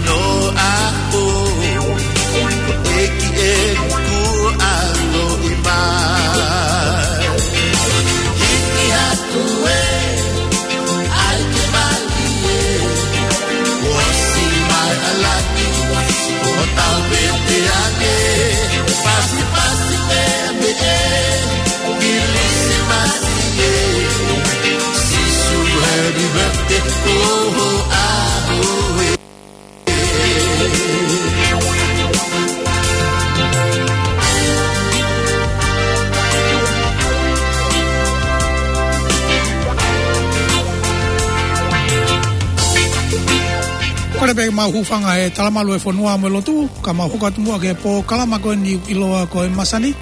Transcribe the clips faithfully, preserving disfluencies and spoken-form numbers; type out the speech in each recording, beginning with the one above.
No a o e ki e ku a lo i ma. Hiki hatu e, ai ke mali e. Osi mai alaki, o tau pete ake. Pasi pasi pe me e, Kilisimasi e. Sisu happy birthday, oh, oh, ah, oh, eh. Kole pē mau hūfanga he talamalu e fonua mo e lotu, ka mau hoko atu muʻa ki he polokalama ko eni ʻiloa ko e Masani.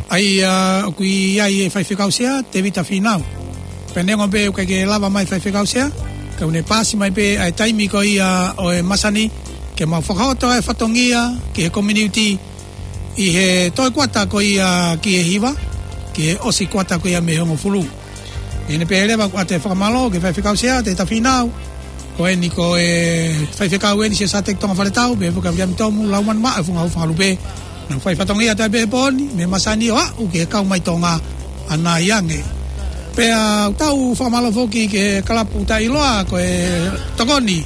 ʻA ia, ʻoku ʻi ai e faifekau sea, Tēvita Fīnau. Pea neongo pē ʻoku ʻikai ke lava mai faifekau sea, ka ʻoku ne paasi mai pē ʻa e taimi ko ia ʻo e Masani, ke mau fakahoto e fatongia ki he community ʻi he toe kuata ko ia ki he hiva, ki he ʻosi kuata ko ia mei he hongofulu. ʻI heʻene pehē leva ʻoku ʻoatu e fakamālō ki he faifekau sea, Tēvita Fīnau, ko eni ko e faifekau eni Siasi Tonga Faletau, pea foki ʻa Viliami Tomu, Laumanu Maʻa, Funga Ufa Lupe. Naʻa nau fai fatongia taʻe pē he pō ni, mei he Masani ʻo aʻu ki he kau mai Tonga ʻanai ange. Pea ʻoku tau fakamālō foki ki he kalapu taʻeʻiloa ko e Tokoni,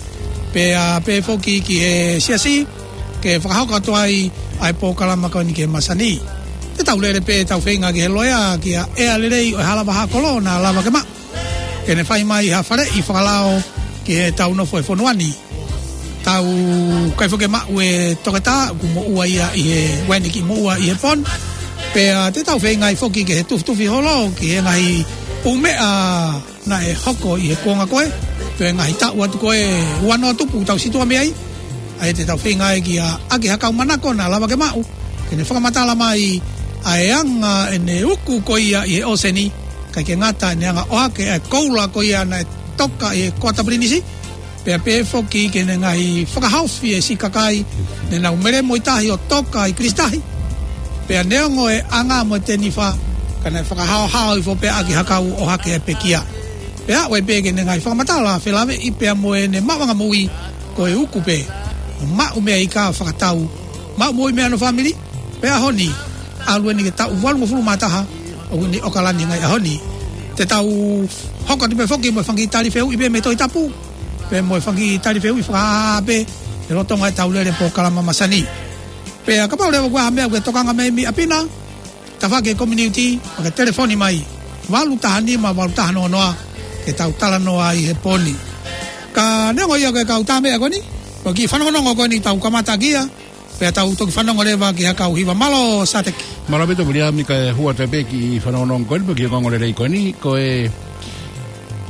pea pehē foki ki he siasi, ke fakahoko atu ai ʻa e polokalama ko eni ki he Masani. Te tau lele pē tau feinga ki he loea, kia ʻEa Lelei ʻo e Hala Vahaʻa Kolo, naʻa lava ke maʻu ke ne fai mai ha faleʻi fakalao ki heʻetau nofo he fonua ni. Tau ʻikai foki ke maʻu e toketā, ʻoku moʻua ia ʻi he, ʻoku ʻi ai e kiʻi moʻua ʻi he pō ni. Pea te tau feinga ai foki ke tufutufu holo ki he ngaahi pumeʻa naʻe hoko ʻi he kuonga ko ē, pe ngaahi taʻu atu ko ē ua noa tupu tau situʻa mei ai. ʻA ia te tau feinga ai kia ʻAki Hakau Manako naʻa lava ke maʻu, ke ne fakamatala mai ʻa e anga ʻene uku ko ia ʻi he ʻōseni, ʻikai ke ngata ʻene anga ʻohake ʻa e koula ko ia naʻe toka ʻi he Kuata Pilinisi, pea pehē foki ki heʻene ngaahi fakahaofi e siʻi kakai ne nau melemo ʻi tahi ʻo toka ʻi Kilisitahi. Pea neongo e anga mo e tenifa, ka naʻe fakahaohaoa hifo pē ʻa ʻAki Hakau ʻohake e pekia. Pea ʻoku ʻi ai pē ʻene ngaahi fakamatala felāveʻi pea mo ʻene maʻuʻanga moʻui, ko e uku pē, maʻu meʻa ika fakatau, maʻu moʻui mei hono fāmili, pea ʻaho ni, ʻalu eni ki he taʻu valungofulu mā taha, ʻoku ʻi ʻOkalani he ngaahi ʻaho ni. Te tau hoko atu pē foki mo e fanga kiʻi tali fehuʻi pē mei he Tohi Tapu, pea mo e fanga kiʻi tali fehuʻi fakaʻaʻa pē, he lolotonga ʻetau lele polokalama Masani. Pea kapau leva ʻoku ʻi ai ha meʻa ʻoku ke tokanga mai mei ʻapi na, tafaʻaki e community, ʻo ke telefoni mai, valu taha nima, valu taha noa noa, ke tau talanoa ai he pō ni. Ka neongo ia ko e kau tā meʻa ko eni, ko e kiʻi fanongonongo ko eni tau kamata kia, pea tau toki fanongo leva ki he kau hiva. Mālō Sateki. Mālō ʻaupito Viliami, kae hū atu pē kiʻi fanongonongo ko eni, pea ki he ongoongolelei ko eni, ko e,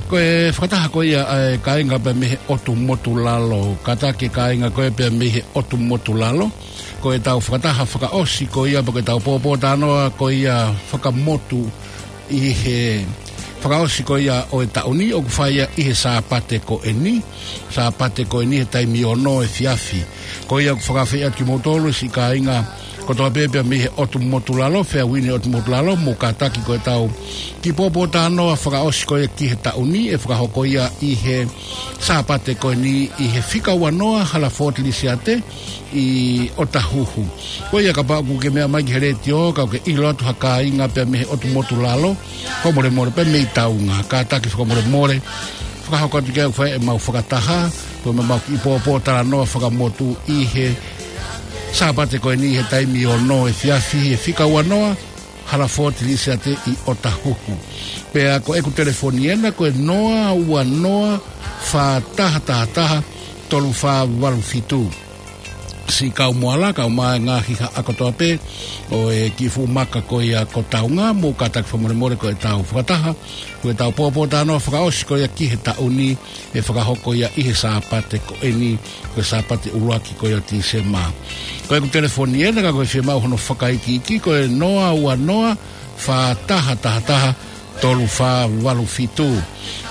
ko e fakataha ko ia ʻa e kāinga pea mei he ʻotu motu lalo, kātaki e kāinga ko ē pea mei he ʻotu motu lalo, ko ʻetau fakataha fakaʻosi ko ia, pe ko ʻetau pōpōtalanoa ko ia fakamotu ʻi he fakaʻosi ko ia ʻo e taʻu ni, ʻoku fai ia ʻi he Sāpate ko eni, Sāpate ko eni he taimi ono efiafi. Ko ia ʻoku fakaafeʻi atu kimoutolu siʻi kāinga kotoa pē pea mei he ʻotu motu lalo, feau ʻi he ʻotu motu lalo, mou kātaki ko ʻetau kiʻi pōpōtalanoa fakaʻosi ko ia ki he taʻu ni, ʻe fakahoko ia ʻi he Sāpate ko eni ʻi he fika ua noa Hala Fōtilisiate, ʻi ʻOtahuhu. Ko ia kapau ʻoku ke meʻa mai ki he letiō, ka ʻoku ke ʻilo atu ha kāinga pea mei he ʻotu motu lalo, fakamolemole pea mei taunga, kātaki fakamolemole, fakahoko atu ke ʻoku fai ʻemau fakataha, ko ʻemau kiʻi pōpōtalanoa fakamotu ʻi he Sāpate ko eni he taimi ono efiafi he fika ua noa, Hala Fōtilisiate ʻi ʻOtahuhu. Pea ko ʻeku telefoni ena ko e noa ua noa fā taha taha taha tolu fā valu fitu. Siʻi kau Moala, kau mai ngaahi haʻa kotoa pē ʻo e kiʻi fuʻu maka ko ia ko taunga, mou kātaki fakamolemole ko ʻetau fakataha, ko ʻetau pōpōtalanoa fakaʻosi ko ia ki he taʻu ni, ʻe fakahoko ia ʻi he Sāpate ko eni, ko e Sāpate ʻuluaki ko ia ʻo Tīsema. Ko ʻeku telefoni ena ka ko e fiemaʻu hono fakaikiiki, ko e noa ua noa fā taha taha taha tolu fā valu fitu.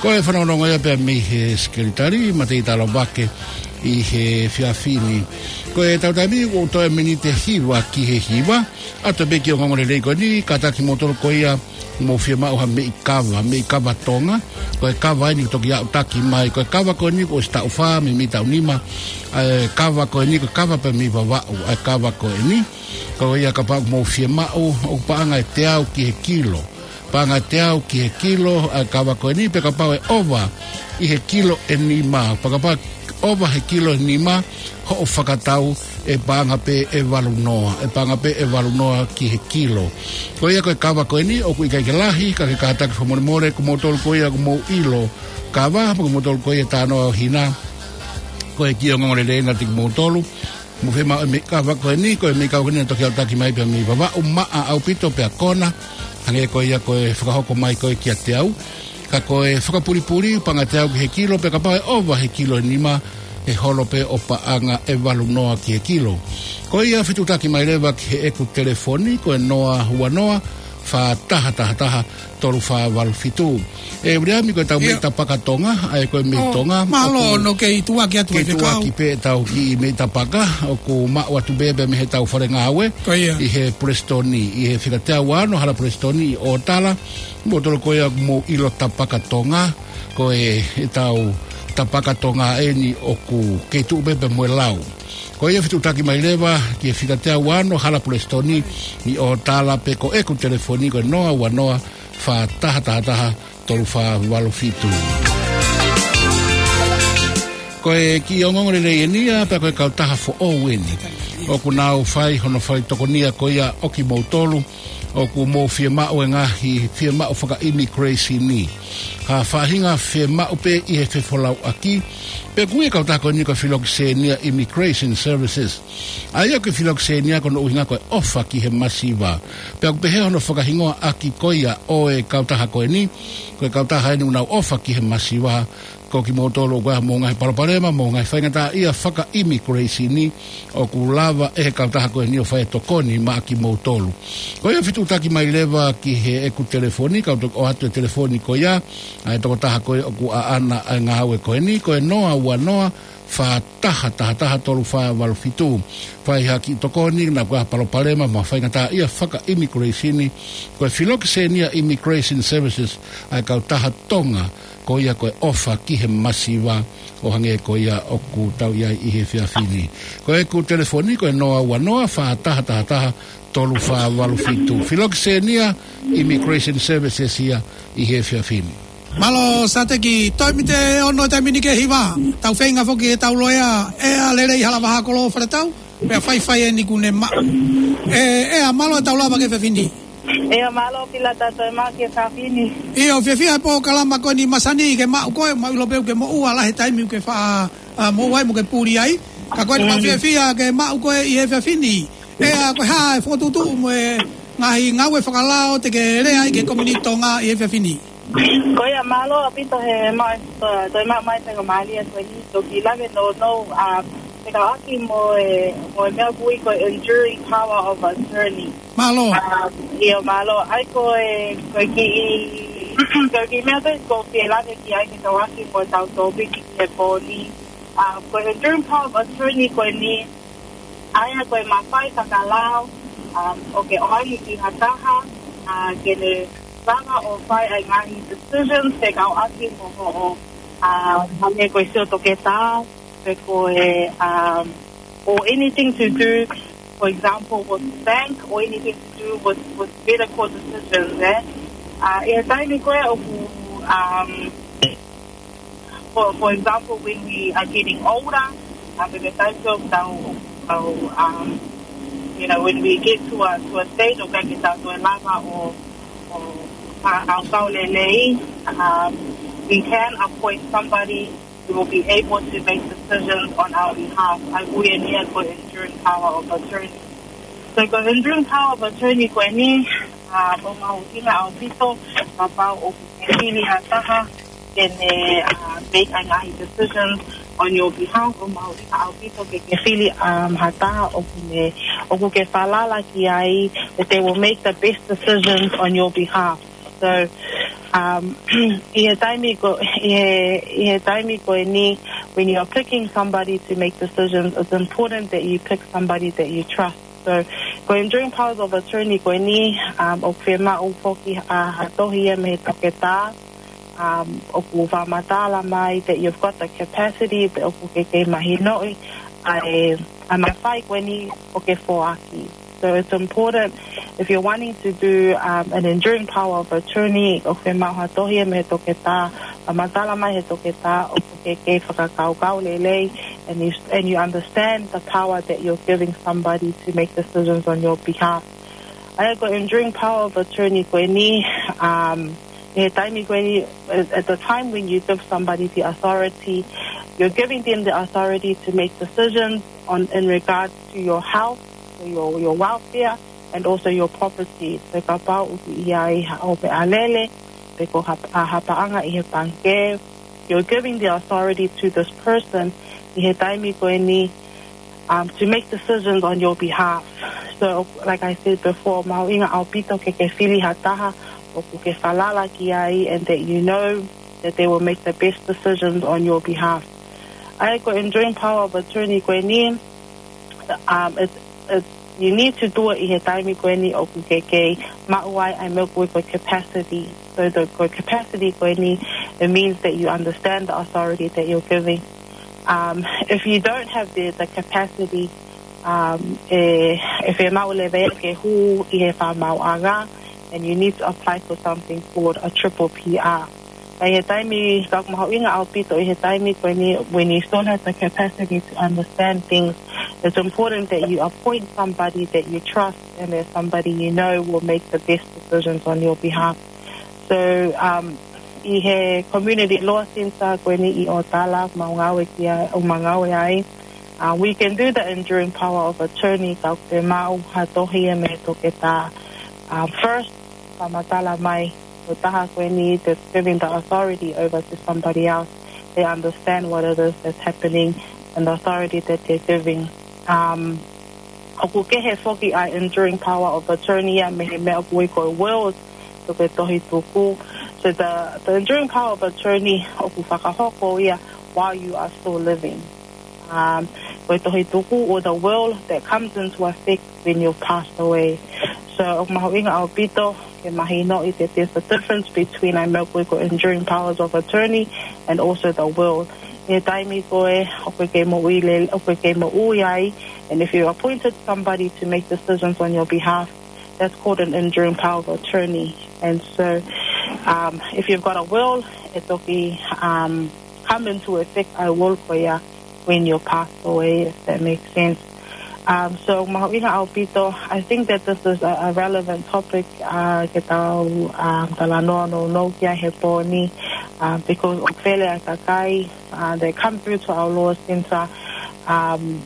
Ko e fanongonongo ia pea mei he sekelitali, Matei Talavake, ʻi he efiafi ni. Ko ʻetau taimi ʻoku toe miniti ʻe hiva ki he hiva, ʻoatu pē kiʻi ongoongolelei ko eni, kātaki kimoutolu ko ia Mou fiemaʻu ha meʻi kava, meʻi kava Tonga, ko e kava eni toki aʻutaki mai, ko e kava ko eni kuo ʻosi taʻu fā mei mei taʻu nima, ʻa e kava ko eni ko e kava pē mei Vavaʻu, ʻa e kava ko eni, ko ia kapau ʻoku mou fiemaʻu, ʻoku paʻanga ʻe teau ki he kilo, paʻanga ʻe teau ki he kilo, ʻa e kava ko eni, pea kapau ʻe ʻova ʻi he kilo ʻe nima, pea kapau ʻe ʻova he kilo ʻe nima, hoʻo fakatau ʻe paʻanga pē ʻe valu noa, ʻe paʻanga pē ʻe valu noa ki he kilo. Ko ia ko e kava ko eni, ʻoku ʻikai ke lahi, ka ke kātaki fakamolemole, ko moutolu ko ia ʻoku mou ʻilo kava, ko moutolu ko ia ʻe talanoa ʻo hina, ko e kiʻi ongoongo lelei ena kiate kimoutolu. Mou fiemaʻu e meʻi kava ko eni, ko e meʻi kava ko eni naʻe toki aʻutaki mai pē mei Vavaʻu, maʻa ʻaupito pea kona, hangē ko ia ko e fakahoko mai ko ē kiate au. Ka ko e fakapulipuli, paʻanga ʻe teau ki he kilo, pea kapau ʻe ʻova he kilo ʻe nima, ʻe holo pē ʻo paʻanga ʻe valu noa ki he kilo. Ko ia fetuʻutaki mai leva ki heʻeku telefoni, ko e noa ua noa, fā taha taha taha, tolu fā valu fitu. ʻE Viliami, ko ʻetau meʻi tapaka Tonga, ʻa ia ko e meʻi Tonga, mālō ʻoku kei tuʻuaki atu, kei tuʻuaki pē ʻetau kiʻi meʻi tapaka, ʻoku maʻu atu pē pē mei heʻetau fale ngāue, ʻi he Pulesitoni, ʻi he fika teau ua ono Hala Pulesitoni ʻi ʻOtala, moutolu ko ia ʻoku mou ʻilo tapaka Tonga, ko e, ʻetau tapaka Tonga eni ʻoku kei tuʻu pē pē mo e lau. Ko ia fetuʻutaki mai leva ki he fika teau ua ono Hala Pulesitoni ʻi ʻOtala, pea ko ʻeku telefoni ko e noa ua noa, fā taha taha taha, tolu fā valu fitu. Ko e kiʻi ongoongo lelei eni ia, pea ko e kautaha foʻou eni ʻoku nau fai hono fai tokonia ko ia ʻo kimoutolu ʻoku mou fiemaʻu e ngaahi fiemaʻu faka-immigration ni. Ha faʻahinga fiemaʻu pē ʻi he fefolauʻaki, pea ko e kautaha ko eni ko e Filokisenia Immigration Services. ʻA ia ko e Filokisenia ko hono ʻuhinga ko e ʻofa ki he masiva. Pea ʻoku pehē hono fakahingoa ʻaki ko ia ʻo e kautaha ko eni, ko e kautaha eni ʻoku nau ʻofa ki he masiva, ko kimoutolu ʻoku ʻi ai hamou ngaahi palopalema, mo e ngaahi faingataʻaʻia faka-immigration ni, ʻoku lava ʻe he kautaha ko eni ʻo fai e tokoni maʻa kimoutolu. Ko ia fetuʻutaki mai leva ki heʻeku telefoni, kau toki ʻoatu e telefoni ko ia, ʻa e tokotaha ko ia ʻoku ʻaʻana ʻa e ngāue ko eni, ko e noa ua noa, fā taha taha taha, tolu fā valu fitu. Fai ha kiʻi tokoni, naʻa ʻoku ʻi ai ha palopalema mo e faingataʻaʻia faka-immigration ni, ko e Filokisenia Immigration Services, ʻa e kautaha Tonga, ko ia ko e ʻofa ki he masiva, ʻo hangē ko ia ʻoku tau ʻi ai ʻi he efiafi ni. Ko ʻeku telefoni ko e noa ua noa, fā taha taha taha, tolu fā valu fitu. Filokisenia Immigration Services ia ʻi he efiafi ni. Mālō Sateki, toe mite ono taimi ni ki he hiva. Tau feinga foki ʻetau loea, ʻEa Lelei Halavaha Kolo Faletau, pea faifai eni kuo ne maʻu. ʻE, ʻEa, mālō ʻetau lava ki he efiafi ni. ʻEa, mālō Pilata, toe maʻu ki he efiafi ni. ʻIo, fiefia he polokalama ko eni masani ke maʻu koe, mau ʻilo pē ʻoku ke moʻua, lahi e taimi ʻoku ke faʻa, ʻa, moʻua ai mo ke puli ai. Ka ko eni mau fiefia ke maʻu koe ʻi he efiafi ni. ʻEa, ko e hā e fokotuʻutuʻu mo e ngaahi ngāue fakalao te ke lea ai ki he komiunitī Tonga ʻi he efiafi ni? Ko ia, mālō ʻaupito he maʻu, toe, toe maʻu mai pē ko e mālie ko eni, toki lave nounou, ʻa, fekauʻaki mo e, mo e meʻa ʻoku ui ko e enduring power of attorney. Mālō. ʻA, ʻio, mālō. ʻA ia ko e, ko e kiʻi, ko e kiʻi meʻa pē ʻoku ou fie lave ki ai fekauʻaki mo ʻetau tōpiki ki he pō ni. ʻA, ko e enduring power of attorney ko eni, ʻa ia ko e mafai fakalao, um, ʻo ke ʻoange ki ha taha, ʻa, ke ne lava ʻo fai ʻa e ngaahi decisions fekauʻaki mo hoʻo, ʻa, hangē ko e sio toketā, pe ko e, um, or anything to do, for example, with bank or anything to do with, with medical decisions, eh? ʻA, ʻi he taimi ko ē ʻoku, um, for, for example, when we are getting older, uh, when we start to go, go, um, you know, when we get to a, to a stage of like, ʻoku tau toe lava ʻo, ʻo, ʻa, ʻo kau lelei, um, we can appoint somebody who will be able to make decisions on our behalf. ʻA ia ko eni ia ko e enduring power of attorney. So ko e enduring power of attorney ko eni, ʻa, ʻoku mahuʻinga ʻaupito, kapau ʻoku ke fili ha taha ke ne, uh, make ʻa e ngaahi decisions on your behalf, ʻoku mahuʻinga ʻaupito ke ke fili, um, ha taha ʻoku ne, ʻoku ke falala ki ai, that they will make the best decisions on your behalf. So, um, ʻi he taimi ko, ʻi he, ʻi he taimi ko eni, when you are picking somebody to make decisions, it's important that you pick somebody that you trust. So, Ko e enduring powers of attorney ko eni, um, ʻoku fiemaʻu foki ha, ha tohi ia mei he toketā, um, ʻoku fakamatala mai that you've got the capacity, pe ʻoku ke kei mahinoʻi ʻa e, ʻa e mafai ko eni ʻoku ke foaki. So it's important if you're wanting to do, um, an enduring power of attorney, ʻoku fiemaʻu ha tohi ia mei he toketā, fakamatala mai he toketā ʻoku ke kei fakakaukau lelei, and you, and you understand the power that you're giving somebody to make decisions on your behalf. ʻA ia ko e enduring power of attorney ko eni, um, ʻi he taimi ko eni, at, at the time when you give somebody the authority, you're giving them the authority to make decisions on, in regards to your health, or your, your welfare, and also your property. So kapau ʻoku ʻi ai ha ʻope alele, pe ko ha, ha paʻanga ʻi he pangikē, you're giving the authority to this person ʻi he taimi ko eni, um, to make decisions on your behalf. So, like I said before, mahuʻinga ʻaupito ke ke fili ha taha ʻoku ke falala ki ai, and that you know that they will make the best decisions on your behalf. ʻA ia ko e enduring power of attorney ko eni, um, it, it, you need to do it ʻi he taimi ko eni ʻoku ke kei maʻu ai ʻa e meʻa ko e capacity. So the, ko e capacity ko eni, it means that you understand the authority that you're giving. Um, if you don't have the, the capacity, um, e, e fiemaʻu leva ia ke hū ʻi he fakamaauʻanga, and you need to apply for something called a triple P R. ʻI he taimi, ka ʻoku mahuʻinga ʻaupito ʻi he taimi ko eni, when you still have the capacity to understand things, it's important that you appoint somebody that you trust and that somebody you know will make the best decisions on your behalf. So, um, ʻi he community law centre ko eni ʻi ʻOtala, ʻoku mau ngāue ki ai, ʻoku mau ngāue ai, uh, we can do the enduring power of attorney ka ʻoku fiemaʻu ha tohi ia mei he toketā. Um, first, fakamatala mai, ko e taha ko eni that's giving the authority over to somebody else, they understand what it is that's happening and the authority that they're giving. Um, ʻoku kehe foki ʻa e enduring power of attorney ia mei he meʻa ʻoku ui ko e will, pe ko e tohi tuku. So the, the enduring power of attorney ʻoku fakahoko ia while you are still living. Um, ko e tohi tuku, or the will that comes into effect when you've passed away. So, ʻoku mahuʻinga ʻaupito ke mahinoʻi that there's a difference between ʻa e meʻa ko e enduring powers of attorney and also the will. ʻI he taimi ko ē ʻoku ke moʻui le-, ʻoku ke moʻui ai, and if you appointed somebody to make decisions on your behalf, that's called an enduring power of attorney. And so, um, if you've got a will, ʻe toki, um, come into effect ʻa e will ko ia when you pass away, if that makes sense. Um, so, mahuʻinga ʻaupito, I think that this is a, a relevant topic, uh, ke tau, um, talanoa nounou ki ai he pō ni, uh, because ʻoku fele ʻa e kakai, uh, they come through to our law centre, um,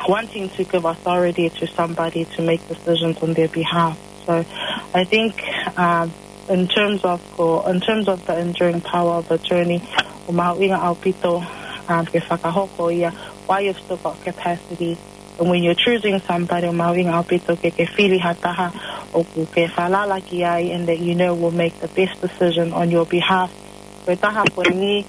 wanting to give authority to somebody to make decisions on their behalf. So I think, um, in terms of, ko, in terms of the enduring power of attorney, ʻoku mahuʻinga ʻaupito, um, ke fakahoko ia, while you've still got capacity. And when you're choosing somebody, ʻoku mahuʻinga ʻaupito ke ke fili ha taha ʻoku ke falala ki ai and that you know will make the best decision on your behalf. Ko e taha ko eni,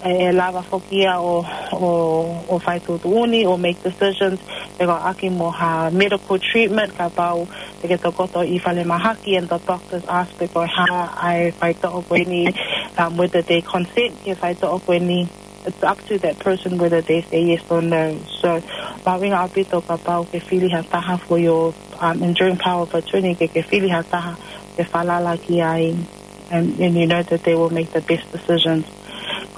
ʻe lava foki ia ʻo, ʻo, ʻo fai tuʻutuʻuni, ʻo make decisions, pe ko e ʻaki mo ha medical treatment, kapau te ke tokoto ʻi falemahaki and the doctors ask pe ko e hā ʻa e faitoʻo ko eni, um, whether they consent ki he faitoʻo ko eni, it's up to that person whether they say yes or no. So, mahuʻinga ʻaupito kapau ke fili ha taha for your, um, enduring power of attorney, ke ke fili ha taha ke falala ki ai, and, and you know that they will make the best decisions.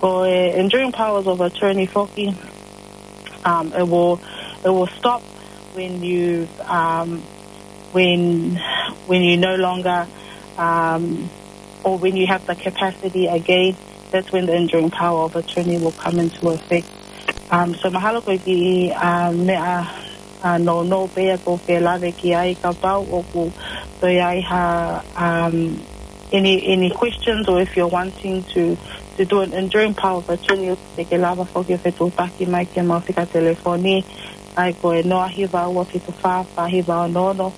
Ko e enduring powers of attorney foki, um, it will, it will stop when you, um, when, when you no longer, um, or when you have the capacity again, that's when the enduring power of attorney will come into effect. Um, so mahalo ko e kiʻi, um, meʻa, uh, nounou pē ia ʻoku ou fie lave ki ai, kapau ʻoku toe ʻi ai ha, um, any, any questions, or if you're wanting to, to do an enduring power of attorney, te ke lava foki ʻo fetuʻutaki mai ki heʻemau fika telefoni, ʻa ia ko e noa hiva ua fitu fā fā hiva ono ono.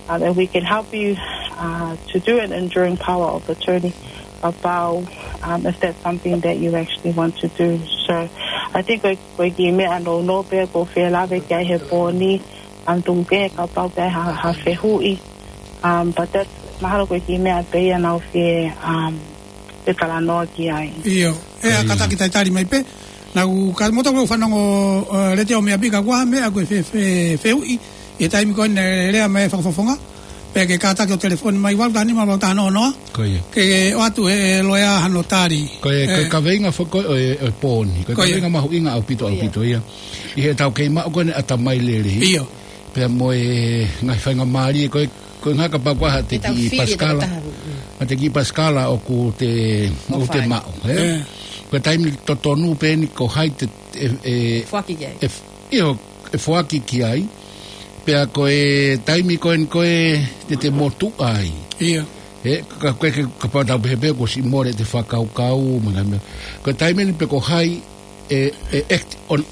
Um, and we can help you, uh, to do an enduring power of attorney about, um, if that's something that you actually want to do. So I think ko e, ko e kiʻi meʻa nounou pē ia ʻoku ou fie lave ki ai he pō ni, um, tuku kehe kapau pē ha, ha fehuʻi. Um, but that's, mahalo ko e kiʻi meʻa pē ia naʻa ku fie, um, fie talanoa ki ai. ʻIo, ʻe, ʻa, kātaki talitali mai pē. Naʻa ku, ka moto ko e fanongo, uh, Letiō Meʻapiʻi ka ʻoku ʻi ai ha meʻa ko e fe, fe, fehuʻi. ʻI he taimi ko ē naʻe lea mai e fakafofonga. Pea ke kātaki ʻo telefoni mai, valu taha nima, valu taha noa noa. Ko ia. Ke ʻoatu ʻe he loea hano tali. Ko e, ko e kaveinga foki ʻo e, ʻo e pooni. Ko e kaveinga mahuʻinga ʻaupito, ʻaupito ia. ʻI heʻetau kei maʻu ko eni ʻatamai lelei. ʻIo. Pea mo e ngaahi faingamālie ko e, ko e ngaahi kapau ko ha te kiʻi pasikala. Ha te kiʻi pasikala ʻoku te, ʻoku te maʻu, ē? Ko e taimi totonu pē eni ko hai te, e, e, ʻIo, ʻe foaki ki ai. Pea ko e taimi ko eni ko e te te motuʻa ai. ʻIo. Ē, ka, ka, ka, kapau tau pehē pē kuo ʻosi mole ʻete fakakaukau, mo e ngaahi meʻa. Ko e taimi eni pē ko hai ʻe, ʻe act on,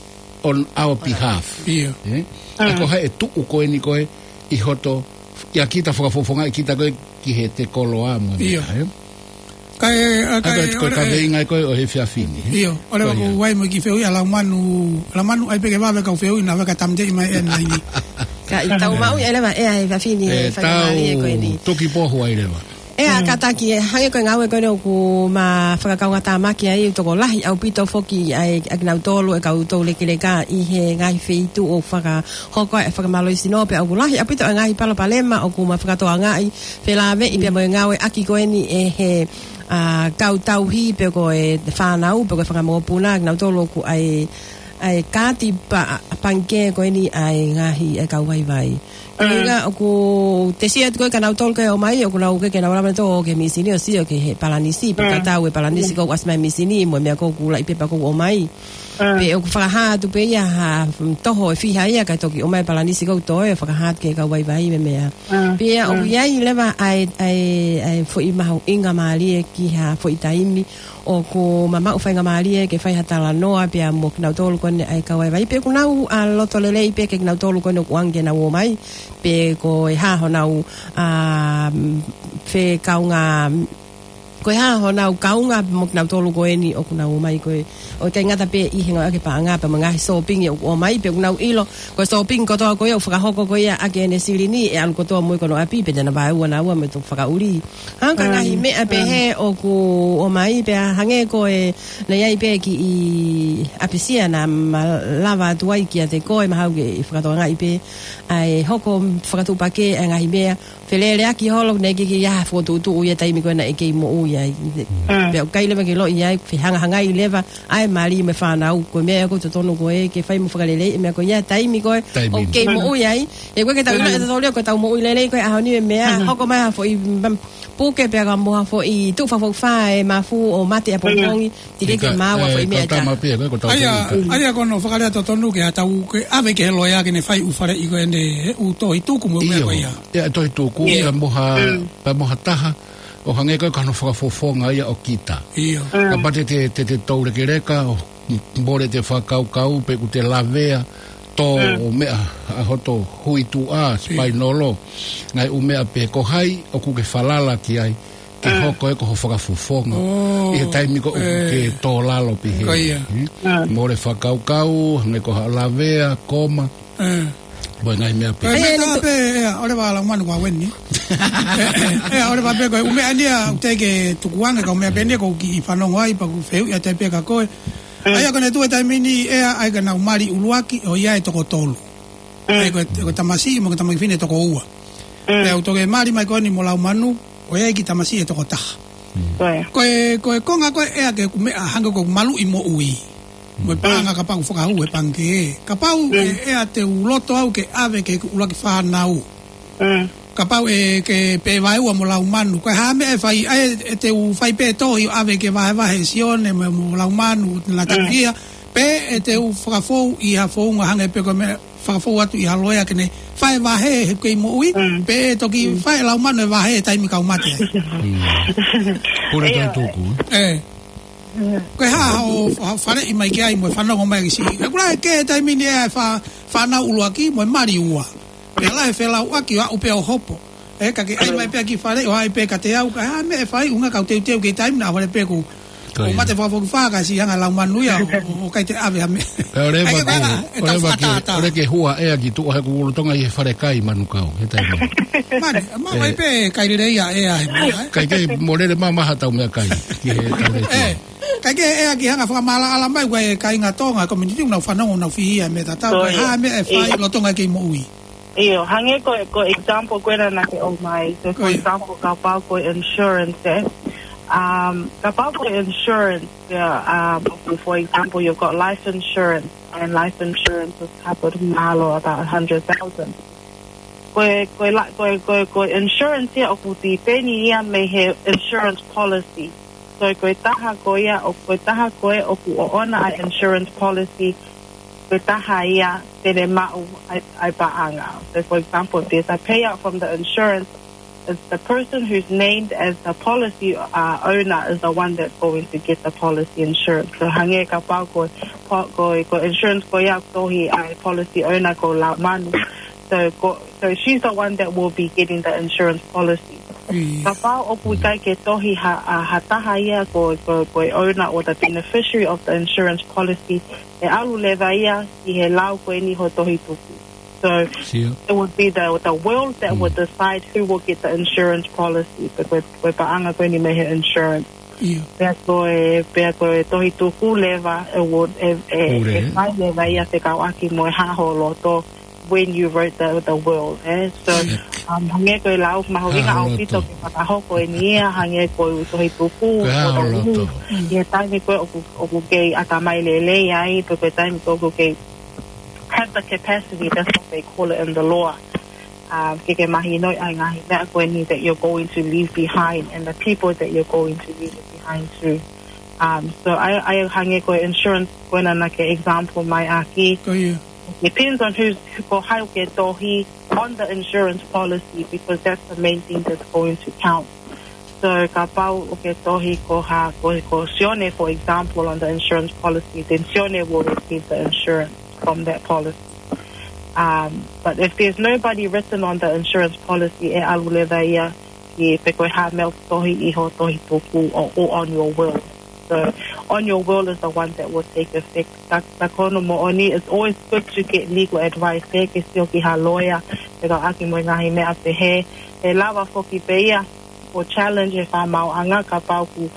on our behalf. ʻIo. Ē? ʻA ko hai ʻe tuʻu ko eni ko e ʻi hoto, ʻia kita fakafofongaʻi kita ko e ki heʻete koloa mo e meʻa, ē? Kae, ʻa, kae, ko e kaveinga ko e ʻo e efiafi ni, ē? ʻIo, ʻoua leva kuo ʻi ai mo e kiʻi fehuʻi ʻa Laumanu, Laumanu ʻai pē ke vave kau fehuʻi naʻa vaka tamte i mai ʻe nai ni. Ka ʻi tau maʻu ia leva ʻe ʻa e efiafi ni, ʻe, faingamālie ko eni. Tuki pohu ai leva. ʻE, ʻa, kātaki, ʻe, hangē ko e ngāue ko eni ʻoku ma fakakaungātāmaki ai, tokolahi ʻaupito foki ʻa e, ʻa kinautolu e kau toulekeleka ʻi he ngaahi feituʻu ʻoku fakahoko e fakamālohisino pea ʻoku lahi ʻaupito e ngaahi palopalema ʻoku ma fakatokangaʻi felāveʻi pea mo e ngāueʻaki ko eni ʻe he, ʻa, kau tauhi pe ko e fānau, pe ko e fanga mokopuna, kinautolu ʻoku ʻi ai, ʻi ai e kaati pa-, pangikē ko eni ʻa e ngaahi ʻa e kau vaivai. Ko e ʻuhinga ʻoku te sio atu ko e kinautolu ko e ō mai, ʻoku nau ʻikai ke nau lava nautolu ʻo ō ki he misini ʻo sio ki he palanisi, pe ka tau e palanisi ʻoku ʻasi mai he misini, mo e meʻa ʻoku lahi pē pea ʻoku ō mai. Pe ʻoku fakahā atu pē ia ha, mm, toho ʻe fiha ia kae toki ʻomai e palanisi ʻoku toe ʻo fakahā atu ki he kau vaivai mo e meʻa. Pea ʻoku ʻi ai leva ʻa e, ʻa e, ʻa e foʻi mahuʻinga mālie ki ha foʻi taimi ʻoku ma maʻu faingamālie ke fai ha talanoa pea mo kinautolu ko eni ʻa e kau vaivai. Pe ʻoku nau, ʻa, loto lelei pē ke kinautolu ko eni ʻoku ʻoange ke nau ō mai. Pe ko e hā honau, ʻa, mm, fekaungā, ko e hā honau kaunga mo kinautolu ko eni ʻoku nau ō mai ko e, ʻoku ʻikai ngata pē ʻi he ngāueʻaki e paʻanga pea mo e ngaahi sōpingi ʻoku ō mai, pe ʻoku nau ʻilo, ko e sōpingi kotoa ko ia ʻoku fakahoko ko ia ʻaki ʻene silini, ʻe ʻalu kotoa mo ia ki hono ʻapi, pe te na vaeua naua mo e toki fakaʻuli. Hangē ko e ngaahi meʻa pehē ʻoku ō mai, pea hangē ko e, naʻe ʻi ai pē kiʻi ʻapisia naʻa ma lava atu ai kiate koe, mahalo ke ʻi fakatokangaʻi pē, ʻa e hoko fakatuʻupakē ʻa e ngaahi meʻa, feleleʻaki holo, naʻe ʻikai ke ʻi ai ha fokotuʻutuʻu ia taimi ko ē naʻe kei moʻui ai. Pea ʻoku ʻikai leva ke ʻilo ia, fehangahangai leva ʻa e mali mo e fānau, ko e meʻa ia ʻoku totonu ko ē ke fai mo fakaleleiʻi e meʻa ko ia taimi ko ē ʻoku kei moʻui ai. ʻE ko e ke tau ʻilo ʻe tautolu ia ko e tau moʻui lelei ko e ʻaho ni e meʻa, hoko mai ha foʻi, mm, puke pea ka mo ha foʻi tuʻu fakafoʻi fā e mafu ʻo mate ʻapongipongi, teʻeki ke maʻu ha foʻi meʻa. ʻA ia, ʻa ia ko hono fakalea totonu ke ʻatā ke ʻave ki he loea ke ne fai ʻū faleʻi ko eni, ʻū tohi tuku mo e meʻa ko ia. ʻIo, tohi tuku, pea mo ha, pea mo ha taha ʻo hangē ko e ka hono fakafofonga ia ʻo kita. ʻIo. Kapau te te, te, te toulekeleka, ʻo mole ʻete fakakaukau, pe ʻoku te lavea, tō ʻo meʻa, ʻa hoto huituʻa, spainolo, ngaahi ʻū meʻa pē ko hai ʻoku ke falala ki ai, ke hoko ē ko ho fakafofonga. ʻI he taimi ko ē ʻoku ke tō lalo pē hē. Ko ia. Mole fakakaukau, hangē ko ha lavea, koma. Mo e ngaahi meʻa pē. Ko e meʻa pē, ʻe, ʻoua leva Laumanu ko eni. ʻE, ʻoua leva pē ko e ʻū meʻa ni ia, ʻoku teʻeki ke tukuange ka ʻū meʻa pē ni ia ʻoku ou kiʻi fanongo ai, pea ʻoku ou fehuʻi atu pē kia koe. ʻA ia ko ʻene tuʻu e taimi ni ʻe, ʻa ia ka nau mali ʻuluaki, ʻo ʻi ai e toko tolu. ʻA ia ko e, ko e tamasiʻi mo e kiʻi tamai fefine toko ua. Pea ʻoku toki mali mai ko eni mo Laumanu, ʻo ʻi ai e kiʻi tamasiʻi ʻe toko taha. Ko e, ko e konga ko ē ʻa e kiʻi meʻa hangē ko e maluʻi moʻui. Mo e paʻanga kapau ʻoku fakahū he pangikē. Kapau ʻe, ʻe ʻa te u loto au ke ʻave ki he ʻuluaki fānau. Kapau ʻe ke pē vaeua mo Laumanu. Ko e hā meʻa ʻe fai, ʻa ē, ʻe te u fai pē tohi ʻo ʻave ke vahevahe ʻe Sione mo, mo Laumanu, na takia. Pe ʻe te u fakafou ʻi ha founga hangē pē ko e meʻa fakafou atu ʻi ha loea ke ne fai e vahe he kei moʻui, pe ʻe toki fai ʻe Laumanu e vahe he taimi kau mate ai. Pule tohi tuku. ʻE. Ko e hā hoʻo, hoʻo faleʻi mai ki ai mo e fanongo mai ki siʻi. ʻE kula ke he taimi ni ʻe fā, fānau ʻuluaki mo e mali ua. Pea lahi e felauʻaki ʻo aʻu pē ʻo hopo. ʻE, ka ke ʻai mai pē ʻa e kiʻi faleʻi ʻo ʻai pē kiate au, ka hā meʻa ʻe fai, ʻuhinga ka u teuteu ki he taimi naʻa fale pē ʻoku Ko ia. ʻO mate fakafokifā ka siʻi hanga ʻe he lau manu ia, ʻo, ʻo, ʻo ʻikai te ʻave ha meʻa. Pea ʻoleva ʻIkai ke, ko e ʻa, ʻe tau ʻoleva ke, fakatātā. ʻOleva ke hua ʻea ki tuʻa he kuo lolotonga ʻi he fale kai manu kau, he taimi. Mani, ma, ʻE. ʻIkai pē kai lelei ʻa ʻea he meʻa, ē? ʻIkai ke mo lele mamaha ʻetau meʻakai, ki he tau le ʻE, ʻikai ke ʻea ki hanga fakamaʻalaʻala mai, ʻoku ʻi ai e kāinga Tonga, community, ʻoku nau fanongo, ʻoku nau fihi ʻa e meʻa tatau, Ko ko e ia. hā e meʻa ʻe fai, ʻIo. lolotonga kei moʻui. ʻIo, hangē ko, ko e example ko ena naʻa ke ʻomai. So, for Ko ia. example, kapau ko e insurance, ē? Um, kapau ko e insurance, yeah, um, for example, you've got life insurance, and life insurance is covered mahalo about a hundred thousand. Ko e, ko e la-, ko e, ko e, ko e insurance ia ʻoku tipeni ia mei he insurance policy. So, ko e taha ko ia, ʻo, ko e taha ko ē ʻoku ʻoʻona ʻa e insurance policy, ko e taha ia te ne maʻu ʻa e, ʻa e paʻanga. So, for example, if there's a payout from the insurance, it's the person who's named as the policy, uh, owner is the one that's going to get the policy insurance. So, hangē kapau ko, ko, ko, ko e insurance ko ia ʻoku tohi ʻa e policy owner ko Laumanu. So, ko, so she's the one that will be getting the insurance policy. ʻIo. Kapau ʻoku ʻikai ke tohi ha, ʻa, ha taha ia ko, ko, ko e owner or the beneficiary of the insurance policy, ʻe ʻalu leva ia ki he lau ko eni hoʻo tohi tuku. So, Sio. it would be the, the will that would Mm. decide who will get the insurance policy, pe ko e, ko e paʻanga ko eni mei he insurance. ʻIo. Pea ko e, pea ko e tohi tuku leva, ʻe wo-, ʻe, ʻe, Pule, ʻe ē? fai leva ia fekauʻaki mo e hā ho loto when you wrote the, the will, ē? So, Sio. um, hangē ko e lau mahuʻinga Hā ho ʻaupito loto. ke fakahoko eni ia, hangē ko e tohi tuku, Ko e hā ho loto. ʻI he taimi ko ē ʻoku, ʻoku kei ʻatamai lelei ai, pe ko e taimi ko ē ʻoku kei have the capacity, that's what they call it in the law. Um, ke ke mahinoʻi ʻa e ngaahi meʻa ko eni that you're going to leave behind and the people that you're going to leave it behind too. Um, so ʻa e, ʻa e hangē ko e insurance ko ena naʻa ke example mai ʻaki. Ko ia. Depends on who's, ko hai ʻoku ke tohi on the insurance policy, because that's the main thing that's going to count. So kapau ʻoku ke tohi ko ha, ko, ko Sione, for example, on the insurance policy, then Sione will receive the insurance from that policy. Um, but if there's nobody written on the insurance policy, ʻe ʻalu leva ia ki pe ko e hā e meʻa ʻoku tohi ʻi hoʻo tohi tuku or, or on your will. So on your will is the one that will take effect. Ka, ka ko hono moʻoni, it's always good to get legal advice, ē, ke sio ki ha lawyer, fekauʻaki mo e ngaahi meʻa pehē. ʻE lava foki pē ia ʻo challenge e fakamaauʻanga kapau ʻoku,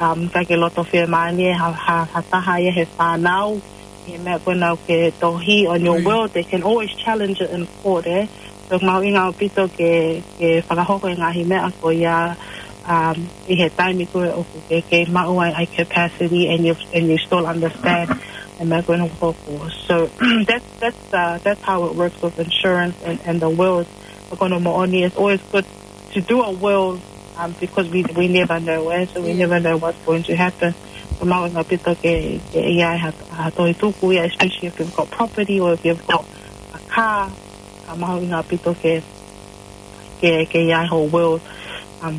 um, ʻikai ke loto fiemālie ha, ha, ha taha ia he fānau, he meʻa ko ena ʻoku ke tohi on your Right. will, they can always challenge it in court, ē. So mahuʻinga ʻaupito ke, ke fakahoko e ngaahi meʻa ko ia, um, ʻi he taimi ko ē ʻoku ke, ke maʻu ai ʻa e capacity and you, and you still understand e meʻa ko ena ʻoku hoko. So that's, that's, uh, that's how it works with insurance and, and the wills. Ka ko hono moʻoni, it's always good to do a will, um, because we, we never know, eh? So we Yeah. never know what's going to happen. So mahuʻinga ʻaupito ke, ke ʻi ai ha, ha tohi tuku ia, especially if you've got property or if you've got a car, uh, mahuʻinga ʻaupito ke, ke, ke ʻi ai ho will. Um,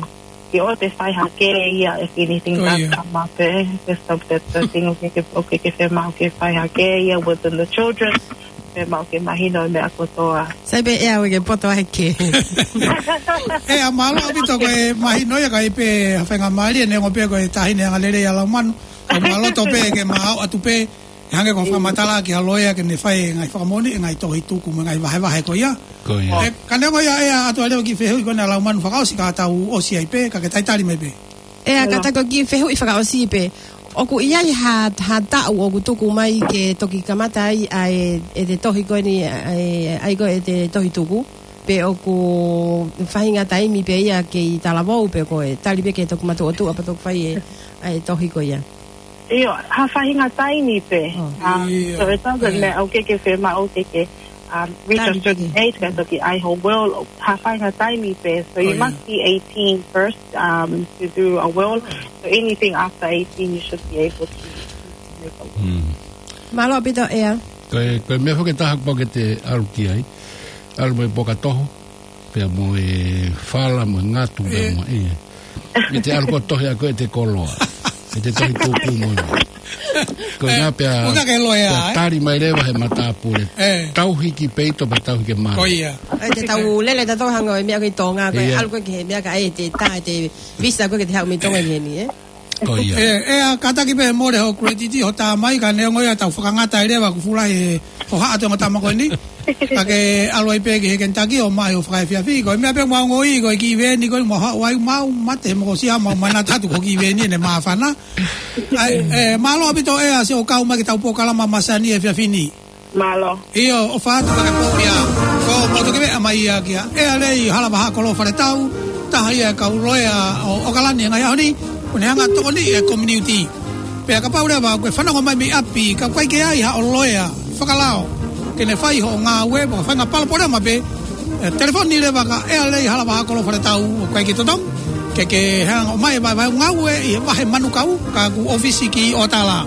ke ʻoua te fai hake ia if anything Oh, does yeah. come up, eh? That's the, that's the thing, ʻoku ke, ʻoku ke fiemaʻu ke fai hake ia within the children. Fiemaʻu ke mahino e meʻa kotoa. Sai pē ʻEa, ʻoku ke poto ai ke. ʻEa, mālō ʻaupito ko e mahino ia, ʻikai pē ha faingamālie, neongo pē ko e taʻahine angalelei ʻa Laumanu. Ka mālō tō pē ke mau ʻatu pē, hangē ko e fakamatala ki ha lawyer ke ne fai e ngaahi fakamoʻoni, e ngaahi tohi tuku mo e ngaahi vahevahe ko ia. Ko ia. ʻE, ka neongo ia ʻEa, ʻatu ā leva ki he fehuʻi ko ena ʻa Laumanu fakaʻosi ka tau ʻosi ai pē, ka ke talitali mai pē. ʻEa, ka Hello. ta ko e kiʻi fehuʻi fakaʻosi pē. ʻOku ʻi ai ha, ha taʻu ʻoku tuku mai ke toki kamata ai ʻa e, ʻete tohi ko eni, ʻa e, ʻa e ko ʻete tohi tuku. Pe ʻoku faʻahinga taimi pē ia kei talavou pe ko e tali pē ke toki matuʻotuʻa pea toki fai e, ʻa e tohi ko ia. ʻIo, ha faʻahinga taimi pē. Oh. Um, ʻIo. so it doesn't ʻIo. matter, ʻoku ke fiemaʻu ke ke, um, reach a Taimi certain pē. age, ka toki ʻai ho will, ha faʻahinga taimi pē. So you Oh, must yeah. be eighteen first, um, to do a will. So anything after eighteen, you should be able to, to make a will. Mm. Mālō ʻaupito ʻEa. Ko e, ko e meʻa foki ʻe taha kuo pau ke te ʻalu ki ai. ʻAlu mo e poka toho, pea mo e fala, mo e ngatu, pea Eh. mo e. ʻE te ʻalu ko e tohi ʻa ko ʻete koloa. ʻE te tohi tuku mo e. Ko e Eh, ngā pea, ʻoku ke loea, pea eh? tali mai leva he matāpule. Eh. Tauhi ki peito pea tauhi ki mano. Ko ia. ʻE te tau lele tautolu hangē ko e meʻa ko ē ʻi Tonga, ko e Ia. ʻalu ko ē ki he meʻa ka ʻe te tā, ʻete visa ko ē ke te haʻu mei Tonga ki heni, eh? Ko ia. ʻE, ʻe, ʻa, kātaki pē mole hoʻo credit, hoʻo tā mai, ka neongo ia tau fakangata ai leva ʻoku fuʻu lahi e hohaʻa ʻo e ongo tama ko eni. Ka ke ʻalu ai pē ki he Kentucky ʻo maʻu hoʻo fakaefiafi. Ko e meʻa pē ʻoku mau ongoʻi, ko e kiʻi veeni ko eni ʻoku mau haʻu ai, mau mate he mokosia, mau manatu atu ko e kiʻi veeni ʻene māfana. ʻAi, ʻe, mālō ʻaupito ʻEa siʻo kau mai ki heʻetau polokalama masani he efiafi ni. Mālō. ʻIo, ʻofa atu ka ke pō ia. Ko, ko toki meʻa mai ia kia ʻEa Lei Halavaha Kolo Faletau, taha ia e kau loea ʻo, ʻo ʻOkalani he ngaahi ʻaho ni, ʻoku ne hanga ʻo tokoniʻi e community. Pea kapau leva ʻoku ke fanongo mai mei ʻapi, ka ʻoku ʻikai ke ʻi ai haʻo loea fakalao ke ne fai hoʻo ngāue, pe ko e faʻahinga palopalema pē, ʻe, telefoni leva kia ʻEa Lei Halavaha Kolo Faletau, ʻoku ʻikai ke totongi ke ke hanga ʻo ʻomai e vahevahe ngāue ʻi he vahe Manukau, ka ʻoku ʻōfisi ki ʻOtala.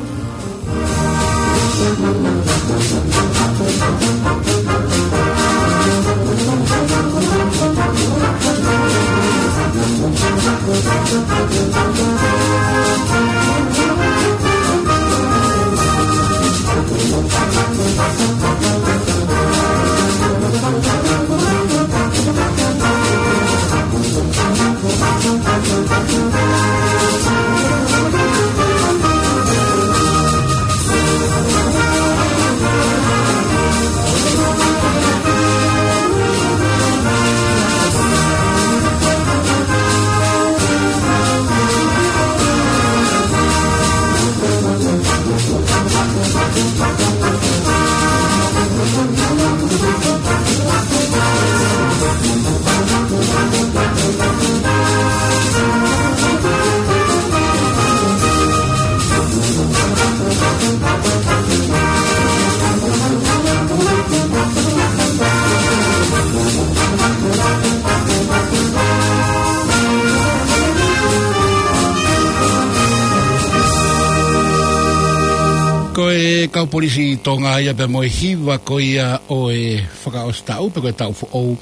Ko e kau polisi Tonga ia pea mo e hiva ko ia ʻo e fakaʻosi taʻu, pe ko e taʻu foʻou.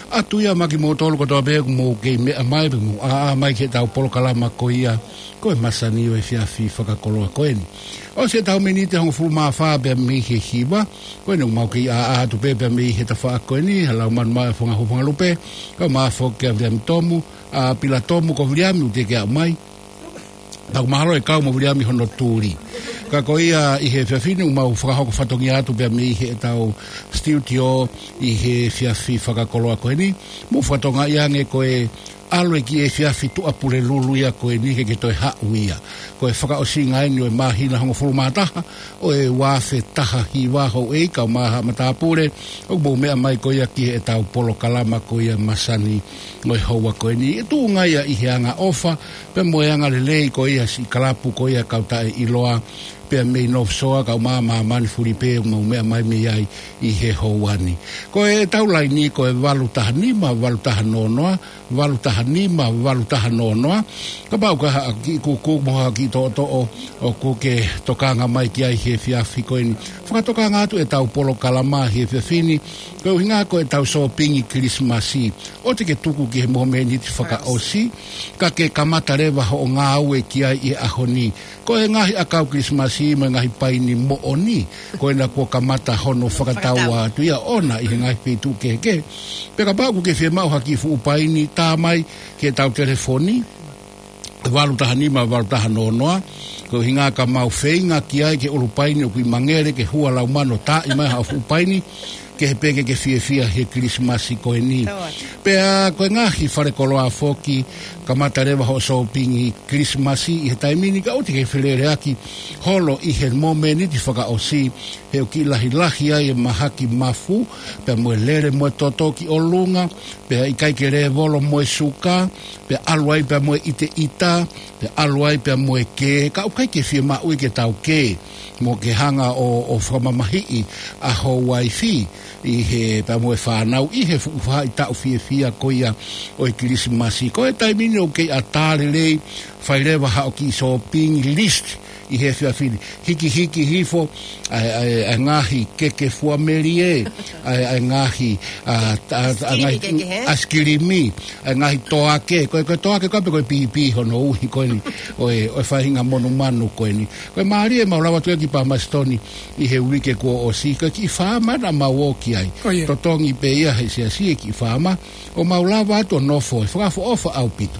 ʻAtu ia maʻa kimoutolu kotoa pē ʻoku mou kei meʻa mai, pe mou ʻā mai ki heʻetau polokalama ko ia, ko e masani ʻo e efiafi fakakoloa ko eni. ʻOsi ʻetau miniti hongofulu mā fā pea mei he hiva, ko eni ʻoku mau kei ʻā atu pē pea mei he tafaʻaki ko eni, ha lau manu mai ʻa Fonga Hufonga Lupe, kau mai foki ʻa Viliami Tomu, ʻa Pila Tomu, ko Viliami ʻoku teʻeki aʻu mai. Pea ʻoku mahalo ʻe kau mo Viliami hono tuli. Ka ko ia ʻi he efiafi ni ʻoku mau fakahoko fatongia atu pea mei heʻetau studio ʻi he efiafi fakakoloa ko eni. Mou fakatokangaʻi ange ko e ʻalu e kiʻi efiafi Tuʻapulelulu ia ko eni ke ke toe haʻu ia. Ko e fakaʻosinga eni ʻo e māhina hongofulu mā taha ʻo e ua afe taha hiva, houʻeiki kau mai haʻa matāpule, ʻoku mou meʻa mai ko ia ki heʻetau polokalama ko ia masani ʻo e houa ko eni. ʻE tuʻunga ia ʻi he angaʻofa, pea mo e angalelei ko ia siʻi kalapu ko ia kau taʻeʻiloa, pea mei North Shore kau mai ʻa Māmani Fulipe ʻoku mau meʻa mai mei ai ʻi he houa ni. Ko ʻetau laini ko e valu taha nima, valu taha noa noa, valu taha nima, valu taha noa noa. Kapau ʻoku ʻi ai haʻo kiʻi kūkū mo haʻo kiʻi toʻotoʻo ʻoku ke tokanga mai ki ai he efiafi ko eni, fakatokanga atu ʻetau polokalama he efiafi ni, ko e ʻuhinga ko ʻetau sōpingi Kilisimasi. ʻOua te ke tuku ki he momeniti fakaʻosi, ka ke kamata leva hoʻo ngāue ki ai ʻi he ʻaho ni. Ko e ngaahi ʻakau Kilisimasi mo e ngaahi paini moʻoni, ko ena kuo kamata hono fakatau atu ia ʻoʻona ʻi he ngaahi feituʻu kehekehe. Pea kapau ʻoku ke fiemaʻu ha kiʻi fuʻu paini, tā mai ki heʻetau telefoni, valu taha nima, valu taha noa noa. Ko e ʻuhinga ka mau feinga ki ai ki he ʻulupaini ʻoku ʻi Mangere, ke hua lau manu ʻo taaʻi mai haʻo fuʻu paini, kehe pē ke ke fiefia he Kilisimasi ko eni. Pea ko e ngaahi falekoloa foki, kamata leva hoʻo sōpingi Kilisimasi ʻi he taimi ni, ka ʻoua te ke feleleʻaki holo ʻi he momeniti fakaʻosi, he ʻoku kiʻi lahilahi ai e mahaki mafu, pea mo e lele mo e toto ki ʻolunga, pea ʻikai ke lēvolo mo e suka, pea ʻalu ai pea mo e ʻiteʻita, pea ʻalu ai pea mo e kē, ka ʻoku ʻikai ke fiemaʻu ia ke tau kē, mo ke hanga ʻo, ʻo fakamamahiʻi ʻa ho uaifi, ʻi he pea mo e fānau, ʻi he fuʻu faʻahitaʻu fiefia ko ia ʻo e Kilisimasi. Ko e taimi ni ʻoku kei ʻatā lelei, fai leva haʻo kiʻi shopping list, ʻi he efiafi ni. Hikihiki hifo ʻa e, ʻa e, ʻa e ngaahi keke fua melie, ʻa e, ʻa e ngaahi, ʻa, ʻa, ʻa, ʻa e ngaahi ʻaisikilimi kehekehe. ʻAisikilimi, ʻa e ngaahi toake, ko e, ko e toake ko ē pē ko e pīpī hono uhi ko eni, ʻo e, ʻo e faʻahinga monumanu ko eni. Ko e mālie ʻemau lava atu ia ki Palmerston ʻi he uike kuo ʻosi, ko e kiʻi faama naʻa mau ō ki ai. Ko ia. Totongi pē ia he siasi e kiʻi faama, ʻo mau lava atu ʻo nofo, ʻe fakaʻofoʻofa ʻaupito.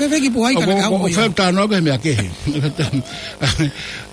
fēfē ki Puhai ka ʻoku, naʻe ʻoku, ʻoku ʻi ai. Fēfē tano ke mea kehe.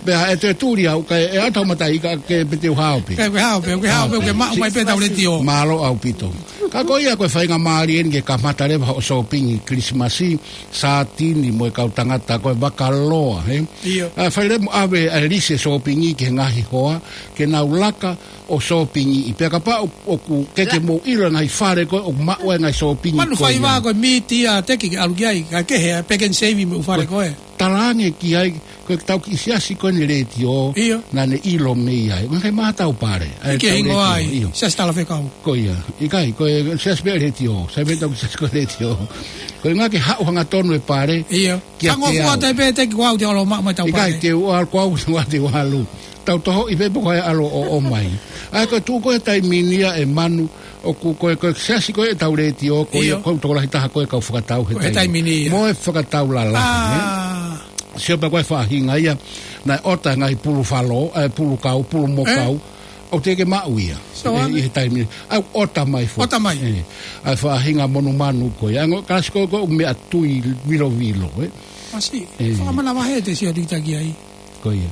Pea ʻe te tuli au, kae ʻe ata mata i ka ke pete u hao pē. Ke, ke hao pē, ke hao pē, hao pē, ke maʻu mai pē tau letiō. Mālō ʻaupito. Ka ko ia ko e faingamālie eni ke kamata leva hoʻo sōpingi Kilisimasi, sātini mo e kau tangata ko e vakaloa, he? ʻIo. ʻA, fai leva mo ʻave ʻa e lisi e sōpingi ki he ngaahi hoa, ke nau laka ʻo sōpingiʻi. Pea kapau ʻoku ke, ke mou ʻilo ngaahi fale ko ē ʻoku maʻu ai ngaahi sōpingi ko ia. Manu faiva ko e mītia te ke ʻalu ki ai, ka kehe, ʻa, Pack n Save mo e ʻū fale ko ē. Talaange ki ai, ko e tau kiʻi siasi ko eni letiō, ʻio, naʻa ne ʻilo mei ai. Ngaahi mātau pale. ʻIkai ke hingoa ai, ʻio. Siasi Talafekau. Ko ia, ʻikai, ko e siasi pē letiō, sai pē tau siasi ko e letiō. Ko e ngaahi ke haʻu hangatonu e pale, ʻio. Kia te au. Fangofua te pē te ki kuo au te ʻalu maʻu mai tau pale. ʻIkai, te u ʻalu, kuo au te u ʻalu, te u ʻalu. Tau tohoʻi pē pe ko hai ʻalu ʻo ʻomai. ʻA ia ko e tuʻu ko e taimi ni ia ʻe Manu, ʻoku ko e, ko e siasi ko e tau letiō, ko ia, ʻio, ko e tokolahi taha ko e kau fakatau he taimi. Ko e taimi ni ia. Mo e fakatau lalahi, ʻā, ē? Sio pē ko e faʻahinga ia, naʻe ʻota ngaahi pulu falo, ʻa e pulu kau, pulu mokau. Ē? ʻOku teʻeki ke maʻu ia. So, ʻi he, ʻi he taimi ni. ʻA, ʻota mai foki. ʻOta mai. Ē, ʻa e faʻahinga monumanu ko ia. ʻA e ongo kalasi ko ē ʻoku meʻa tui vilovilo, ē? Masiʻi. Ē. Fakamanavahē te sio atu ki ai. Ko ia.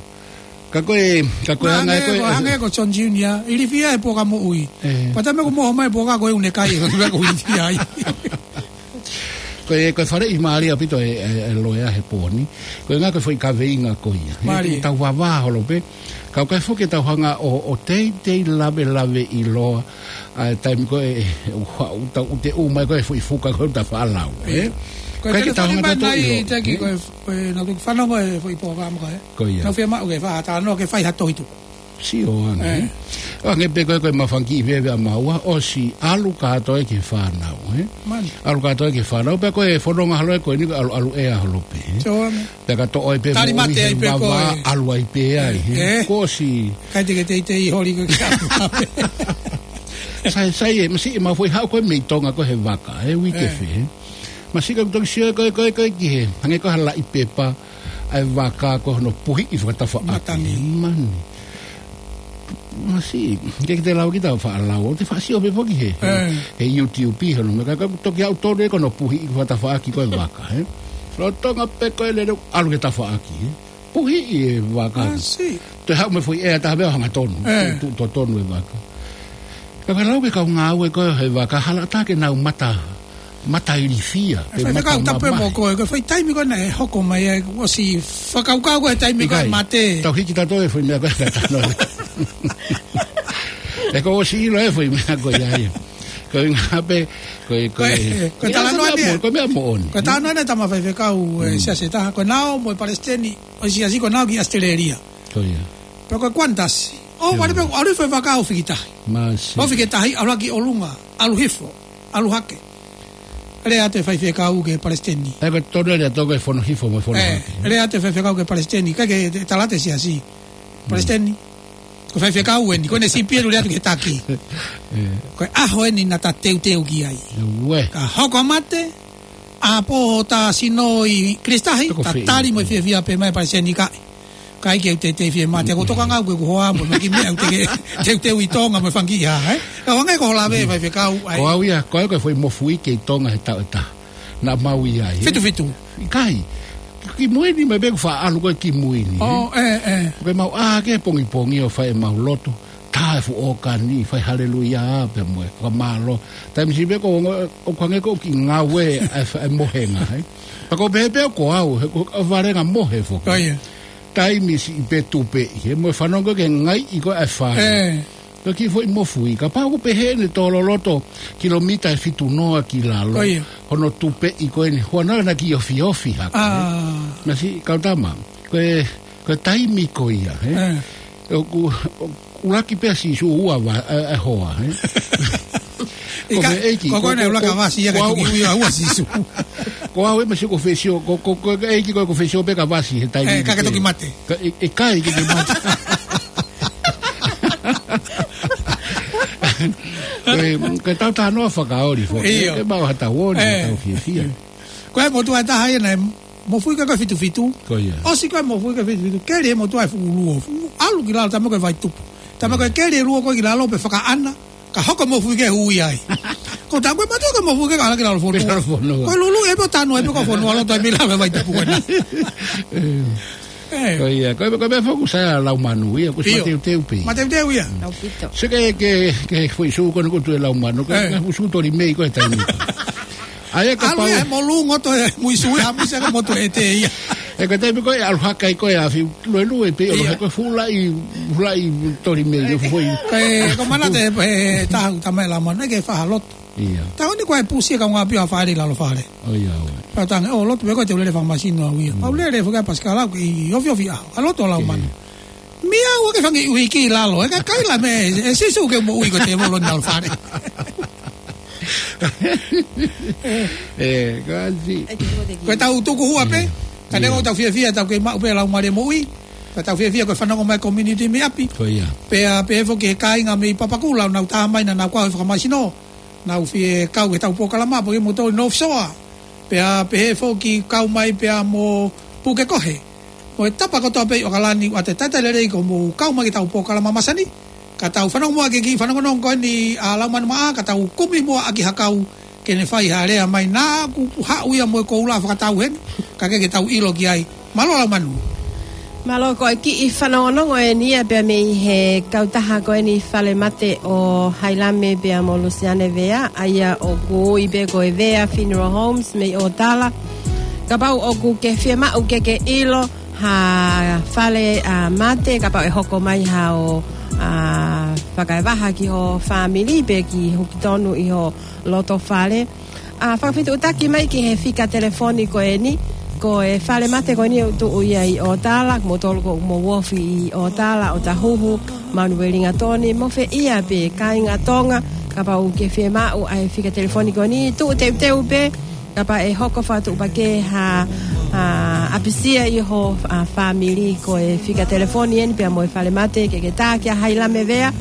Ka ko e, ka ko e hanga ko e, ko e hanga ko John Junior, ilifia e poka moʻui. Ē. Pea taimi ko e moho mai poka ko e ʻunekai, ko e ilifia ai. Ko e, ko e faleʻi mālie ʻaupito e, e, e loea he pō ni. Ko e ngaahi ko e foʻi kaveinga ko ia. Mālie. ʻE tau vavā holo pē. Ka ko e foki ʻe tau hanga ʻo, ʻo teitei lavelaveʻiloa. ʻA e taimi ko e, e, ʻoku, ʻoku tau, ʻoku te ʻomai ko e foʻi fuka ko e ta faʻa lau, ē? Ko e telefoni mai nai, ʻilo, te ki, ē? Ko e, ko e, naʻa ku fanongo e foʻi pō ka mo ka, ē? Ko ia. Naʻa ku fiemaʻu ke faʻa talanoa ke fai ha tohi tuku. Sio ange, ē? Ē. Ange pē ko e, ko e mafangaʻi veve ʻa maua, ʻosi ʻalu kātoa ki he fānau, ē? Mani. ʻAlu kātoa ki he fānau, pea ko e fononga holo ē ko eni ko e ʻalu, ʻalu ʻea holo pē, ē? Sio ange. Pea ka toʻo ai pē moʻui he vavā, ʻalu ai pē ai, ē? Ē. Kuo ʻosi. Kai te ke teitei holi ko e kia. Sai, sai ē, masiʻi ʻemau foʻi haʻu ko e mei Tonga ko e he vaka, ē, uike fē, ē? Masiʻi ka u toki sio ko e, ko e, ko e ki he, hangē ko ha laʻi pepa, ʻa e vaka ko hono puhiʻi fakatafaʻaki. Matangi. Mani. Masiʻi, ke ke te lau kita faʻa lau, ʻo te faʻa sio pē foki he, he, ē, he YouTube, hono meʻa ka, ka toki haʻu tonu ē ko hono puhiʻi fakatafaʻaki ko e vaka, ē? Lolotonga pē ko e lele ʻalu ki he tafaʻaki, ē? Puhiʻi e vaka. Masiʻi. Toe haʻu mo e foʻi ʻea taha pē ʻo hangatonu. Ē. Tuʻu, tuʻu totonu e vaka. Ka ka lau ke kau ngāue ko e he vaka, hala ʻatā ke nau mata, mata ilifia. Ē, pe faifekau, mata tapu mo mamahi. Ko e, ko e foʻi taimi ko ē naʻe hoko mai ai, ʻosi fakakaukau ko e taimi ko e mate. Tau hiki tato e foʻi meʻa ko e ka tano. ʻE ko ʻosi ʻilo e foʻi meʻa ko ia ia. Ko e ngā pē, ko e, ko e, ko e talanoa meʻa eni, mo-, ko e meʻa moʻoni. Ko e talanoa eni tama faifekau, ē, siasi taha, ko e nau mo e palesiteni ʻo e siasi ko e nau ki ʻAositelēlia. Ko ia. Pea ko e Qantas. ʻO, ʻio, vale pē, ʻalu foʻi vaka ʻo fiki tahi. Masiʻi. ʻO fiki tahi, ʻalu ki ʻolunga, ʻalu hifo, ʻalu hake. Lea atu e faifekau ki he palesiteni. ʻE, ko e tonu lea atu ko e fono hifo mo e fono hake. Ē, lea atu e faifekau ki he palesiteni, ka ke te-, tala atu e siasi. Palesiteni. Ko e faifekau eni, ko ʻene sipi ʻe lea atu ki he taki. Ē. Ko e ʻaho eni naʻa ta teuteu ki ai. Ue. Ka hoko mate, ʻapō ta sino ʻi Kilisi Tahi, ta tali mo e fiefia pē mai palesiteni kae. ʻIkai ke u teitei fiemālie, ko e tokanga au ko e ku hoa mo e kiʻi meʻa ʻoku teʻeki ke teuteu ʻi Tonga mo e fanga kiʻi hā, ē? Kau ange ko lave, faifekau, ai. Ko au ia, ko au ko e foʻi mofuike ʻi Tonga he taʻu ʻe taha. Naʻa mau ʻi ai, ē? Fitu fitu. ʻIkai. Ki mui ni mai pē ʻoku faʻa ʻalu ko ē ki mui ni, ē? ʻŌ, ē, ē. Ko ʻemau ʻā hake he pongipongi ʻo fai ʻemau lotu. Tā e fuʻu ʻōkani, fai haleluia pea mo e fakamālō. Taimi siʻi pē ko ʻoku hangē ko ē ʻoku kiʻi ngāue ʻa e fa-, ʻa e mohenga, ē? Pea ʻoku ou pehē pē ko au, he ko e valenga mohe foki. ʻIo. Taimi siʻi pē tupeʻi, he mo e fanongo ki he ngaiʻi ko ē ʻa e fale. Ē. Ko e kiʻi foʻi mofuike, kapau ʻoku pehē ʻene tō loloto kilomita ʻe fitu noa ki lalo. ʻIo. Hono tupeʻi ko eni, huanoa naʻa ke ofiofi hake. ʻĀ. Naʻe siʻi kau tama, ko e, ko e taimi ko ia, ē? Ē. ʻOku, ʻoku ʻuluaki pē ʻa Sīsū ua va-, ē, ē, hoa, ē? ʻIkai, ko e ʻEiki, ko, ko, ko, ko, ko, ko e ʻuluaki ʻa Vasi ia ko au. Ke tuki ui ʻa ua Sīsū. Ko au ē, mahalo ko e fesiō, ko, ko, ko e ʻEiki ko e, ko e fesiō pē kia Vasi he taimi ē, ka ke toki mate. Ka, ʻi-, ʻikai ke ke mate. Ko e, ko e tau talanoa fakaoli foki. ʻIo. Ke mau ha tau oli, ē, ha tau fiefia. Ko e motuʻa ʻe taha ia naʻe mofuike ko e fitu fitu. Ko ia. ʻOsi ko e mofuike fitu fitu. Keli e motuʻa e fuʻu luo. Fuʻu ʻalu ki lalo, taimi ko e vai tupu. Taimi ko e keli e luo ko ē ki lalo pea fakaʻana. Ka hoko e mofuike ʻo ui ai. Ko tā ko e mate ko e mofuike ka ʻalu ki lalo fonua. Ki lalo fonua. Ko e lulu ē pē ʻo tanu ē pē ko fonua loto ē mei lalo e vai tupu ko ena. Ē. Ē. Ko ia, ko e, ko e meʻa foki ʻoku sai ʻa Laumanu ia, ʻoku ʻIo. Mateuteu pē. Mateuteu ia. Mm. ʻAupito. Sio ki he, ki he, ki he foʻi sū ko eni ʻoku tuʻu ʻe Laumanu, ko e, ē, ko e sū toli mei ko e taimi. ʻA ia kapau ʻAlu ia he molu ngoto e mui sui ha mui se ka motu e te ia. Ē, ko e taimi ko ē ʻalu hake ai ko ē ʻa Fiu, luelue pē ʻalu ʻIo. Hake ko e fuʻu laʻi, fuʻu laʻi toli mei, ē, foʻi. Ko e, ko e manatu ē, ē, taha ʻoku tama ʻe Laumanu, naʻe ʻikai ke faʻa lotu. ʻIo. Taʻu ni ko e pusi e kau ngāue ʻo fale ʻi lalo fale. ʻO ia, ʻo ia. Pea tangi, ʻo lotu pē ko e te u lele fakamasino au ia. Mm. Pea u lele foki ʻa Pasikala ʻoku ʻi ofiofi ʻaho. ʻA lotu ʻa Laumanu. Ē. Meʻa ua ke fangi ui ki lalo. ʻE ka kaila me, ē Sīsū ke moʻui ko e tēvolo ʻi lalo fale. Ē, kasi. Ko e tau tuku hua pē. Ē. Ka neongo ʻIo. Tau fiefia, tau kei maʻu pē Laumālie Moʻui. Ka tau fiefia ko e fanongo mai community mei ʻapi. Ko ia. Pea, pea foki he kāinga mei Papakura, nau tā mai naʻa nau kau he fakamasino. Nau fie kau he tau polokalama, pea mo tau nofo soa. Pea pehē foki kau mai pea mo Pukekohe. Mo e tapa kotoa pē ʻi ʻAokalani, ʻoatu e talitali lelei ko hoʻomou kau mai ki he tau polokalama masani. Ka tau fanongo muʻa ki he kiʻi fanongonongo ko eni ʻa Laumanu Maʻa, ka tau kumi muʻa ʻaki ha kau ke ne fai ha lea mai naʻa ku haʻu ia mo e koula fakatau heni, ka ke, ke tau ʻilo ki ai. Mālō Laumanu. Mālō, ko e kiʻi fanongonongo eni ia pea mei he kautaha ko eni Falemate ʻo Hailame pea mo Lusiane Vea, ʻa ia ʻoku ui pē ko e Vea Funeral Homes mei ʻOtala. Kapau ʻoku ke fiemaʻu ke ke ʻilo ha fale, ʻa, mate, kapau ʻe hoko mai haʻo, ʻa, fakaevaha ki ho fāmili pe ke hukitonu ʻi ho loto fale. ʻA, fakafetuʻutaki mai ki he fika telefoni ko eni, ko e Falemate ko eni ʻoku tuʻu ia ʻi ʻOtala, kimoutolu ʻoku mou ofi ʻi ʻOtala, ʻOtahuhu, Manueligatoni, mo fē ia pē kāinga Tonga, kapau ʻoku ke fiemaʻu ʻa e fika telefoni ko eni, tuʻu teuteu pē, kapau ʻe hoko fakatuʻupakē ha, ʻa, ʻapisia ʻi ho, ʻa, fāmili, ko e fika telefoni eni pea mo e Falemate ke ke tā kia Hailame Vea,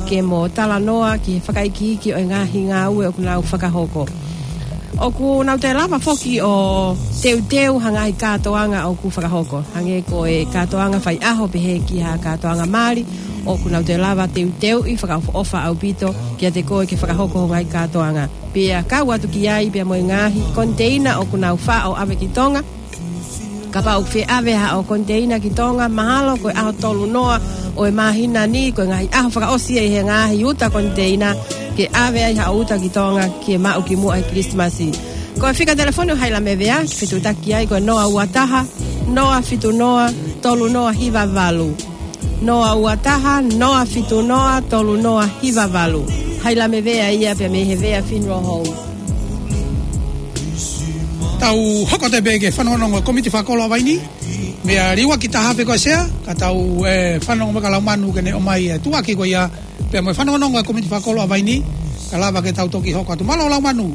ke mo talanoa ki he fakaikiiki ʻo e ngaahi ngāue ʻoku nau fakahoko. ʻOku nau toe lava foki ʻo teuteu ha ngaahi kātoanga ʻoku fakahoko. Hangē ko e kātoanga faiʻaho pehē ki ha kātoanga mali, ʻoku nau toe lava teuteuʻi fakaʻofoʻofa ʻaupito kiate koe ke fakahoko ho ngaahi kātoanga. Pea kau atu ki ai pea mo e ngaahi koniteina ʻoku nau faʻo ʻave ki Tonga. Kapau ʻoku fie ʻave haʻo koniteina ki Tonga, mahalo ko e ʻaho tolu noa ʻo e māhina ni, ko e ngaahi ʻaho fakaʻosi ia ʻi he ngaahi uta koniteina, ke ʻave ai haʻo uta ki Tonga, ke maʻu ki muʻa he Kilisimasi. Ko e fika telefoni ʻo Hailame Vea, ke fetuʻutaki ai ko e noa ua taha, noa fitu noa, tolu noa hiva valu. Noa ua taha, noa fitu noa, tolu noa hiva valu. Hailame Vea ia pea mei he Vea Funeral Home. Tau hoko atu pē ki he fanongonongo ʻa e Komiti Fakakolo ʻa Vaini. Meʻa liuaki taha pē ko e sea, ka tau, ē, fanongo mai kia Laumanu ke ne ʻomai e tuʻuaki ko ia, pea mo e fanongonongo ʻa e Komiti Fakakolo ʻa Vaini, ka lava ke tau toki hoko atu. Mālō Laumanu.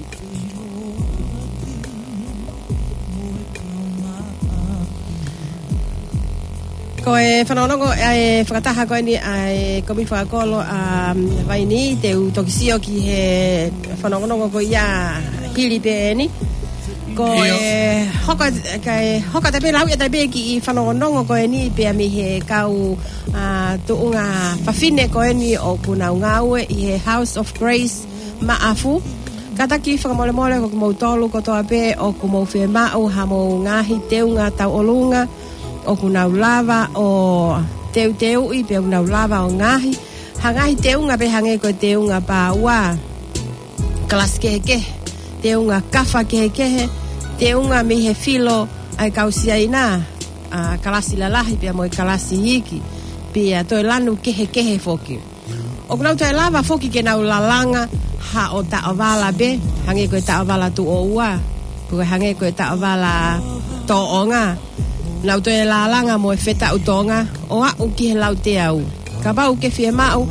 Ko e fanongonongo, ē, fakataha ko eni ʻa e Komiti Fakakolo ʻa, um, Vaini, te u toki sio ki he fanongonongo ko ia hili pē eni. Ko ʻIo. e hoko, ka e hoko atu pē lau ia atu pē kiʻi fanongonongo ko eni pea mei he kau, a, tuʻunga fafine ko eni ʻoku nau ngāue ʻi he House of Grace Maʻafu. Kātaki fakamolemole ko kimoutolu kotoa pē ʻoku mou fiemaʻu ha mou ngaahi teunga tauʻolunga ʻoku nau lava ʻo teuteuʻi pea ʻoku nau lava ʻo ngaahi. Ha ngaahi teunga pē hangē ko e teunga pāua, kalasi kehekehe, teunga kafa kehekehe, teunga mei he filo ʻa e kau Siaina, a, kalasi lalahi pea mo e kalasi iiki, pea toe lanu kehekehe foki. ʻOku nau toe lava foki ke nau lalanga haʻo taʻovala pē, hangē ko e taʻovala tuʻo ua, pe ko e hangē ko e taʻovala tōʻonga. Nau toe lalanga mo e fetaʻu Tonga ʻo aʻu ki he lauteau. Kapau ʻoku ke fiemaʻu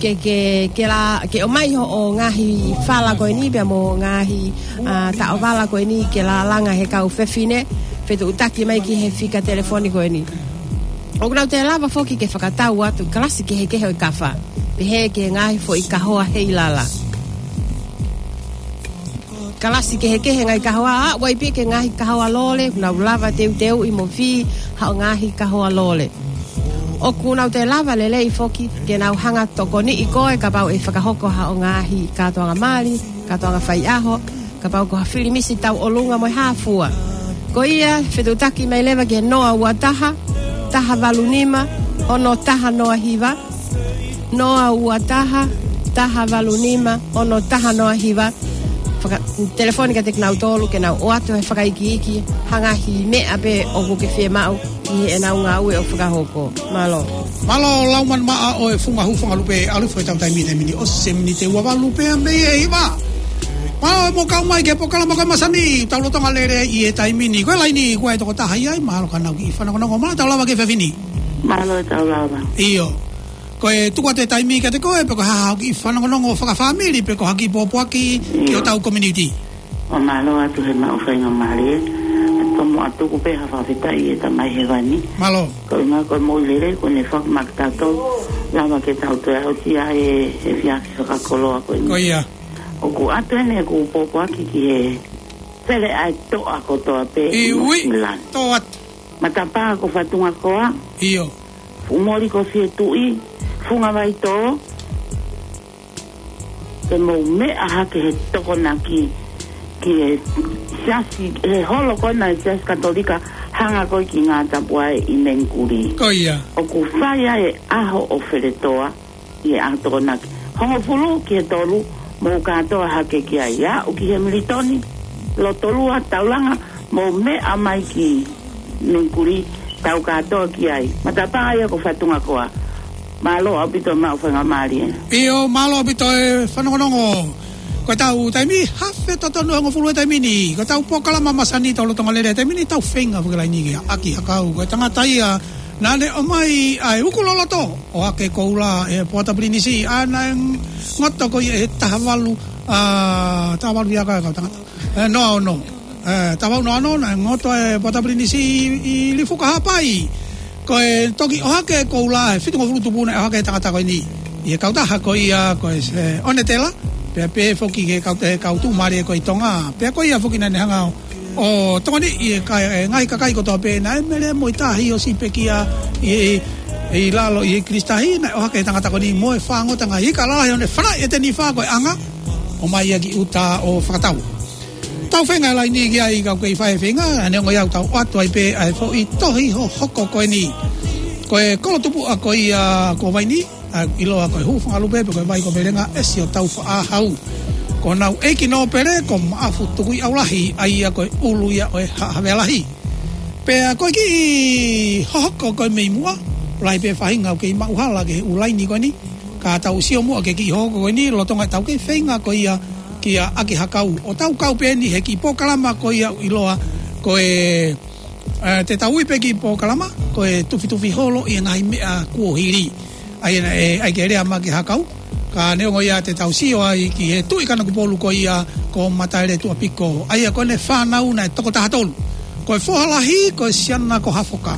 ke, ke, ke la, ke ʻomai hoʻo ngaahi fala ko eni pea mo e ngaahi, a, taʻovala ko eni ke lalanga he kau fefine, fetuʻutaki mai ki he fika telefoni ko eni. ʻOku nau toe lava foki ke fakatau atu kalasi kehekehe ʻo e kafa, pehē ki he ngaahi foʻi kahoa heilala. Kalasi kehekehe ngaahi kahoa, a, ʻoku ʻi ai pē ke ngaahi kahoa lole, nau lava teuteuʻi mo fī haʻo ngaahi kahoa lole. ʻOku nau toe lava lelei foki ke nau hanga tokoniʻi koe kapau ʻe fakahoko haʻo ngaahi kātoanga mali, kātoanga faiʻaho, kapau ko ha filimisi tauʻolunga mo e hā fua. Ko ia, fetuʻutaki mai leva ki he noa ua taha, taha valu nima, ono taha noa hiva, noa ua taha, taha valu nima, ono taha noa hiva. Faka-, telefoni kiate kinautolu ke nau ʻoatu he fakaikiiki ha ngaahi meʻa pē ʻoku ke fiemaʻu ʻi heʻenau ngāue ʻoku fakahoko. Mālō. Mālō Laumanimaʻa ʻo e Funga Hūfangalupe, ʻalu hifo ʻetau taimi he taimi ni ʻosi e miniti ua valu pea mei he hiva. Mālō e mou kau mai ki he polokalama ko e masani, tau lolotonga lele ʻi he taimi ni. Ko e laini, ko e tokotaha ia ai, mahalo ka nau kiʻi fanongonongo, mahalo tau lava ki he fefine. Mālō tau lava. ʻIo. Ko e tuku atu e taimi kiate koe, pe ko e hā haʻo kiʻi fanongonongo fakafāmili, pe ko ha kiʻi pōpoaki ki ʻIo. hotau community. ʻO mālō atu he maʻu faingamālie. Tomuʻa tuku pē ha fakafetaʻi ʻi he Tamai Hēvani. Mālō. Ko e ngā ko e moʻui lelei kuo ne foaki maʻa kitautolu, lava ke tau toe aʻusia e, e efiafi fakakoloa ko eni. Ko ia. ʻOku ʻoatu eni ʻeku pōpoaki ki he fele ʻa e toʻa kotoa pē ʻi ʻIui, Nuʻusila ni. Toʻa. Matapā ko Fatungakoa. ʻIo. Fuʻumoli ko Fietuʻi, Fungavaitō, ke mou meʻa hake he Tokonaki ki he siasi, he holo ko ena e Siasi Katolika, hanga ko ē ki Ngātapuae ʻi Mengikuli. Ko ia. ʻOku fai ai e ʻaho ʻo Feletoa ʻi he ʻaho Tokonaki. Hongofulu ki he tolu, mou kātoa hake ki ai. Aʻu ki he Militoni, Lotolua, Taulanga, mou meʻa mai ki Mengikuli, tau kātoa ki ai. Matapā ia ko Fatungakoa. Mālō ʻaupito e maʻu faingamālie. ʻIo, mālō ʻaupito e fanongonongo. Ko ʻetau taimi, afe totonu hongofulu e taimi ni. Ko ʻetau polokalama masani, tau lolotonga lele he taimi ni, tau feinga fakalaini kia ʻAki Hakau. Ko e tangata ia naʻa ne ʻomai ʻa e uku loloto ʻo Hake Koula ʻi he Pōta Pilinisi, ʻa ia naʻe ngoto ko ia he taha valu, a, taha valu ia ka kau tangata. E, noa ono. E, taha valu noa ono, naʻe ngoto e Pōta Pilinisi ʻi, ʻi Lifuka Haʻapai. Ko e toki ʻohake e Koula, e fitungofulu tupu naʻe ʻohake e tangata ko eni. ʻI he kautaha ko ia, ko e, e, Onetela, pea pehē foki ki he kau, e kau tuʻumālie ko ē ʻi Tonga. Pea ko ia foki naʻa ne hanga ʻo, ʻo tokoniʻi e kai, e ngaahi kakai kotoa pē naʻe mele mo e tahi ʻosi pekia ʻi, ʻi, ʻi lalo ʻi he kilisitahi, naʻe ʻohake e tangata ko eni mo e fāngota ngaahi ika lalahi ʻo ne fanaʻi e tenifā ko e anga, ʻomai ia ki ʻuta ʻo fakatau. Tau feinga laini ki ai kau kei fai e feinga, neongo ia ʻoku tau ʻoatu ai pē ʻa e foʻi tohi hohoko ko eni. Ko e kolo tupuʻa ko ia ko Vaini, ʻa ia ʻoku ʻiloa ko e Hūfangalupe pe ko e Vai ko Velenga, ʻEsi ʻo Taufaʻāhau. Ko honau ʻeiki nōpele ko Maʻafu Tukuiʻaulahi, ʻa ia ko e ʻulu ia ʻo e Haʻa Havea Lahi. Pea ko e kiʻi hohoko ko e mei muʻa, lahi pē faʻahinga ʻoku kei maʻuhala ki he ʻū laini ko eni. Ka tau sio muʻa ki he kiʻi hohoko ko eni, lolotonga ʻetau kei feinga ko ia kia ʻAki Hakau. ʻO tau kau pē eni he kiʻi polokalama ko ia ʻoku ʻiloa ko e, e, te tau ui pē kiʻi polokalama ko e Tufitufi Holo ʻi he Ngaahi Meʻa Kuohili. ʻA ia naʻe, ʻai ke lea mai ʻAki Hakau. Ka neongo ia te tau sio ai ki he Tuʻi Kanokupolu ko ia ko Mataele Tuʻapiko. ʻA ia ko ʻene fānau naʻe toko taha tolu. Ko e foha lahi ko e siana ko Hafoka.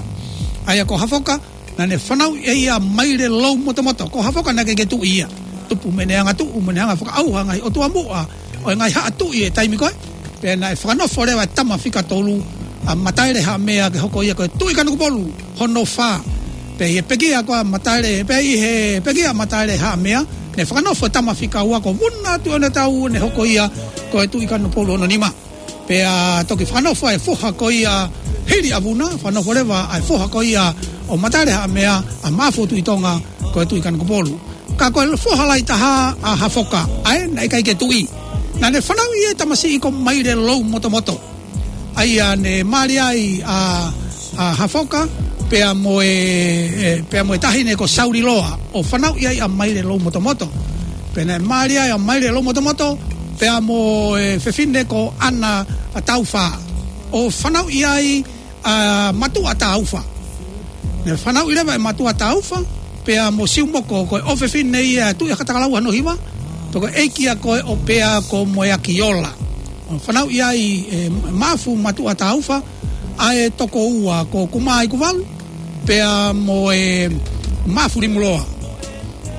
ʻA ia ko Hafoka, naʻa ne fanauʻi ʻe ia Maileloumotomoto. Ko Hafoka naʻe ʻikai ke tuʻi ia. Tupu mo ʻene hanga tuʻu, mo ʻene hanga fakaʻauha ngaahi ʻotua muʻa ʻo e ngaahi haʻa tuʻi e taimi ko ē. Pea naʻe fakanofo leva e tama fika tolu ʻa Mataele Haʻamea ke hoko ia ko e Tuʻi Kanokupolu hono fā. Pea ʻi he pekia ko ia ʻa Mataele, pea ʻi he pekia ʻa Mataele Haʻamea, ne fakanofo e tama fika ua ko Vuna Tuʻiʻonetau ne hoko ia ko e Tuʻi Kanokupolu hono nima. Pea toki fakanofo e foha ko ia hili ʻa Vuna, fakanofo leva ʻa e foha ko ia ʻo Mataele Haʻamea, ʻa Maʻafu ʻo Tuʻi Tonga, ko e Tuʻi Kanokupolu. Ka ko e foha lahi taha ʻa Hafoka, ʻa ē naʻe ʻikai ke tuʻi. Naʻa ne fanauʻi e tamasiʻi ko Maile Loumotomoto. ʻA ia ne mali ai ʻa, ʻa Hafoka, pea mo e, e, pea mo e taʻahine ko Sauliloa, ʻo fanauʻi ai ʻa Maile Loumotomoto. Pea naʻe mali ai ʻa Maile Loumotomoto, pea mo e fefine ko ʻAna Taufa, ʻo fanauʻi ai ʻa Matuʻa Taufa. Ne fanauʻi leva ʻe Matuʻa Taufa, pea mo Siumoko, ko e ʻofefine ia ʻa Tuʻi Hakatakalau hono hiva, pea ko e ʻeiki ia ko ē ʻo Pea ko Moeakiola. ʻO fanauʻi ai ʻe Maʻafu Matuʻa Taufa ʻa e toko ua ko Kumaikuvalu, pea mo e Maʻafu Limuloa.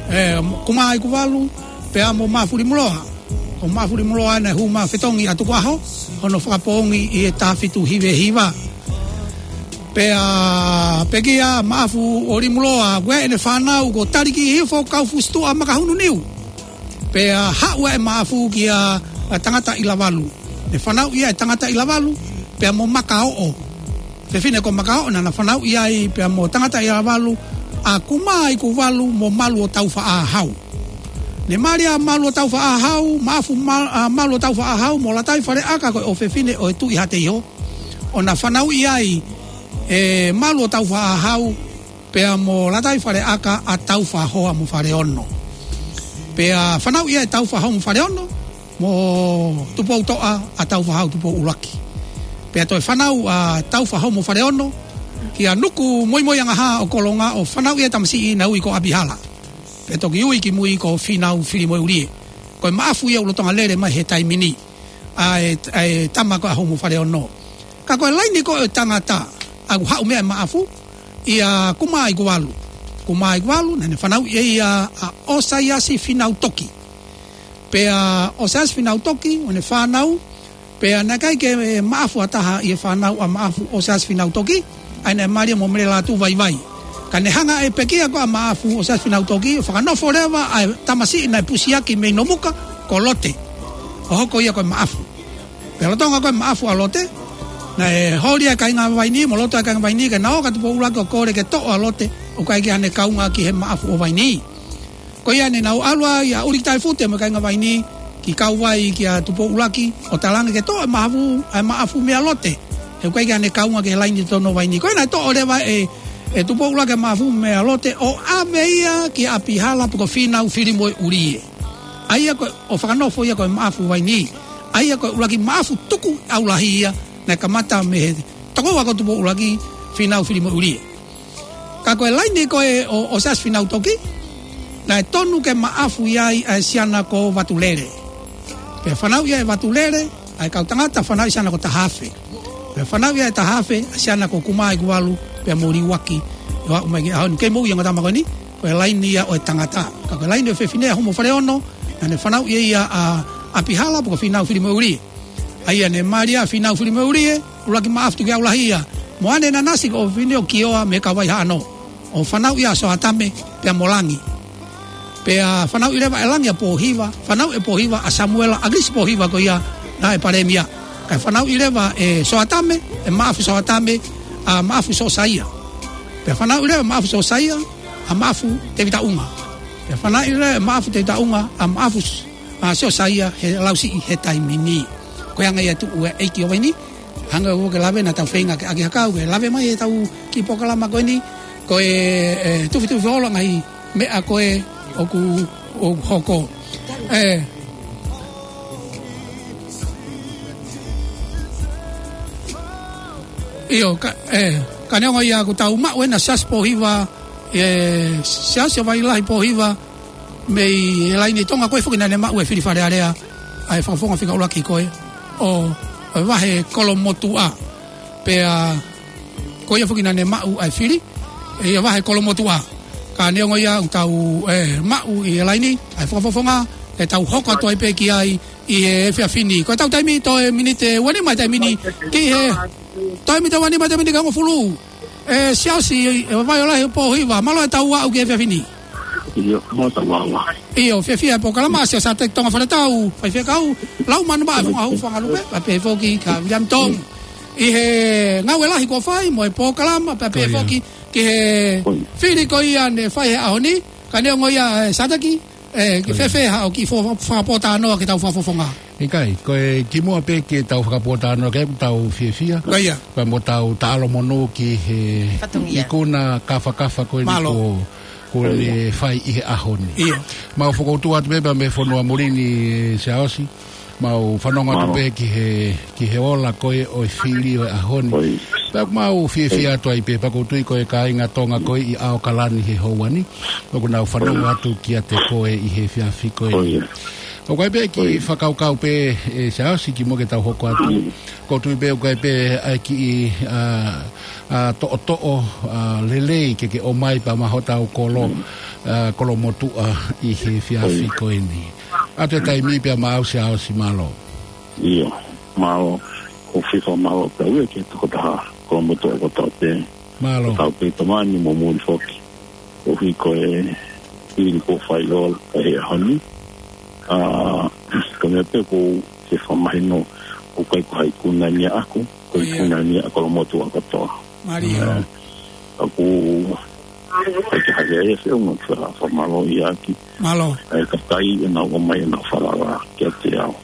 ʻE, Kumaikuvalu, pea mo Maʻafu Limuloa. Ko Maʻafu Limuloa naʻe hū mai fetongi ʻa Tukuʻaho, hono fakapoongi ʻi he taha fitu hiva hiva. Pea pekia Maʻafu ʻo Limuloa, ko ʻene fānau ko Talikiʻihifo Kaufusi Tuʻa Makahununiu. Pea haʻu ʻa Maʻafu kia Tangataʻilavalu. Ne fanauʻi ʻe Tangataʻilavalu, pea mo Makaoʻo. Fefine ko Makaoʻo naʻa na fanauʻi ai pea mo Tangataʻilavalu ʻa Kumaikuvalu mo Malu ʻo Taufaʻāhau. Ne mali ʻa Malu ʻo Taufaʻāhau, Maʻafu Ma-, ʻa Malu ʻo Taufaʻāhau mo Lataifaleʻaka ko e ʻofefine ʻo e Tuʻi Hateiho. ʻO na fanauʻi ai ʻe Malu ʻo Taufaʻāhau, pea mo Lataifaleʻaka ʻa Taufahoa mo Faleono. Pea fanauʻi ai ʻe Taufahoa mo Faleono, mo Tupoutoʻa ʻa Taufahau Tupou ʻUluaki. Pea toe fanau ʻa Taufahoa mo Faleono kia Nuku Moimoiangahā ʻo Kolonga ʻo fanauʻi e tamasiʻi naʻe ui ko ʻApihala. Pea toki ui kimui ko Fīnau Filimoeʻulie. Ko e Maʻafu ia ʻoku lolotonga lele mai he taimi ni. ʻA e, ʻa e tama ko ē ʻa Homo Faleono. Ka ko e laini ko ē ʻo e tangata, ʻa ē ʻoku haʻu mei ai ʻa Maʻafu, ʻia Kumaikuvalu. Kumaikuvalu, naʻa ne fanauʻi ʻe ia ʻa ʻOsaiasi Fīnautoki. Pea ʻOsaiasi Fīnautoki, ʻo ne fānau, pea naʻe ʻikai ke Maʻafu ʻa taha ʻi he fānau ʻa Maʻafu ʻOsaiasi Fīnautoki, ʻa ia naʻe mali mo Mele Lātūvaivai. Ka ne hanga ʻe he pekia ko ē ʻa Maʻafu ʻOsaiasi Fīnautoki, ʻo fakanofo leva ʻa e tamasiʻi naʻe pusiaki mei Nomuka, ko Lote. ʻO hoko ia ko e Maʻafu. Pea lolotonga ko ē Maʻafu ʻa Lote, naʻe holi ʻa e kāinga Vainī, mo loto ʻa e kāinga Vainī, ke na ō kia Tupou ʻUluaki ʻo kole ke toʻo ʻa Lote, ʻoku ʻikai ke ʻi ai haʻane kaunga ki he Maʻafu ʻo Vainī. Ko ia ne nau ʻalu ai ʻa ʻUliki Taifute mo e kāinga Vainī, ki Kauvai kia Tupou ʻUluaki, ʻo talaange ke toʻo ʻa e Maʻafu, ʻa e Maʻafu meia Lote. He ʻoku ʻikai ke ʻi ai haʻane kaunga ki he laini totonu ʻo Vainī. Ko ia naʻe toʻo leva ʻe, ʻe Tupou ʻUluaki ʻa e Maʻafu meia Lote, ʻo ʻave ia kia ʻApihala pe ko Fīnau Filimoeʻulie. ʻA ia ko ē ʻo fakanofo ia ko e Maʻafu Vainī. ʻA ia ko e ʻuluaki Maʻafu tuku ʻaulahi ia, naʻe kamata mei he tokoua ko Tupou ʻUluaki, Fīnau Filimoeʻulie. Ka ko e laini ko ē ʻo, ʻo ʻOsaiasi Fīnautoki, naʻe tonu ke Maʻafu ia ʻi ai ʻa e siana ko Vatulele. Pea fanauʻi ia ʻe Vatulele, ʻa e kau tangata fanauʻi siana ko Tahafe. Pea fanauʻi ia ʻe Tahafe, ʻa e siana ko Kumaikuvalu, pea mo Liuaki, ʻo aʻu mai ki he ʻaho ni. Kei moʻui ʻa e ongo tama ko eni, ko e laini ia ʻo e tangata. Ka ko e laini ʻo e fefine ʻa Homo Faleono, naʻa ne fanauʻi ia ʻa, ʻApihala pe ko Fīnau Filimoeʻulie. ʻA ia ne mali ʻa Fīnau Filimoeʻulie, ʻuluaki Maʻafu tuku ʻaulahi ia. Mo ʻAne Nanasi ko e ʻofefine ʻo Kioa mei Kauvai Haʻano. ʻO fanauʻi ʻa Soatame, pea mo Langi. Pea fanauʻi leva ʻe Langi ʻa Pōhiva, fanauʻi ʻe Pōhiva ʻa Samuela ʻAkilisi Pōhiva ko ia naʻe palēmia. Kae fanauʻi leva ʻe Soatame, ʻe Maʻafu Soatame, ʻa Maʻafu Sosaia. Pea fanauʻi leva ʻe Maʻafu Sosaia, ʻa Maʻafu Tevita ʻUnga. Pea fanauʻi leva ʻe Maʻafu Tevita ʻUnga, ʻa Maʻafu S-, ʻa Sosaia he Lausiʻi he taimi ni. Ko e anga ia ʻa e tuʻu ʻa e ʻeiki ʻo Vainī, hanga ʻo ke lave naʻa tau feinga ke ʻaki ha kau, ke lave mai ʻetau kiʻi polokalama ko eni, ko e, e, tufitufi holo ngaahi meʻa ko ē ʻoku, ʻoku hoko. ʻE. ʻIo, ka, ʻe, ka neongo ia ʻoku tau maʻu ʻena Siaosi Pōhiva, ʻe, Siaosi ʻo Vailahi Pōhiva, mei he laini Tonga, ko e foki naʻa ne maʻu e fili Fale Alea, ʻa e fakafofonga fika ʻuluaki ko ē, ʻo, ʻo e vahe Kolomotuʻa. Pea, ko ia foki naʻa ne maʻu ʻa e fili, ʻe ia vahe Kolomotuʻa. Ka neongo ia ʻoku tau, ʻe, maʻu ʻi he laini, ʻa e fakafofonga, ʻe tau hoko atu ai pē ki ai ʻi he efiafi ni. Ko ʻetau taimi toe miniti ʻe uanima he taimi ni ki he, toe miniti ʻe uanima he taimi ni ki he hongofulu. ʻE Siaosi, ʻe Vavaiola he Pōhiva, mālō ʻetau aʻu ki he efiafi ni. ʻIo, mālō ʻetau aʻu. ʻIo, fiefia e polokalama, Siaosi Sāteki Tonga Faletau, faifekau, Laumanu Maʻa, Fonga Hau, Fonga Lupe, pea pehē foki kia William Tong. ʻI he ngāue lahi kuo fai, mo e polokalama, pea pehē foki ki he fili ko ia ne fai he ʻaho ni, ka neongo ia, ʻe Sāteki, ʻe, ke fēfē haʻo kiʻi fo-, fakapōtalanoa ki heʻetau fakafofonga. ʻIkai, ko e kimuʻa pē ke tau fakapōtalanoa ke tau fiefia. Ko ia. Pea mo tau taʻalo monū ki he ikuna kafakafa ko eni kuo, kuo ne fai ʻi he ʻaho ni. ʻIo. Mau fokoutua atu pē pea mei fonua muli ni, Siaosi. Mau fanongo atu pē ki he, ki he ola ko ē ʻo e fili ʻo e ʻaho ni. Pea mau fiefia atu ai pē, pea ʻoku ou tui ko e kāinga Tonga ko ē ʻi ʻAokalani he houa ni ʻoku nau fanongo atu kiate koe ʻi he efiafi ko ē. ʻOku ʻi ai pē kiʻi fakakaukau pē, ʻe Siaosi, kimuʻa ke tau hoko atu. ʻOku ou tui pē ʻoku ʻi ai pē ʻa e kiʻi, ʻa, ʻa, toʻotoʻo, ʻa, lelei ke ke ʻomai pea mo hotau kolo, ʻa, kolo motuʻa ʻi he efiafi ko eni. ʻA e taimi pea maʻau Siaosi, mālō. ʻIo, mālō. ʻOku ou fiefia mālō pē au ia ki he tokotaha kolo motuʻa kotoa pē. Mālō. Tau pē tamani mo muli foki. ʻOku ʻi ai ko e fili kuo fai ʻo e ʻaho ni. ʻA, ko e meʻa pē ʻoku ou fiefia mahino, ʻoku ʻikai ko ha ikuna ia ʻaʻaku, ko e ikuna ia ʻa e kolo motuʻa kotoa. Mālie. ʻA, ʻoku ʻikai ke hake ai e feʻunga ke fakamālō ia ki. Mālō. ʻA e kakai ʻenau ʻomai ʻenau falala kiate au.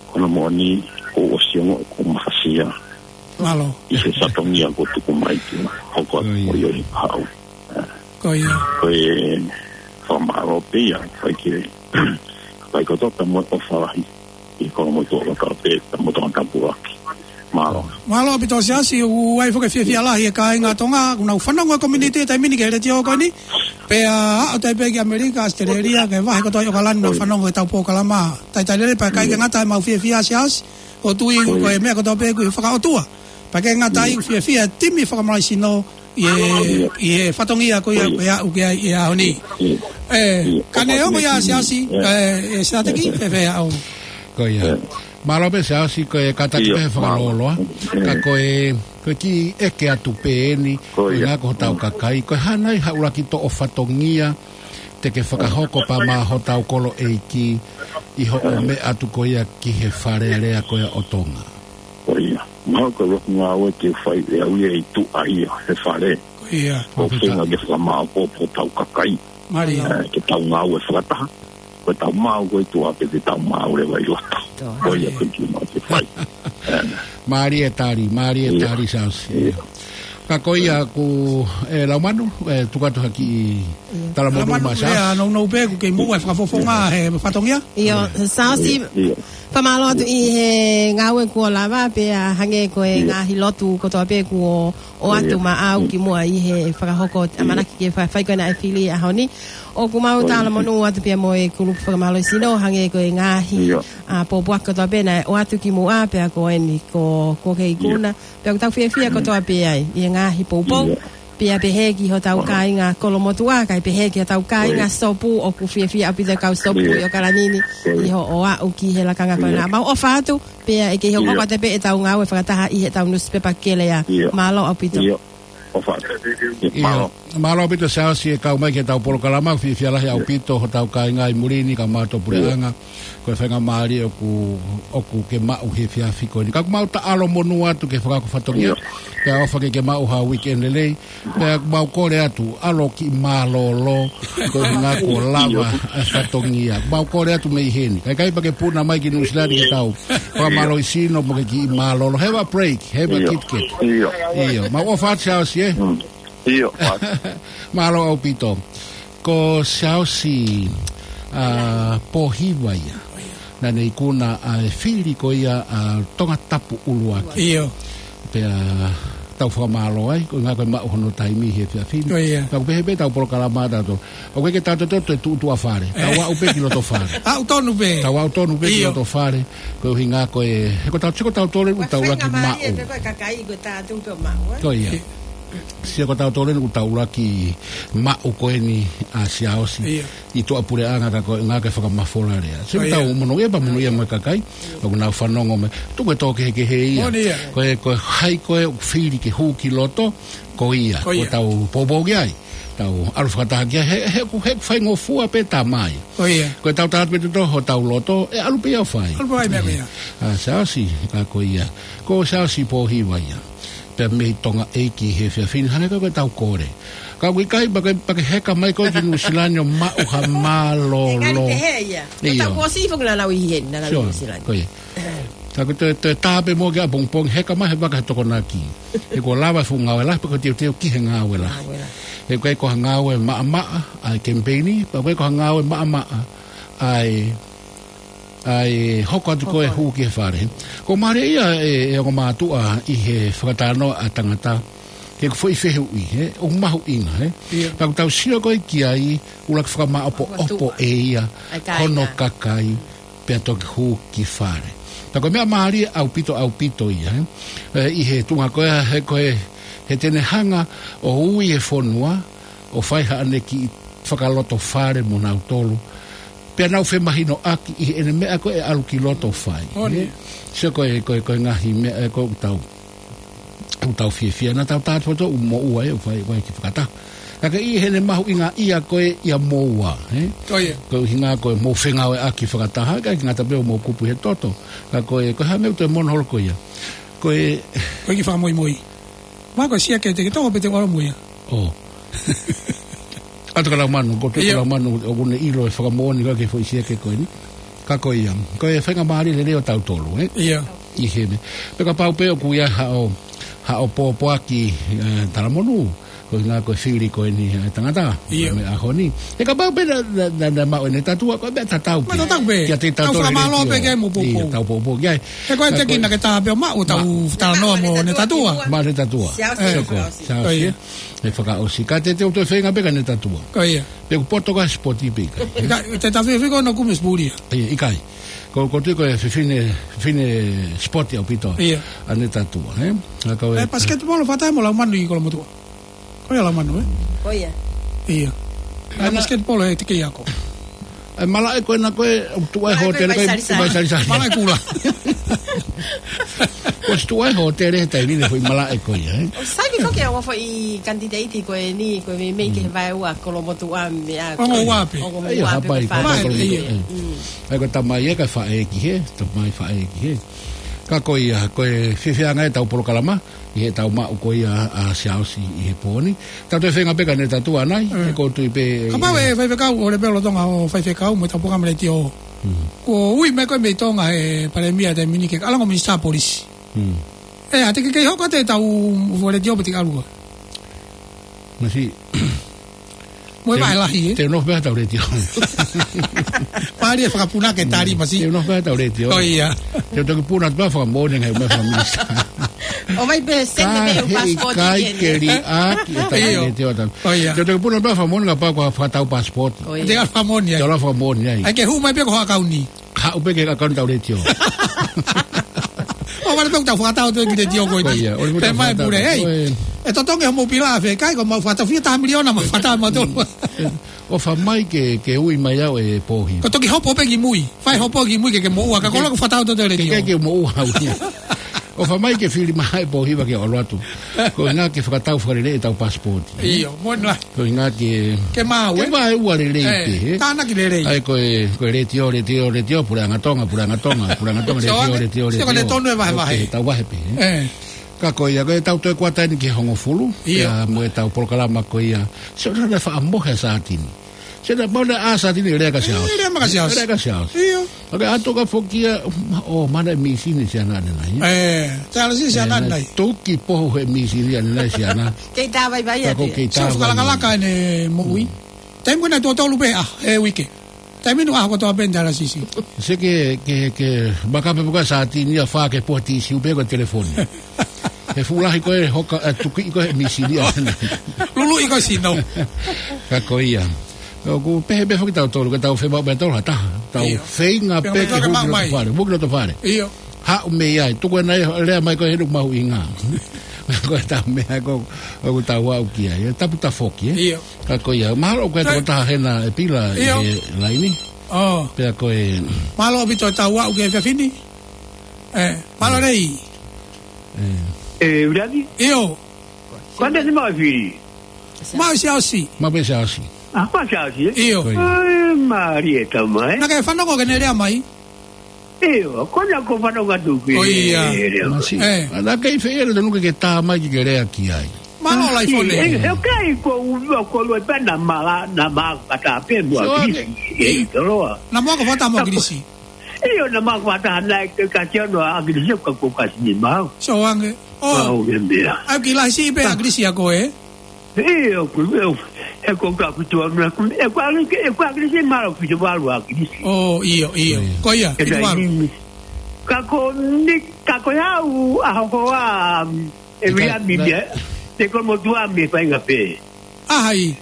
Ko hono moʻoni, kuo u ʻosi ongoʻi ʻoku ou mafasia. Mālō. ʻI he fatongia kuo tuku mai ke hoko atu ko ia ʻi haʻu. Ko ia. Ko e fakamālō pē ia, ʻikai ke, ʻikai kotoa pē mo e ʻofa lahi ʻi he kolo motuʻa kotoa pē, pea mo Tongatapu ʻaki. Mālō. Mālō ʻaupito Siaosi, ʻoku ʻi ai foki e fiefia lahi e kāinga Tonga, ʻoku nau fanongo he community he taimi ni ki he letiō ko eni. Pea aʻu atu ai pē ki ʻAmelika, ʻAositelēlia, ki he vahe kotoa ʻi ʻAokalani nau fanongo ki heʻetau polokalama. Talitali lelei pea ʻikai ke ngata ai ʻemau fiefia Siaosi, ʻoku ou tui ko e meʻa kotoa pē ʻoku fakaʻotua. Pea ʻikai ke ngata ai ʻoku fiefia e timi fakamalaisino ʻi he, ʻi he fatongia ko ia, ko ia ʻoku ʻi ai ʻi he ʻaho ni. ʻE, ka neongo ia Siaosi, ʻe, ʻe Sāteki, fēfē haʻo. Ko ia. Mālō pē Siaosi, ko e kātaki pē he fakalōloa. Ka ko e, ko e kiʻi ʻeke atu pē eni, ko e ʻuhinga ko hotau kakai, ko e hā nai ha ʻuluaki toʻo fatongia te ke fakahoko pea mo hotau kolo ʻeiki ʻi hoʻo meʻa atu ko ia ki he Fale Alea ko ia ʻo Tonga. Ko ia. Mahalo ko e ʻuluaki ngāue ke fai ʻe au ia ʻi tuʻa ia he fale. Ko ia. ʻOku ou feinga ke fakamāʻopoʻopo hotau kakai. Mālie. ʻE, ke tau ngāue fakataha. Ko ʻetau maau ko ē ʻi tuʻa pea te tau maau leva ʻi loto. Ko ia ko e kiʻi maau ke fai. ʻE. Mālie e tali, mālie e tali Siaosi. Ka ko ia ʻoku, ʻe, Laumanu, ʻe, tuku atu ha kiʻi talamonū maʻa Siaosi. Lau nau pē ʻoku kei muʻa e fakafofonga he fatongia. ʻIo, Siaosi, fakamālō atu ʻi he ngāue kuo lava pea hangē ko e ngaahi lotu kotoa pē kuo ʻoatu maʻau kimuʻa ʻi he fakahoko ʻamanaki ke fa-, fai ko ena e fili ʻaho ni. ʻOku mau talamonū atu pea mo e kulupu fakamālohisino hangē ko e ngaahi, ʻa, pōpoaki kotoa pē naʻe ʻoatu kimuʻa pea ko eni ko, ko e ikuna. Pea ʻoku tau fiefia kotoa pē ai ʻi he ngaahi poupou. Pea pehē ki hotau kāinga kolo motuʻa, kae pehē ki hotau kāinga sopu, ʻoku fiefia ʻaupito e kau sopu ʻi ʻAokalani ni ʻi hoʻo aʻu ki he lakanga ko ena. Mau ʻofa atu, pea ʻe kei hoko atu pē ʻetau ngāue fakataha ʻi heʻetau nusipepa kelea. Mālō ʻaupito. ʻIo, mālō ʻaupito Siaosi e kau mai ki heʻetau polokalama, fiefia lahi ʻaupito hotau kāinga ʻi muli ni kae ʻumaʻā e puleʻanga. Ko e faingamālie ʻoku, ʻoku ke maʻu he efiafi ko eni. Ka ʻoku mau taʻalo monū atu ki he fakahoko fatongia. Pea ʻofa ke ke maʻu ha weekend lelei. Pea ʻoku mau kole atu, ʻalu ki mālōlō, ko e ʻuhinga kuo lava e fatongia. Mau kole atu mei heni. Kae ʻikai pē ke puna mai ki Nuʻu Sila ni ke tau fakamālohisino mo ke kiʻi mālōlō. Have a break, have a Kit Kat. ʻIo. Mau ʻofa atu Siaosi, ē? ʻIo. Mālō ʻaupito. Ko Siaosi, ʻa, Pōhiva ia. Naʻa ne ikuna ʻa e fili ko ia ʻa Tongatapu ʻUluaki. ʻIo. Pea tau fakamālō ai, ko e ʻuhinga ko e maʻu hono taimi he efiafi ni. Pea ʻoku pehē pē ʻetau polokalama ʻatautolu. ʻOku ʻikai ke tau toe tuʻu tuʻa fale. Tau aʻu pē ki loto fale. Aʻu tonu pē. Tau aʻu tonu pē ki loto fale. Ko e ʻuhinga ko e, he ko tautolu, ko tautolu ʻoku taulaki maʻu. Ko ia. Sio ko tautolu eni ʻoku tau ʻuluaki maʻu ko eni ʻa Siaosi. Ia. ʻI tuʻapuleʻanga ka ko e ngaahi fakamafola lea. Sio ʻoku tau monūʻia pea monūʻia mo e kakai. ʻOku nau fanongo mai. Tuku e tō kehekehe ia. Ko e, ko e hai ko ē ʻoku fili ke hū ki loto, ko ia. Ko ia. ʻOku tau poupou ki ai. Tau ʻalu fakataha ki ai. He, he, he ʻoku faingofua pē tamai. Ko ia. Ko e tau tala pē tuto hotau loto, ʻe ʻalu pē ia ʻo fai. ʻAlu pē ia, meʻa, meʻa. ʻA Siaosi, ka ko ia. Ko Siaosi Pōhiva ia. Pea mei Tonga ʻEiki he efiafi ni, hangē ko e tau kole. Ka ʻoku ʻikai pea ke, pea ke heka mai koe ki Nuʻusila ni ʻo maʻu ha mālōlō. Ngani te he ia. Ko tau kuo ʻosi foki naʻa nau ʻi heni, naʻa nau ʻi Nuʻusila ni. Ko ia. Ka ko e toe, toe tā pē mo ke ʻapongipongi, heka mai he vaka he Tokonaki. He kuo lava e fuʻu ngāue lahi, pea ko e teuteu ki he ngāue lahi. Ngāue lahi. He ko e ko ha ngāue maʻamaʻa, ʻa e kemipeini, pea ko e ko ha ngāue maʻamaʻa, ʻa e ʻa e hoko atu ko e hū ki he fale. Ko mālie ia e, e ongo mātuʻa ʻi he fakatalanoa ʻa tangata, ke ko e foʻi fehuʻi, he, ʻoku mahuʻinga, he. Ia. Pea ʻoku tau sio ko ē ki ai, ʻuluaki fakamāʻopoʻopo ʻe ia, hono kakai, pea toki hū ki fale. Pea ko e meʻa mālie ʻaupito, ʻaupito ia, he. E, ʻi he tuʻunga ko ē, he ko e, he te ne hanga ʻo ui e fonua, ʻo fai haʻane kiʻi fakalotofale mo nautolu. Pea nau femahinoʻaki ʻi heʻene meʻa ko ē ʻalu ki loto fai. Sio ko e, ko e, ko e ngaahi meʻa ē ko ē ʻoku tau, ʻoku tau fiefia naʻa tau tātā foto ʻoku moʻua ē ʻoku fai, fai ki fakataha. Ka ke ʻi heʻene mahuʻinga ia ko ē ia moua, ē? Ko e ʻuhinga ko e mou fengāueʻaki fakataha, ka ʻikai ngata pē ʻo mou kupu he toto. Ka ko e, ko e hā meʻa ʻoku toe mono holo ko ia. Ko e, ko e kiʻi fakamoimoi. Mā ko e siake te ke toko pē te ʻalu mo ia. ʻO. ʻAtu ka lau manu, ko tu ka lau manu, ʻoku ne ʻilo e fakamoʻoni ko e ke foʻi siake ko eni. Ka ko ia. Ko e faingamālie lelei ʻo tautolu, ē? Ia. ʻI he meʻa. Pea kapau pē ʻoku ʻi ai haʻo, haʻo pōpoaki, ē, talamonū. Ko e ʻuhinga ko e fili ko eni ʻa e tangata. Ia. Meʻa ʻaho ni. He kapau pē naʻa, naʻa, naʻa, naʻa maʻu ʻene tatua, ko e meʻa tatau pē. Meʻa tatau pē. Kiate tautolu. Tau fakamālō pē ke mou pōpou. Ia, tau pōpou ki ai. He ko e teki naʻa ke tā pē ʻo maʻu, tau talanoa mo ʻene tatua. Maʻu ʻene tatua. Siaosi. Sio ko, siaosi. Ko ia. ʻE fakaʻosi. Ka te te u toe feinga pē ka ne tatua. Ko ia. Pe ʻoku poto ka sipoti pē ʻikai. Ka, te ta fefeko no kume sipuli ia. Ia, ʻikai. Ko, ko tui ko e fefine, fefine sipoti ʻaupito. Ia. ʻA ne tatua, ē? Ka ko e, ē, pasiketipolo fata mo lau manu ʻi Kolomotuʻa. Ko ia lau manu, ē? Ko ia. Ia. Ē, pasiketipolo ʻe te kei ako. ʻE malaʻe ko ena ko e, ʻoku tuʻu ai hōtele ko e, malaʻe ko e vai salisali. Malaʻe kula. Ko e tuʻu ai hōtele he taimi ni foʻi malaʻe ko ia, ē? ʻOku sai pē ko e ongo foʻi kanititeiti ko eni, ko e meimei ki he vaeua Kolomotuʻa meʻa. Ongo ua pē. Ongo ua pē. Ia, hapai, hapai Kolomotuʻa. Ia. ʻAi ko e tamai ē ka faʻē ki hē, tamai faʻē ki hē. Ka ko ia, ko e fiefia ange ʻetau polokalama, ʻi heʻetau maʻu ko ia ʻa Siaosi ʻi he pō ni. Tau toe feinga pē ka ne tatua nai, he ko tui pē. Kapau ʻe faifekau, ʻo le pē lolotonga ʻo faifekau, mo ʻetau polokalama letiō. Kuo ui mai ko e mei Tonga he palēmia taimi ni ke ʻalu ange ʻo minisitā polisi. ʻE, ʻa te ke kei hoko atu ʻetau letiō pē te ke ʻalu. Masi. Mo e vahe lahi, ē? Te u nofo pē ʻi heʻetau letiō. Pali e fakapuna ke tali masi. Te u nofo pē ʻi heʻetau letiō. Ko ia. Te u toki puna atu pē fakamoʻoni ngaahi meʻa fakaminisitā. ʻOmai pē sene pē ʻo pasipoti ʻikai ke liʻaki ʻetau letiō atu. Ko ia. Te u toki puna atu pē fakamoʻoni ngaahi pau ko e fakatau pasipoti. Ko ia. Te u fakamoʻoni ai. Te u fakamoʻoni ai. ʻAi ke hū mai pē ko e hā kauni. Haʻu pē ke ka kanu tau letiō. ʻO vale pē ʻoku tau fakatau atu e kiʻi letiō ko eni. Ko ia, ʻoku tau fakatau. Pē mai pule, hei. ʻE totongi hoʻomou pila ʻa fē kai, ko mau fakatau fia taha miliona, mau fakatau mau tolu. ʻOfa mai ke, ke ui mai au ʻe Pōhiva. Ko e toki hopo pē ki mui. Fai hopo ki mui ke, ke moʻua, ka ko e ʻalu ʻo fakatau atu e letiō. Ke, ke moʻua au ia. ʻOfa mai ke fili mai ʻe Pōhiva ke ʻalu atu. Ko e ʻuhinga ke fakatau fakalelei ʻetau pasipoti. ʻIo, mo na. Ko e ʻuhinga ke, ke maʻu, ke ē? Vaeua lelei pē, ē? Tānaki lelei. ʻAi ko e, ko e letiō, letiō, letiō, Puleʻanga Tonga, Puleʻanga Tonga, Puleʻanga Tonga, letiō, letiō, letiō. Sio ko e tonu e vahevahe. ʻOkei, tau vahe pē, ē? Ka ko ia, ko ʻetau toe kuata eni ki he hongofulu. ʻIo. Pea mo ʻetau polokalama ko ia. Sio naʻe faʻa mohe ʻa Sātini. Sio naʻe mau naʻe ʻā Sātini lea kia Siaosi. Lea mai kia Siaosi. Lea kia Siaosi. ʻIo. ʻOku ʻatu ka foki ia, ʻo, mana e mīsini Siana ʻanenai. ʻE, Siana si Siana ʻanenai. Tuki pohu he mīsini ʻanenai Siana. Kei tā vaivai atu. Kei tā vaivai. Siaosi fakalakalaka ʻene moʻui. Taimi ko ena tuʻo tolu pē ʻa e uike. Taimi nu ʻaho kotoa pē ʻene dialysis. Sio ke, ke, ke, maka pē puka Sātini ia fā ke puha tisiu pē ko e telefoni. He fuʻu lahi ko e hoka, ʻe tuki ko e mīsini ʻanenai. Luluʻi ko e sino. Ka ko ia. ʻOku pehē pē foki tautolu, ka tau feinga pē tautolu ha taha. Tau feinga pē ke hū ki loto fale. Hū ki loto fale. ʻIo. Haʻu mei ai. Tuku ena ia, lea mai ko e henu mahuʻinga. Ko e taha meʻa ko, ʻoku tau aʻu ki ai. ʻE tapu tafoki, ē? ʻIo. Ka ko ia, mahalo ko e Sai. tokotaha hena ʻe pila ʻi ʻIo. he laini. ʻO. Pea ko e Mālō ʻaupito e tau aʻu ki he efiafi ni. ʻE, mālō lelei. ʻE. ʻE, Ulavi? ʻIo. Ko ʻene ʻasi mai e fili? Mai Siaosi. Mai pē Siaosi. ʻA, mai Siaosi, ē? ʻIo. Ko ia. ʻAi, mālie e tama, ē? Naʻa ke fanongo ki heʻene lea mai? ʻIo, ko ena ʻoku ou fanongo atu ki he lea mai. ʻO ia. Masi. ʻE. ʻA, naʻa ke ʻi fē ʻi he lea tonu ke ke tā mai ke ke lea ki ai. Mālō Laifone. ʻE, he ʻikai ko u, ko u lue pē naʻa ma la, naʻa ma fakataha pē mo ʻAkilisi. ʻE, ʻi Toloa. Naʻa mo ako fakataha mo ʻAkilisi. ʻIo, naʻa ma fakataha naʻe ke kasi ono ʻa ʻAkilisi ka ko kasi ni mau. Sio ange. ʻO. Mau ke mea. ʻAi ki lahi siʻi pē ʻAkilisi ʻa koe. ʻIo, ko, ʻio, he ko ka fitu ono, ko, ʻe ko ʻAkilisi, ʻe ko ʻAkilisi mālō fitu valu ʻAkilisi. ʻO, ʻio, ʻio. Ko ia, fitu valu. Ka ko ni, ka ko e hau ʻa hokoa, ʻe Ka, via mi na- mea, te ko motuʻa mei faʻahinga pē. ʻA hai?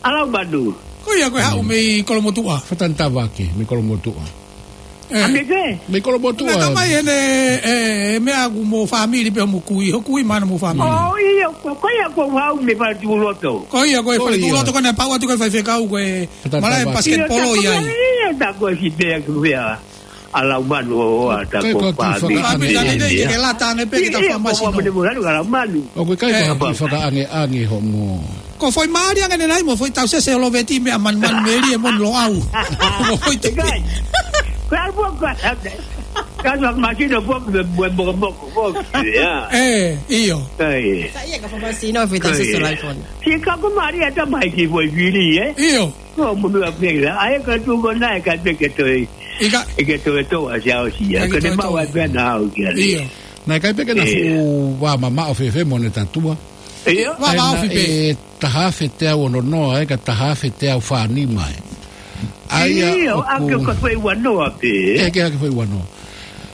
ʻA Laumanu. Ko ia ko e haʻu mei Kolomotuʻa. Fatanitavake, mei Kolomotuʻa. ʻE. ʻA mei fē? Mei Kolomotuʻa. Naʻe tau mai ʻene, ʻe, meʻa ʻoku mo fāmili pē mo kui, ho kui mana mo fāmili. ʻO, ʻio, ko, ko ia ko e haʻu mei Faletuʻuloto. Ko ia ko e Ko ia. Faletuʻuloto ko ena pau atu ko e faifekau ko e Fatanitavake. malae basketball ʻIo, ia. ʻIo, tā ko e si pea ku pea. ʻA Laumanu ʻo ʻata Kai ko ko a kiʻi fāmili fakaʻange. Kapitani nei ke ke lata ange pē ke ta Io, fakamasino. Ko mo mo lalu ʻa Laumanu. ʻOku ʻikai ko ʻE. ha kiʻi fakaʻangeʻange hoʻomo. Ko foʻi mali ange ne nai mo foʻi tau sese o loveti meʻa man man meli e mon lo au. Ko foʻi te ʻIkai. Ko alu pua ko a. Ka fakamasino pua ko mo mo mo ko ko. Ia. ʻE, ʻio. Kai. Sa ia ka fakamasino foʻi tau Kai. sese o Laifone. Si ka ko mali ata mai ki foʻi vili, ē? ʻIo. Ko mo mo a pela. ʻAi ka tu ko naʻe ka te ke toi. ʻIkai. ʻE ke toe tō ʻa Siaosi ia. ʻIkai Ka te ke toe mau tō. ʻa pea na au ki ale. ʻIo. Naʻe ʻikai pē ke na ʻIo. fuʻu vā mamaʻo fēfē mo ʻene tatua. ʻIo. Vā Naʻe mamaʻo na fēfē. ʻe taha afe teau ono noa, ʻe ka taha afe teau fā nima ē. ʻAi ia ʻIo, ʻoku ʻa ke ka fai ua noa pē. ʻE ke ake fai ua noa.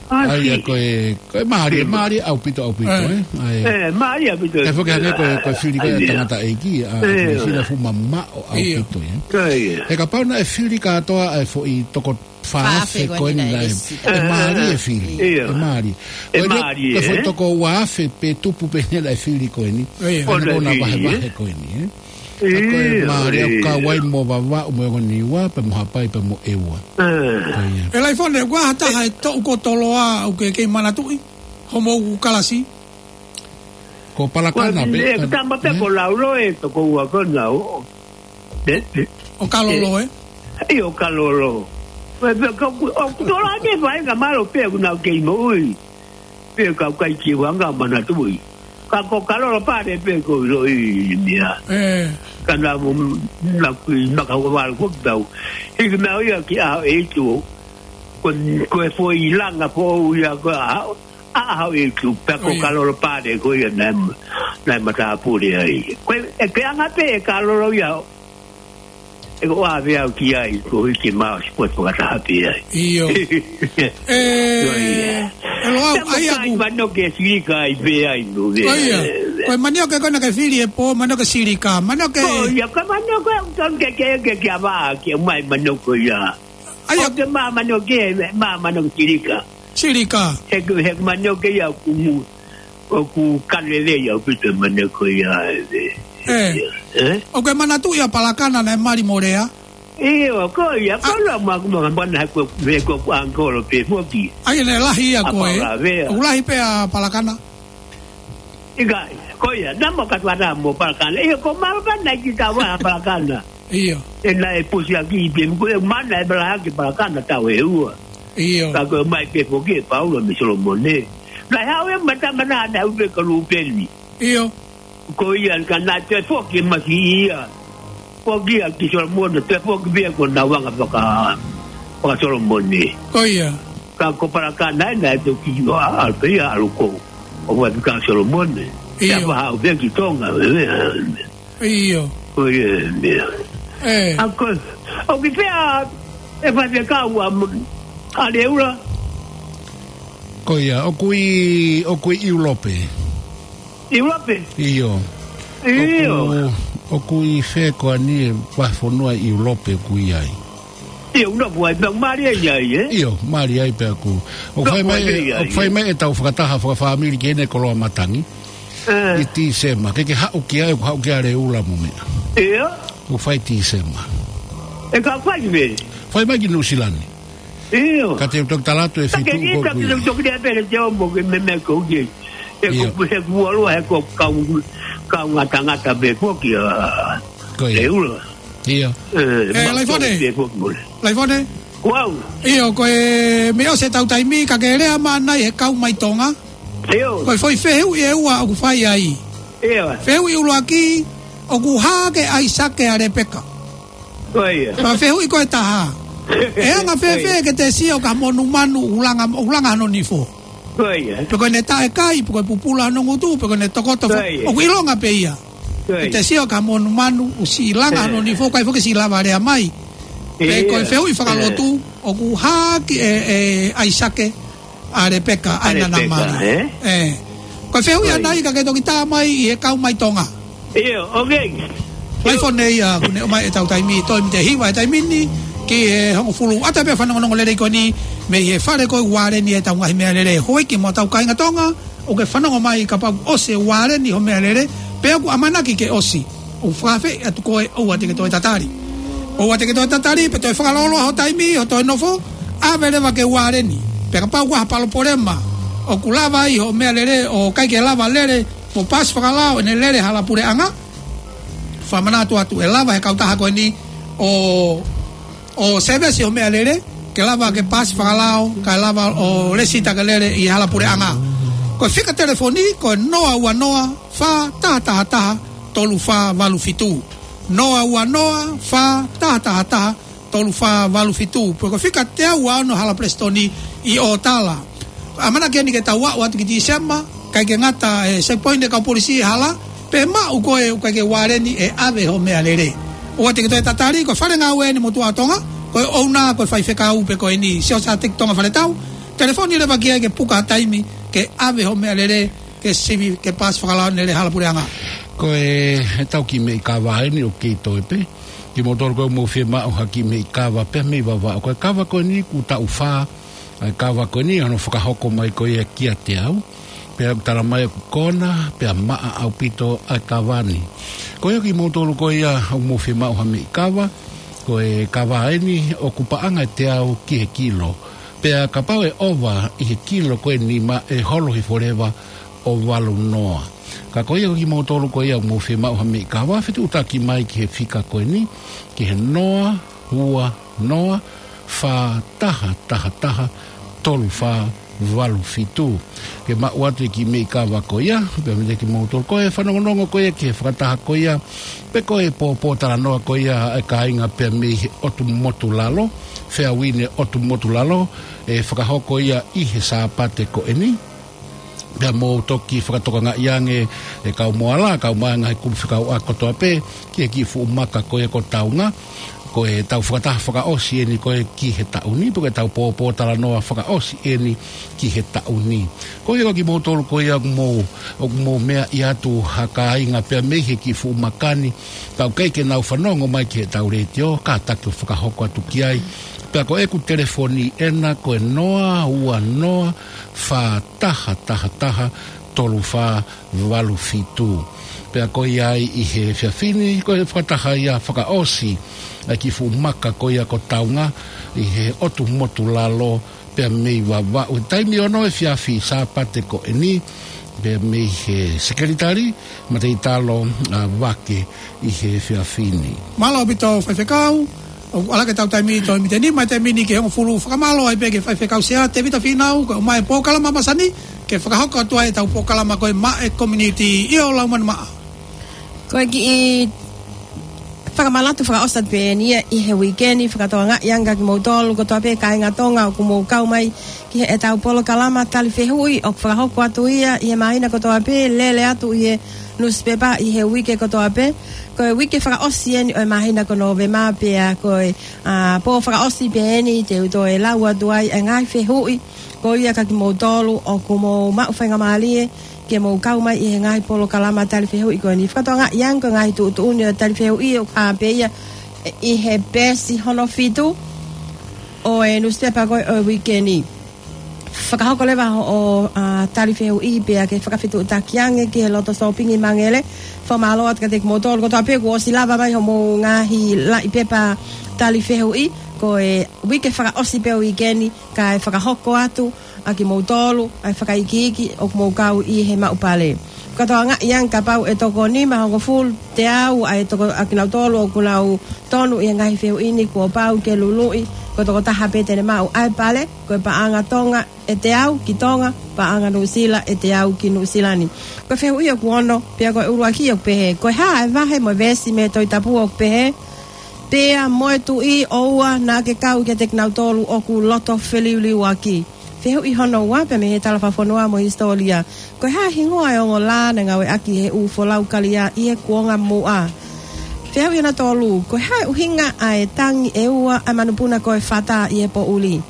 ʻA, ʻAi ia si. ko e, ko e mālie, mālie ʻaupito, ʻaupito, ʻE. ē. ʻAi. ʻE, mālie ʻaupito. ʻE foki hangē ko e, ko e fili ko e ʻAi ia. tangata ʻeiki, ʻa, ʻE. ko e fili fuʻu mamaʻo ʻIo. ʻaupito, ē. ʻAi ia. He kapau naʻe fili kātoa ʻa e foʻi toko Fā afe fā afe ko ko eni eni naʻe, naʻe ʻe mālie e fili. ʻIo. ʻE mālie. ʻE Ko e mālie, ko e foʻi ē? toko ua afe pē tupu pē eni naʻe fili ko eni. ʻIo. Ko ena ʻOna ko na fili, vahevahe ē? ko eni, ē? ʻIo, Ka ko e mālie ʻo ʻio. kau ai mo Vavaʻu mo e ongo Niua, pea mo Haʻapai pea mo ʻEua. ʻE. Ko ia. ʻE Laifone, ʻoku ʻi ai ha taha ʻe toʻu ko Toloa ʻoku ke kei manatuʻi? Hoʻomou kalasi? Ko Palakana Ko pē, ʻe ka tama pē ē? ko Laulo ʻe toko ua ko na o. ʻE, ʻe. ʻO Kalolo, ʻE. ē? ʻIo, ʻo Kalolo. Pea, pea, ka ku, ʻoku tō la ke fai ka mālō pē ʻoku nau kei moʻui. Pea ka kai ki wanga manatuʻi. Ka ko Kalolo pale pē ko ʻilo ʻi mea. ʻE. Ka na mo, na kui, na ka wala ko tau. Hiki nau ia ki ʻaho ʻeiki. Ko, ko e foʻi langa foʻou ia ko a, a, a, e tu, pea ko ʻIo. Kalolo pale ko ia naʻe, naʻe matāpule ai. Ko e, ʻe ke anga pē ʻe Kalolo ia. ʻE ko ʻave au ki ai, ko hiki mau si potu fakataha pē ai. ʻIo. ʻE, ʻIo, ʻio. ʻe Loau, Tamo ʻai kai aku. mano ke silika ai pē ai, no, Ko ia. ʻe. Ko e manioke ko ena ke fili ʻe pō, manioke silika. Manioke Ko ia, ko e manioke ʻoku tonu ke, ke, ke, ke ava, ke mai manioke ia. ʻAi ʻOku aku. ke mā manioke, mā manioke silika. Silika. He ko, he ko manioke ia ʻoku mu, ʻoku kalele ia ʻaupito manioke ia, ʻe. ʻE. ʻE? ʻOku ke manatuʻi ʻa Palakana naʻe mali mo Lea? ʻIo, ko ia, ko la ma, ma, ma, na ko, me ko, ko angkolo pē foki. ʻAi ʻene lahi ia ʻA ko ē. Paula Vea. ʻOku lahi pē ʻa Palakana? ʻIkai, ko ia, na mo ka tuata mo Palakana. ʻIo, ko mālō pē naʻe ki tau ʻa Palakana. ʻIo. ʻE naʻe pusi ʻaki i pē, ko e mana ʻe pala ʻaki Palakana tau ʻe ua. ʻIo. Ka ko e mai pē foki ʻe Paula mei Solomone. Naʻe haʻu e mata mana naʻe ʻupe ka Lupeni. ʻIo. Ko ia ka naʻe toe foki masi ia. Foki ia ki Solomone, toe foki pē ko na wanga faka, faka Solomone. Ko ia. Ka ko Palakana ʻe naʻe toki ʻo a, a, pē ia ʻalu ko. ʻO wai fika Solomone. ʻIo. Ia pa haʻu pē ki Tonga, ʻe, ʻe. ʻIo. Ko ia, ʻe. ʻE. ʻA ko, ʻoku ʻi fē ʻa e faifekau ʻa, ʻa Leula? Ko ia, ʻoku ʻi, ʻoku ʻi ʻIulope. ʻIulope? ʻIo. ʻIo. ʻOku, ʻoku ʻi fē ko eni e vahefonua ʻi ʻIulope ʻoku ʻi ai? Ia, ʻoku nofo ai, pea mālie ai, ē? ʻIo, mālie ai pea ʻoku. ʻOku fai mai, ʻoku fai mai ʻetau fakataha fakafāmili ki heʻene koloa matangi. ʻI Tīsema, ke ke haʻu ki ai, ʻoku haʻu ki ai Leula mo meʻa. ʻIo. ʻOku fai Tīsema. ʻE ka fai meʻa. Fai mai ki Nuʻusila ni. ʻIo. Ka te u toki tala atu e feituʻu ko ē ʻoku ʻi ai. Toki lea pē te o mo ke meʻa ko ē. ʻE ko ʻIo. He kuo lua, he ko kau, kau ngatangata pē foki ʻa Ko ia. Leula. ʻIo. ʻE, Laifone. Pē foki mole. Laifone. Wow. ʻIo, ko e meʻa ʻosi ʻetau taimi, ka ke lea mai ʻanai he kau mai Tonga. ʻIo. Ko e foʻi fehuʻi ʻe ua ʻoku fai ai. ʻIo. Fehuʻi ʻuluaki, ʻoku hā ke ʻAisake ʻa Lepeka. Ko ia. Pea fehuʻi ko e taha. ʻE anga fēfē ke te sio ka monumanu ʻoku langa, ʻoku langa hano nifo. Ko ia. Pe ko ʻene taʻekai, pe ko e pupula hano ngutu, pe ko ʻene tokoto fo-, Ko ia. ʻOku ʻilonga pē ia. Ko ia. Ke te sio ka monumanu ʻoku siʻi langa hano nifo, ʻikai foki siʻi lava lea mai. Pe ko e Ia. fehuʻi fakalotu, ʻoku hā ke ʻe, ʻe ʻAisake ʻa Lepeka, ʻa ʻAina Lepeka, Namali. ē? ʻE. Ko e fehuʻi Ko ia. ʻanai ka ke toki tā mai ʻi he kau mai Tonga. ʻIo, ʻoku ʻi ai. Laifone ia, ʻoku ne ʻomai ʻetau taimi, toe mite hiva e taimi ni, ki he hongofulu. ʻAtā pē fanongonongo lelei ko eni, mei he fale ko ē Ualeni ʻetau ngaahi meʻalele. Houʻeiki mo hotau kāinga Tonga, ʻoku ke fanongo mai kapau ʻosi e Ualeni hoʻo meʻalele, pe ʻoku ʻamanaki ke ʻosi. ʻOku fakafeʻiloaki atu koe ʻoua te ke toe tatali. ʻOua te ke toe tatali, pe toe fakalōloa ho taimi, ho toe nofo, ʻave leva ki Ualeni. Pea kapau ʻoku ʻi ai ha palopalema, ʻoku lava ai hoʻo meʻalele, ʻo ʻikai ke lava lele, mo paasi fakalao, ʻene lele hala puleʻanga. Fakamanatu atu ʻe lava he kautaha ko eni ʻo, ʻo sēvesi hoʻo meʻalele, ke lava ke paasi fakalao, kae lava ʻo lēsisita ke lele ʻi hala puleʻanga. Ko e fika telefoni, ko e noa ua noa, fā taha taha taha, tolu fā valu fitu. Noa ua noa, fā taha taha taha, tolu fā valu fitu. Pe ko e fika teau ua ono hala Palesitoni ʻi ʻOtala. ʻAmanaki eni ke tau aʻu atu ki Tīsema, ʻikai ke ngata e checkpoint e kau polisi ʻi he hala, pe maʻu koe ʻoku ʻikai ke Ualeni ʻe ʻave hoʻo meʻalele. ʻOua te ke toe tatali, ko e Fale Ngāue eni Motuʻa ʻo Tonga, ko e ʻouna ko e faifekau pē ko eni, Siaosi ʻa Teki Tonga Faletau, telefoni leva ki ai ke puka taimi, ke ʻave hoʻo meʻalele, ke sivi, ke paasi fakalao ʻene lele hala puleʻanga. Ko e, ʻetau kiʻi meʻi kava eni ʻoku kei toe pē. Kimoutolu ko ē ʻoku mou fiemaʻu ha kiʻi meʻi kava pea mei Vavaʻu. Ko e kava ko eni kuo taʻu fā, ʻa e kava ko eni hono fakahoko mai ko ia kiate au. Pea ʻoku tala mai ʻoku kona, pea maʻa ʻaupito ʻa e kava ni. Ko ia kimoutolu ko ia ʻoku mou fiemaʻu ha meʻi kava, ko e kava eni ʻoku paʻanga ʻe teau ki he kilo. Pea kapau ʻe ʻova ʻi he kilo ko ē nima ʻe holo hifo leva ʻo valu noa. Ka ko ia kimoutolu ko ia ʻoku mou fiemaʻu ha meʻi kava, fetuʻutaki mai ki he fika ko eni, ki he noa ua noa, fā taha taha taha, tolu fā valu fitu. Ke maʻu atu e kiʻi meʻi kava ko ia, pea mei he kimoutolu ko ē fanongonongo ko ia ki he fakataha ko ia, pe ko e pōpōtalanoa ko ia ʻa e kāinga pea mei he ʻotu motu lalo, Feauine ʻotu motu lalo, ʻe fakahoko ia ʻi he Sāpate ko eni. Pea mou toki fakatokangaʻi ange e kau moala, kau mai ngaahi kulupu fekauʻaki kotoa pē, ki he kiʻi fuʻu maka ko ia ko Taunga, ko ʻetau fakataha fakaʻosi eni ko ē ki he taʻu ni, pe ko ʻetau pōpōtalanoa fakaʻosi eni ki he taʻu ni. Ko ia ko kimoutolu ko ia ʻoku mou, ʻoku mou meaʻi atu ha kāinga pea mei he kiʻi fuʻu maka ni, ka ʻoku ʻikai ke nau fanongo mai ki heʻetau letiō, kātaki ʻo fakahoko atu ki ai. Pea ko ʻeku telefoni ena ko e noa ua noa, fā taha taha taha, tolu fā valu fitu. Pea ko ia ai ʻi he efiafi ni, ko e fakataha ia fakaʻosi ʻa e kiʻi fuʻu maka ko ia ko Taunga, ʻi he ʻotu motu lalo, pea mei Vavaʻu. Taimi ono efiafi Sāpate ko eni, pea mei he Sekelitali Mateitalo, ʻa, Vake ʻi he efiafi ni. Mālō ʻaupito faifekau, ʻoku ʻalu ʻetau taimi toe mite nima e taimi ni ki he hongofulu. Fakamālō ai pē ki he faifekau Sea Tēvita Fīnau, ko e ʻomai e polokalama masani, ke fakahoko atu ai ʻetau polokalama ko e Maʻe Community. ʻIo Laumanu Maʻa. Ko e kiʻi fakamanatu fakaʻosi atu pē eni ia ʻi he uike ni, fakatokangaʻi ange kia kimoutolu kotoa pē kāinga Tonga ʻoku mou kau mai ki heʻetau polokalama tali fehuʻi ʻoku fakahoko atu ia ʻi he māhina kotoa pē, lele atu ʻi he nusipepa ʻi he uike kotoa pē. Ko e uike fakaʻosi eni ʻo e māhina ko Nōvema pea ko e, ʻa, pō fakaʻosi pē eni te u toe lau atu ai e ngaahi fehuʻi ko ia kia kimoutolu ʻoku mou maʻu faingamālie ke mou kau mai ʻi he ngaahi polokalama tali fehuʻi ko eni. Fakatokangaʻi ange ko e ngaahi tuʻutuʻuni ʻo e tali fehuʻi ʻoku hā pē ia ʻi he peesi hono fitu. ʻo e nusipepa ko ē ʻo e uike ni. Fakahoko leva hoʻo, ʻa, tali fehuʻi pea ke fakafetuʻutaki ange ki he loto sōpingi Mangele. Fakamālō atu kiate kimoutolu kotoa pē kuo ʻosi lava mai hoʻomou ngaahi laʻi pepa tali fehuʻi. Ko e uike fakaʻosi pē ʻo e uike ni, kae fakahoko atu ʻa kimoutolu ʻa e fakaikiiki ʻoku mou kau ʻi he maʻu pale. Fakatokangaʻi ange kapau ʻe toko nima hongofulu teau ʻa e toko ʻa kinautolu ʻoku nau tonu ʻi he ngaahi fehuʻi ni, kuo pau ke luluʻi ko e tokotaha pē te ne maʻu ʻa e pale. Ko e paʻanga Tonga ʻe teau ki Tonga, paʻanga Nuʻusila ʻe teau ki Nuʻusila ni. Ko e fehuʻi ʻoku ono, pea ko e ʻuluaki ʻoku pehē: Ko e hā ʻa e vahe mo e veesi mei he Tohi Tapu ʻoku pehē: Pea mo e tuʻi ʻoua naʻa ke kau kiate kinautolu ʻoku loto feliuliuaki? Fehuʻi hono ua, pea mei he Talafakafonua mo e Hisitōlia: Ko e hā e hingoa ʻo e ongo lā naʻe ngāueʻaki ʻe he ʻū folau kalia ʻi he kuonga muʻa? Fehuʻi hono tolu: Ko e hā e ʻuhinga ʻa e tangi ʻe ua ʻa e manupuna ko e fata ʻi he poʻuli?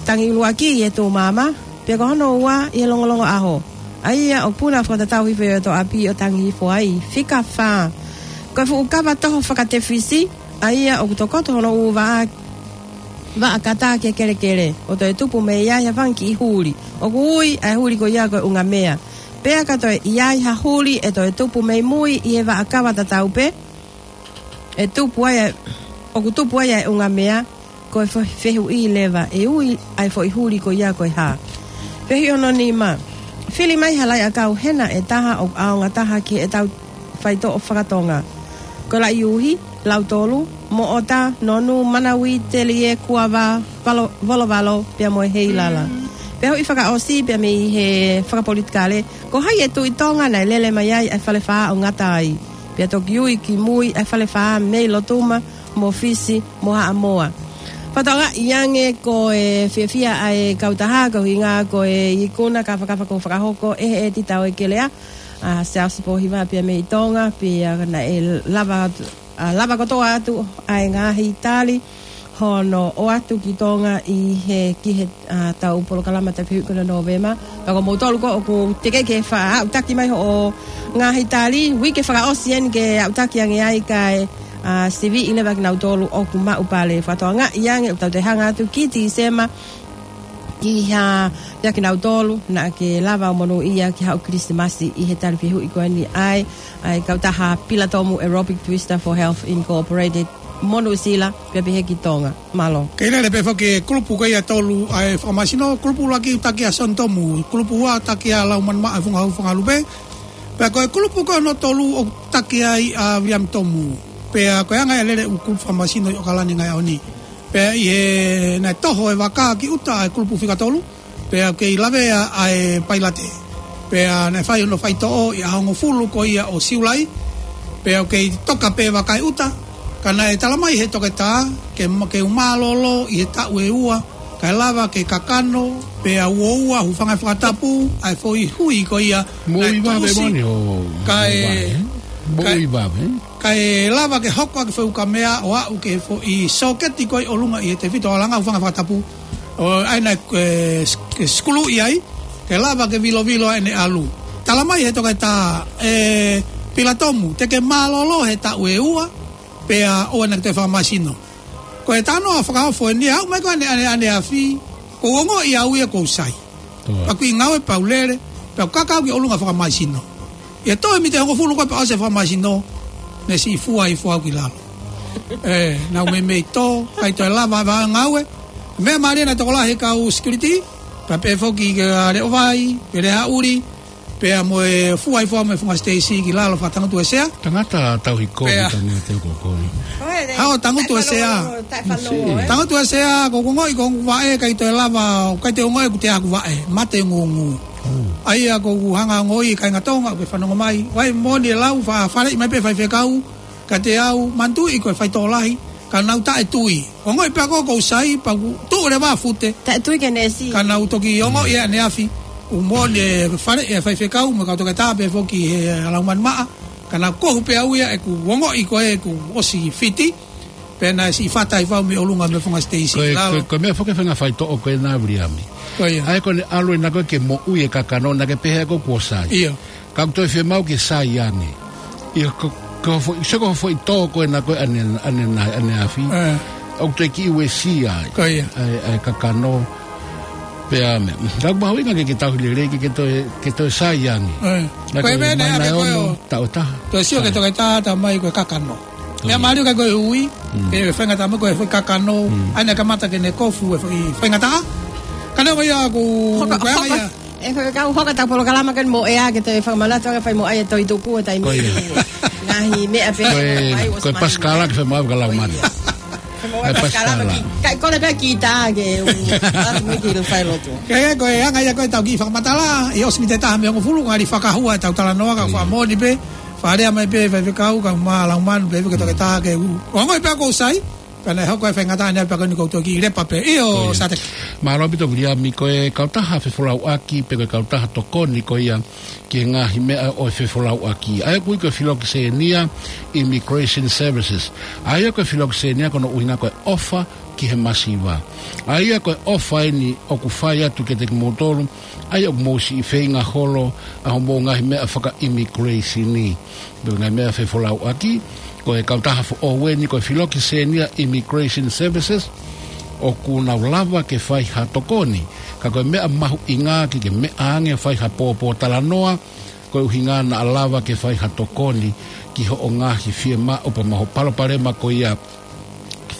Tangi ʻuluaki ʻi he tū maama, pea ko hono ua ʻi he longolongo ʻaho, ʻa ia ʻoku puna fakatatau hifo ʻi he ʻoto ʻapi ʻo tangi hifo ai. Fika fā: Ko e fuʻu kava toho fakatefisi, ʻa ia ʻoku tokoto hono ʻū vaʻa, vaʻa kata ki he kelekele, ʻo toe tupu mei ai ha fanga kiʻi huli. ʻOku ui ʻa e huli ko ia ko e ʻungamea. Pea ka toe ʻi ai ha huli ʻe toe tupu mei mui ʻi he vaʻa kava tatau pē, ʻe tupu ai ʻa e, ʻoku tupu ai ʻa e ʻungamea. Ko e fe-, fehuʻi leva, ʻe ui ʻa e foʻi huli ko ia ko e hā? Fehuʻi hono nima: Fili mai ha laʻi ʻakau hena ʻe taha ʻoku ʻaonga taha ki heʻetau faitoʻo faka-Tonga. Ko e laʻi uhi, lautolu, moʻota, nonu, manauī, telie, kuava, valo-, volovalo, pea mo e heilala. Fehuʻi fakaʻosi pea mei he fakapolitikale: Ko hai e Tuʻi Tonga naʻe lele mai ai ʻa e Falefā ʻo ngata ai, pea toki ui ki mui ʻa e Falefā mei Lotuma mo Fisi mo Haʻamoa? Fakatokangaʻi ange ko e fiefia ʻa e kautaha, ko e ʻuhinga ko e ikuna kafakafa kuo fakahoko ʻe he ʻētita ʻo e kelea, ʻa Siaosi Pōhiva pea mei Tonga, pea naʻe lava atu, ʻa, lava kotoa atu ʻa e ngaahi tali hono ʻoatu ki Tonga ʻi he, ki he, ʻa, tau polokalama tali fehuʻi ko eni ʻo Nōvema. Pea ko moutolu ko ē ʻoku teʻeki ke fa-, aʻutaki mai hoʻo ngaahi tali, uike fakaʻosi eni ke aʻutaki ange ai kae, ʻa, siviʻi leva kinautolu ʻoku maʻu pale. Fakatokangaʻi ange ʻoku tau toe hanga atu ki Tīsema ki ha, ia kinautolu naʻa ke lava ʻo monūʻia ki haʻo Kilisimasi ʻi he tali fehuʻi ko eni ʻa e, ʻa e kautaha Pilatomu Aerobic Twister for Health Incorporated, mo Nuʻusila, pea pehē ki Tonga. Mālō. Kei lele pē foki e kulupu ko ia ʻe tolu ʻa e fakamasino. Kulupu ʻuluaki ʻoku taki ʻa Sione Tomu, kulupu ua ʻoku taki ʻa Laumanimaʻa Funga Hau Funga Lupe. Pea ko e kulupu ko hono tolu ʻoku taki ai ʻa Viliami Tomu. Pea ko e anga e lele ʻū kulupu fakamasino ʻi ʻAokalani he ngaahi ʻaho ni. Pea ʻi he naʻe toho e vaka ki ʻuta ʻa e kulupu fika tolu, pea ʻoku kei lavea ʻa e pailate. Pea naʻe fai hono faitoʻo ʻi he ʻaho hongofulu ko ia ʻo Siulai, pea ʻoku kei toka pē vaka ʻi ʻuta. Ka naʻe tala mai ʻe he toketā ke ma-, ke u mālōlō ʻi he taʻu ʻe ua, kae lava ke kakano, pea uoua, hūfanga he fakatapu ʻa e foʻi hui ko ia. Moʻui vave moʻoni ʻo, kae, moʻui vave, kae lava ke hoko ʻaki e foʻi ukamea ʻo aʻu ki he foʻi sōketi ko ē ʻi ʻolunga ʻi he tefito ʻo langa, hūfanga he fakatapu. ʻO ʻai ʻa e, e, s-, ke sikuluʻi ai, ke lava ke vilovilo ai ʻene ʻalu. Tala mai ʻe he toketā, ʻe Pilatomu, te ke mālōlō he taʻu ʻe ua, pea ʻoua naʻa ke toe fakamasino. Ko e talanoa fakaofo eni, aʻu mai ko ē ʻane, ʻane, ʻaneafi, ʻoku ou ongoʻi au ia ʻoku ou sai. Pea ʻoku ʻi he ngāue pea u lele, pea u kaka au ki ʻolunga ʻo fakamasino. ʻI he toe miniti ʻe hongofulu ko ē pea ʻosi e fakamasino, ne siʻi fua hifo au ki lalo. ʻE, naʻa ku meimei tō, ʻikai toe lava ʻa e ngāue. Meʻa mālie naʻe tokolahi e kau security, pea pehē foki ki he Leʻo Vai, pea Leʻo Haʻuli, pea mo e fua hifo au mei he funga siteisi ki lalo fakatangutu e sea. Tangata tauhi kovi. Pea tangata teu ko kovi. Haʻo tangutu e sea. Tangutu e sea, ʻoku ou ongoʻi ko ʻeku vaʻe ʻikai toe lava, ʻikai toe ongoʻi ʻeku tea ʻeku vaʻe, mate ngūngū. ʻA ia ʻoku ou hanga ʻo ongoʻi e kāinga Tonga ʻoku fanongo mai. Vai moʻoni e lau, fa-, faleʻi mai pē faifekau kiate au, manatuʻi ko e faitoʻo lahi, ka nau taʻetui. Ongoʻi pē ʻe au ʻoku ou sai, pea u tuʻu leva ʻo fute. Taʻetui ki he neesi. Ka nau toki ongoʻi ʻaneafi, ʻoku moʻoni e faleʻi e faifekau, mo e kau toketā pehē foki ʻe he Laumanimaʻa. Ka naʻa ku kohu pē au ia ʻeku ongoʻi ko ē ʻeku ʻosi fiti, pea naʻe siʻi fata hifo au mei ʻolunga mei he funga siteisi. Ko e, ko e, ko e meʻa foki e faʻahinga faitoʻo ko ena Viliami. Ko ia. ʻA ia ko ʻene ʻalu ena ko ē ke moʻui e kakano, naʻa ke pehē ʻe koe kuo sai. ʻIo. Ka ʻoku toe fiemaʻu ke sai ange. ʻIo, ko, ko e foʻi, sio ko e foʻi tō ko ena ko ē ʻane, ʻane, ʻane, ʻaneafi. ʻE. ʻoku toe kiʻi uesia ai. Ko ia. ʻA e, ʻa e kakano. Pea meʻa. Ka ʻoku mahuʻinga ke, ke tauhi lelei ke, ke toe, ke toe sai ange. ʻE. Ka ko e ko e meʻa ʻi naʻe ʻa e pē ko e ono, ʻo taʻu ʻe taha. Toe sio ke, sai, toketā, tā mai ko e kakano. Ko ia. Meʻa mālie ka ko e ui, mm, ke faingataʻa mai ko e foʻi kakano, mm, ʻa ia naʻe kamata ke ne kofu e foʻi faingataʻa. Ka neongo ia ʻoku hoka, ko e anga hoka ia. ʻE, faifekau, hoka ʻetau polokalama ko eni mo ʻea ke toe fakamanatu ange fai mo ʻai e toʻitupu ʻo e taimi. Ko ia. Ngaahi meʻa pē. Ko e, mai ko e ʻosi pasikala mahino ke fai mo ʻai ʻa e lau manu. Ko ia. Fai mo ʻai e pasikala. Pasikala ki, kae kole pē kita ke u atu mai ki he failotu. Ke, ko e anga ia ko ʻetau kiʻi fakamatala, ʻi he ʻosi miniti ʻe taha mei he hongofulu, ngali fakahua ʻetau talanoa ka, ko ia, fakamoʻoni pē, fakalea mai pē faifekau, kae ʻumaʻā lau manu pē, ke toketā ke u. Mm. Ongoʻi pē ʻoku sai, pea naʻe hoko e faingataʻa ni pea ko eni ʻoku ou toki lepa pē. ʻIo, ko ia. Sāteki. Mālō ʻaupito Viliami, ko e kautaha fefolauʻaki, pe ko e kautaha tokoni ko ia ki he ngaahi meʻa ʻo e fefolauʻaki. ʻA ia ʻoku ui ko e Filokisenia Immigration Services. ʻA ia ko e Filokisenia ko hono ʻuhinga ko e ʻofa ki he masiva. ʻA ia ko e ʻofa eni ʻoku fai atu kiate kimoutolu, ʻa ia ʻoku mou siʻi feinga holo ʻa hoʻomou ngaahi meʻa fakaʻimikulesini. Pe ngaahi meʻa fefolauʻaki, ko e kautaha foʻou eni ko e Filokisenia Immigration Services, ʻoku nau lava ke fai ha tokoni. Ka ko e meʻa mahuʻinga ke ke meʻa ange fai ha pōpōtalanoa, ko e ʻuhinga naʻa lava ke fai ha tokoni ki hoʻo ngaahi fiemaʻu pea mo hoʻo palopalema ko ia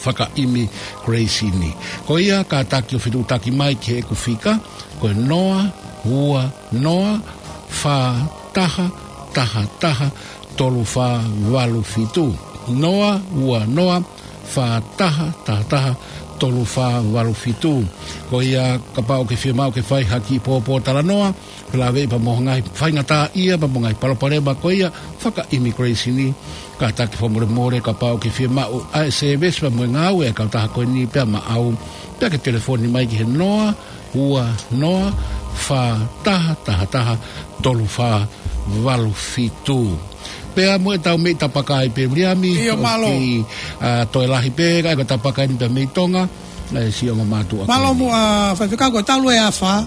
fakaʻimikulesini. Ko ia kātaki ʻo fetuʻutaki mai ki heʻeku fika, ko e noa ua noa fā taha taha taha tolu fā valu fitu. Noa ua noa fā taha taha taha tolu fā valu fitu. Ko ia kapau ʻoku ke fiemaʻu ke fai ha kiʻi pōpōtalanoa, felāveʻi pea mo e ngaahi faingataʻaʻia pea mo e ngaahi palopalema ko ia fakaʻimikulesini, kātaki fakamolemole kapau ʻoku ke fiemaʻu ʻa e sēvesi pea mo e ngāue ʻa e kautaha ko eni pea maʻau, pea ke telefoni mai ki he noa ua noa fā taha taha taha tolu fā valu fitu. Pea mo ʻetau meʻi tapaka ai pē Viliami. ʻIo, mālō. ʻOku, ʻa, toe lahi pē, ka ko e tapaka eni pē mei Tonga, ʻa e siʻi ongo mātuʻa. Mālō ko eni. Muʻa faifekau, ko e talu e afā,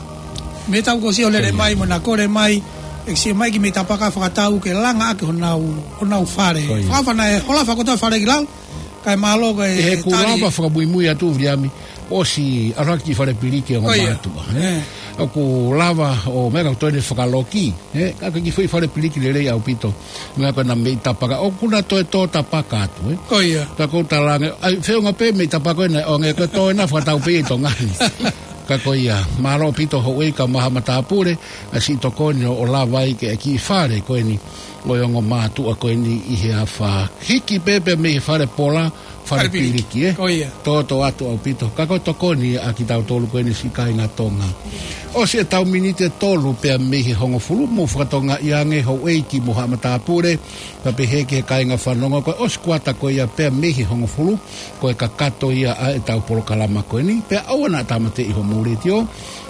mei he taʻu kuo ʻosi ʻo lele, ko ia, mai mo ʻena kole mai, ʻe sio mai ki he meʻi tapaka fakatau ke langa ʻaki honau, honau fale. Ko ia. Fakafana e hola fakoto fale ki lalo, kae mālō ko e tali. ʻI heʻeku lava fakamuimui atu Viliami, ʻosi ʻalu hake ki he fale piliki ʻa e ongo, ko ia, mātuʻa, ē? Ē. ʻOku lava ʻo meʻa ka toe ne fakaloki, ē? Ka ko e kiʻi foʻi fale piliki lelei ʻaupito. Meʻa ko ʻena meʻi tapaka, ʻoku na toe tō tapaka atu, ē? Ko ia. Ka ʻoku ou talaange, ʻai, feʻunga pē meʻi tapaka ko ena, ʻo ngē ko e tō ena fakatau pē ʻi Tonga ni. Ka ko ia, mālō ʻaupito houʻeiki kae ʻumaʻā haʻa matāpule, ʻa e siʻi tokoni ʻo, ʻo lava ai ki he kiʻi fale ko eni ʻo e ongo mātuʻa ko eni ʻi he afā. Hiki pē pea mei he fale pola, fale, fale piliki, piliki, ē? Ko ia. Tōtō atu ʻaupito. Ka ko e tokoni ʻa kitautolu ko eni siʻi kāinga Tonga. ʻOsi ʻetau miniti ʻe tolu pea mei he hongofulu, mou fakatokangaʻi ange houʻeiki mo haʻa matāpule, pea pehē ki he kāinga fanongo, ko e ʻosi kuata ko ia pea mei he hongofulu, ko e kakato ia ʻa ʻetau polokalama ko eni, pea ʻoua naʻa tāmateʻi homou letiō,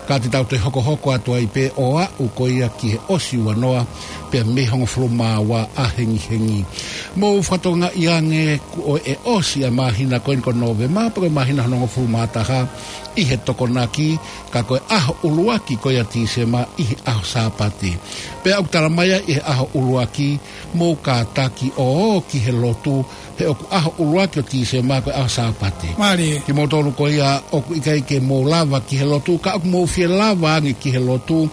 ka te tau toe hokohoko atu ai pē ʻo aʻu ko ia ki he ʻosi ua noa, pea mei he hongofulu mā ua ʻahengihengi. Mou fakatokangaʻi ange kuo ʻosi ʻa e māhina ko eni ko Nōvema, pe ko e māhina hono hongofulu mā taha ʻi he Tokonaki, ka ko e ʻaho ʻuluaki ko ia Tīsema ʻi he ʻaho Sāpate. Pea ʻoku tala mai ai ʻi he ʻaho ʻuluaki, mou kātaki ʻo ō ki he lotu, he ʻoku ʻaho ʻuluaki ʻo Tīsema ko e ʻaho Sāpate. Mālie. Kimoutolu ko ia ʻoku ʻikai ke mou lava ki he lotu, ka ʻoku mou fie lava ange ki he lotu,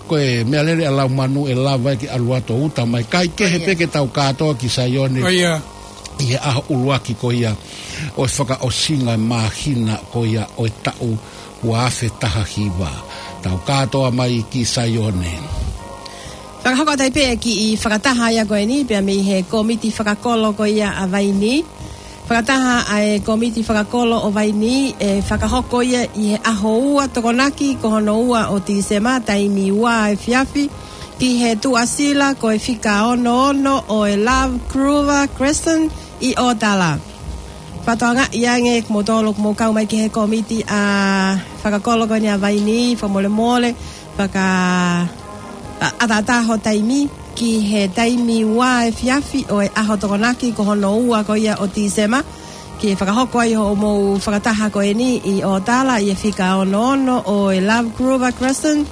ko e meʻalele ʻa Laumanu ʻe lava ai ke ʻalu atu ʻo uta mai. Kae kehe, ko ia, pē ke tau kātoa ki Saione. Ko ia. ʻI he ʻaho ʻuluaki ko ia ʻo e fakaʻosinga māhina ko ia ʻo e taʻu ua afe taha hiva. Tau kātoa mai ki Saione. Fakahoko atu ai pē e kiʻi fakataha ia ko eni, pea mei he kōmiti fakakolo ko ia ʻa Vainī. Fakataha ʻa e kōmiti fakakolo ʻo Vainī, ʻe fakahoko ia ʻi he ʻaho ua Tokonaki ko hono ua ʻo Tīsema, taimi ua efiafi, ki he tuʻasila ko e fika ono ono ʻo e Love Grover Crescent ʻi ʻOtala. Fakatokangaʻi ange kimoutolu ʻoku mou kau mai ki he kōmiti ʻa e fakakolo ko eni ʻa Vainī, fakamolemole, faka-, ʻa, ʻataʻatā ho taimi ki he taimi ua efiafi ʻo e ʻaho Tokonaki ko hono ua ko ia ʻo Tīsema, ke fakahoko ai hoʻomou fakataha ko eni ʻi ʻOtala ʻi he fika ono ono ʻo e Love Grover Crescent.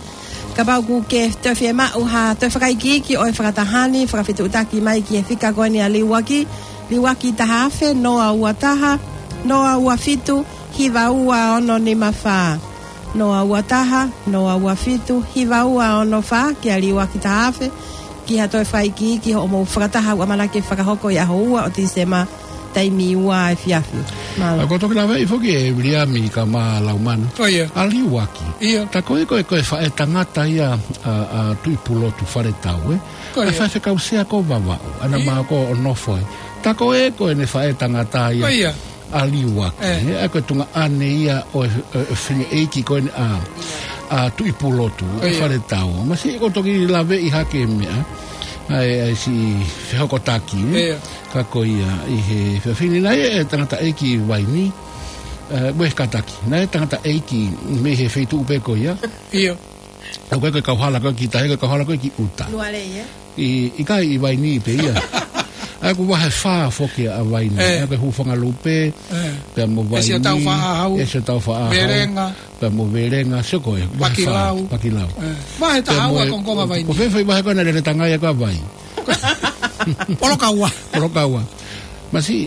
Kapau ʻoku ke toe fiemaʻu ha toe fakaikiiki ʻo e fakataha ni, fakafetuʻutaki mai ki he fika ko eni ʻa Liuaki, Liuaki taha afe noa ua taha, noa ua fitu, hiva ua ono nima fā. Noa ua taha, noa ua fitu, hiva ua ono fā, kia Liuaki Tahafe, ki ha toe fai ki, ki hoʻomou fakataha ʻoku ʻamanaki ke fakahoko ʻi he ʻaho ua ʻo Tīsema, taimi ua efiafi. Mālō. ʻA, ko e toki lave ʻi foki ʻe Viliami Kama Laumanu. ʻIo. ʻA Liuaki. ʻIo. Tā ko ē ko e, ko e faʻē tangata ia ʻa, ʻa Tuʻipulotu Faletau, ē? Ko ia. ʻA e faifekau sea ko Vavaʻu, ʻa ia naʻa ma ko ʻo nofo ai. Tā ko ē ko ʻene faʻē tangata ia. Ko ia. ʻA Liuaki, ē. ʻA ia ko e tuongaʻane ia ʻo e, ʻo e, ʻo e fefine ʻeiki ko eni ʻa, ʻa Tuʻipulotu, ko ia. Faletau. Masiʻi ko e toki laveʻi hake meʻa. ʻA e, ʻa e siʻi fehokotaki, ē. Ia. Ka ko ia ʻi he fefine naʻe ʻi ai e tangataʻeiki Vaini, ē, mo e kātaki. Naʻe ʻi ai e tangataʻeiki mei he feituʻu pē ko ia. ʻIo. ʻA ia ko e, ko e kauhala ko ē ki tahi, ko e kauhala ko ē ki ʻuta. Nualei, ē? ʻI, ʻikai, ʻi Vaini pē ia. ʻA ia ko e vahe fā foki ʻa Vaini. Ē. ʻA ia ko e Hufangalupe, ē. Pea mo Vaini. ʻEsiotau Faʻahau. ʻEsiotau Faʻahau. Velenga. Pea mo Velenga, sio ko e, vahe fā. Pakilau. Pakilau. Ē. Vahe taha ua e kongokonga Vaini. Ko e fē foʻi vahe ko ē naʻe lele tangai ai ko ē ʻa Vai. Polokaua. Polokaua. Masiʻi,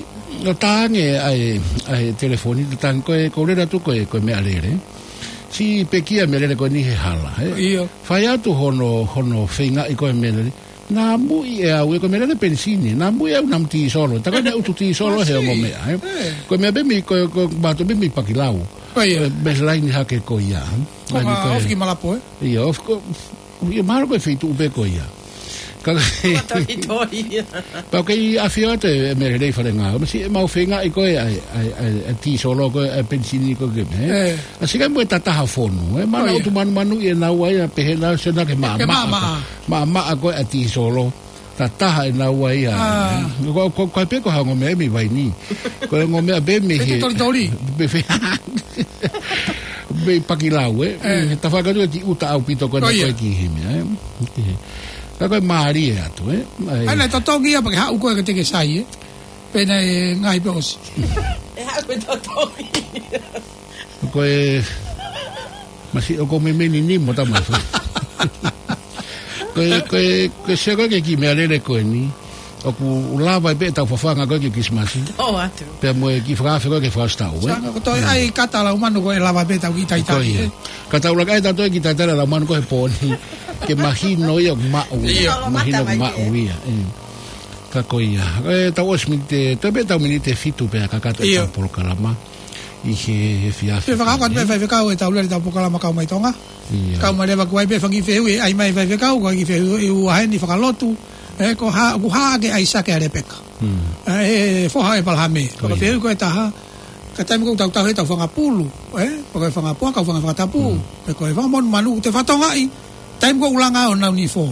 ʻo tā ange ʻa e, ʻa e telefoni, tā ange ko e, ko e lele atu ko e, ko e meʻalele. Siʻi pekia meʻalele ko eni he hala, ē? ʻIo. Fai atu hono, hono feingaʻi ko e meʻalele. Naʻa muiʻi ʻe au, ē, ko e meʻalele penisini. Naʻa muiʻi ʻe au namu tīsolo. Tā ko ʻene utu tīsolo he ongo meʻa, ē? Ē. Ko e meʻa pē mei, ko, ko, mātou pē mei Pakilau. Ko ia. Ko e meʻa laini hake ko ia. Ko e ngā ko e ofi ki Malapo, ē? ʻIo, ofi ko, ʻio, mahalo ko e feituʻu pē ko ia. Ka, Toitoi. Pau kei ʻafio atu e meʻalele ʻi Falenga. Masiʻi ʻemau feingaʻi ko e, ʻa e, ʻa e, ʻa e, ʻa e tīsolo ko e, ʻa e penisini ko e ke meʻa, ē? Ē. ʻA sika mo e tataha fonu, ē? Mana, ko ia, utu manumanuʻi ʻe naua ia, pehē naua sio naua ke maʻamaʻa. Ke maʻamaʻa. Maʻamaʻa ko e ʻa e tīsolo. Tataha ʻe naua ia. ʻA. Ko, ko, ko e pē ko ha ongo meʻa mei Vaini. Ko e ongo meʻa pē mei he Toitoi. Mei he, mei Pakilau, ē? Ē. He tafaʻaki atu ki ʻuta ʻaupito ko ē. Ko ia. Ko e ki he meʻa, ē? Ki he. Ka ko e mālie atu, ē? ʻA ia naʻe totongi ia pea ke haʻu ko ē ke te ke sai, ē? Pea naʻe ngaahi pē ʻosi. ʻE haʻu pē totongi. Ko e, masiʻi ʻoku meimei ni mo tama. Ko e, ko e, ko e sio ko ē ki he kiʻi meʻalele ko eni. ʻOku lava pē ʻetau fafanga ko ē ki he Kilisimasi. ʻO atu. Pea mo e kiʻi fakaafe ko ē ki he fakaʻosi taʻu, ē? Sanga ko e toe ʻai kata Laumanu ko e lava pē ʻetau kiʻi talitali, ē? Ko ia. Ka tau laka ai ʻetau toe kiʻi talitali Laumanu ko e he pō ni. Ke mahino ia ʻoku maʻu ia. ʻIo. Mahino ʻoku maʻu ia, ē. Ka ko ia. Ē, tau ʻosi miniti, toe pē ʻetau miniti ʻe fitu pē ʻa e kakato ʻetau polokalama. ʻIo. ʻI he, he efiafi. Pea fakahoko atu pē, ē? Faifekau, ʻetau lele ʻetau polokalama Kau Mai Tonga. ʻIo. Kau mai leva ko e ʻai pē fanga kiʻi fehuʻi, ʻai mai faifekau, ko e kiʻi fehuʻi ʻe ua heni fakalotu. Ē, ko e hā, ko e hā ʻa ʻAisake ʻa Lepeka. Hmm. Ē, ʻe foha ʻo ʻĒpalahame. Ko ia. Ko e fehuʻi ko e taha, ka taimi ko ē ʻoku tau tauhi ʻetau fanga pulu, ē? Ko e fanga puaka, fanga fakatapu. Hmm. Pe ko e fanga monumanu ʻoku te fakatokangaʻi, taimi ko ē ʻoku langa ʻo nau nifo.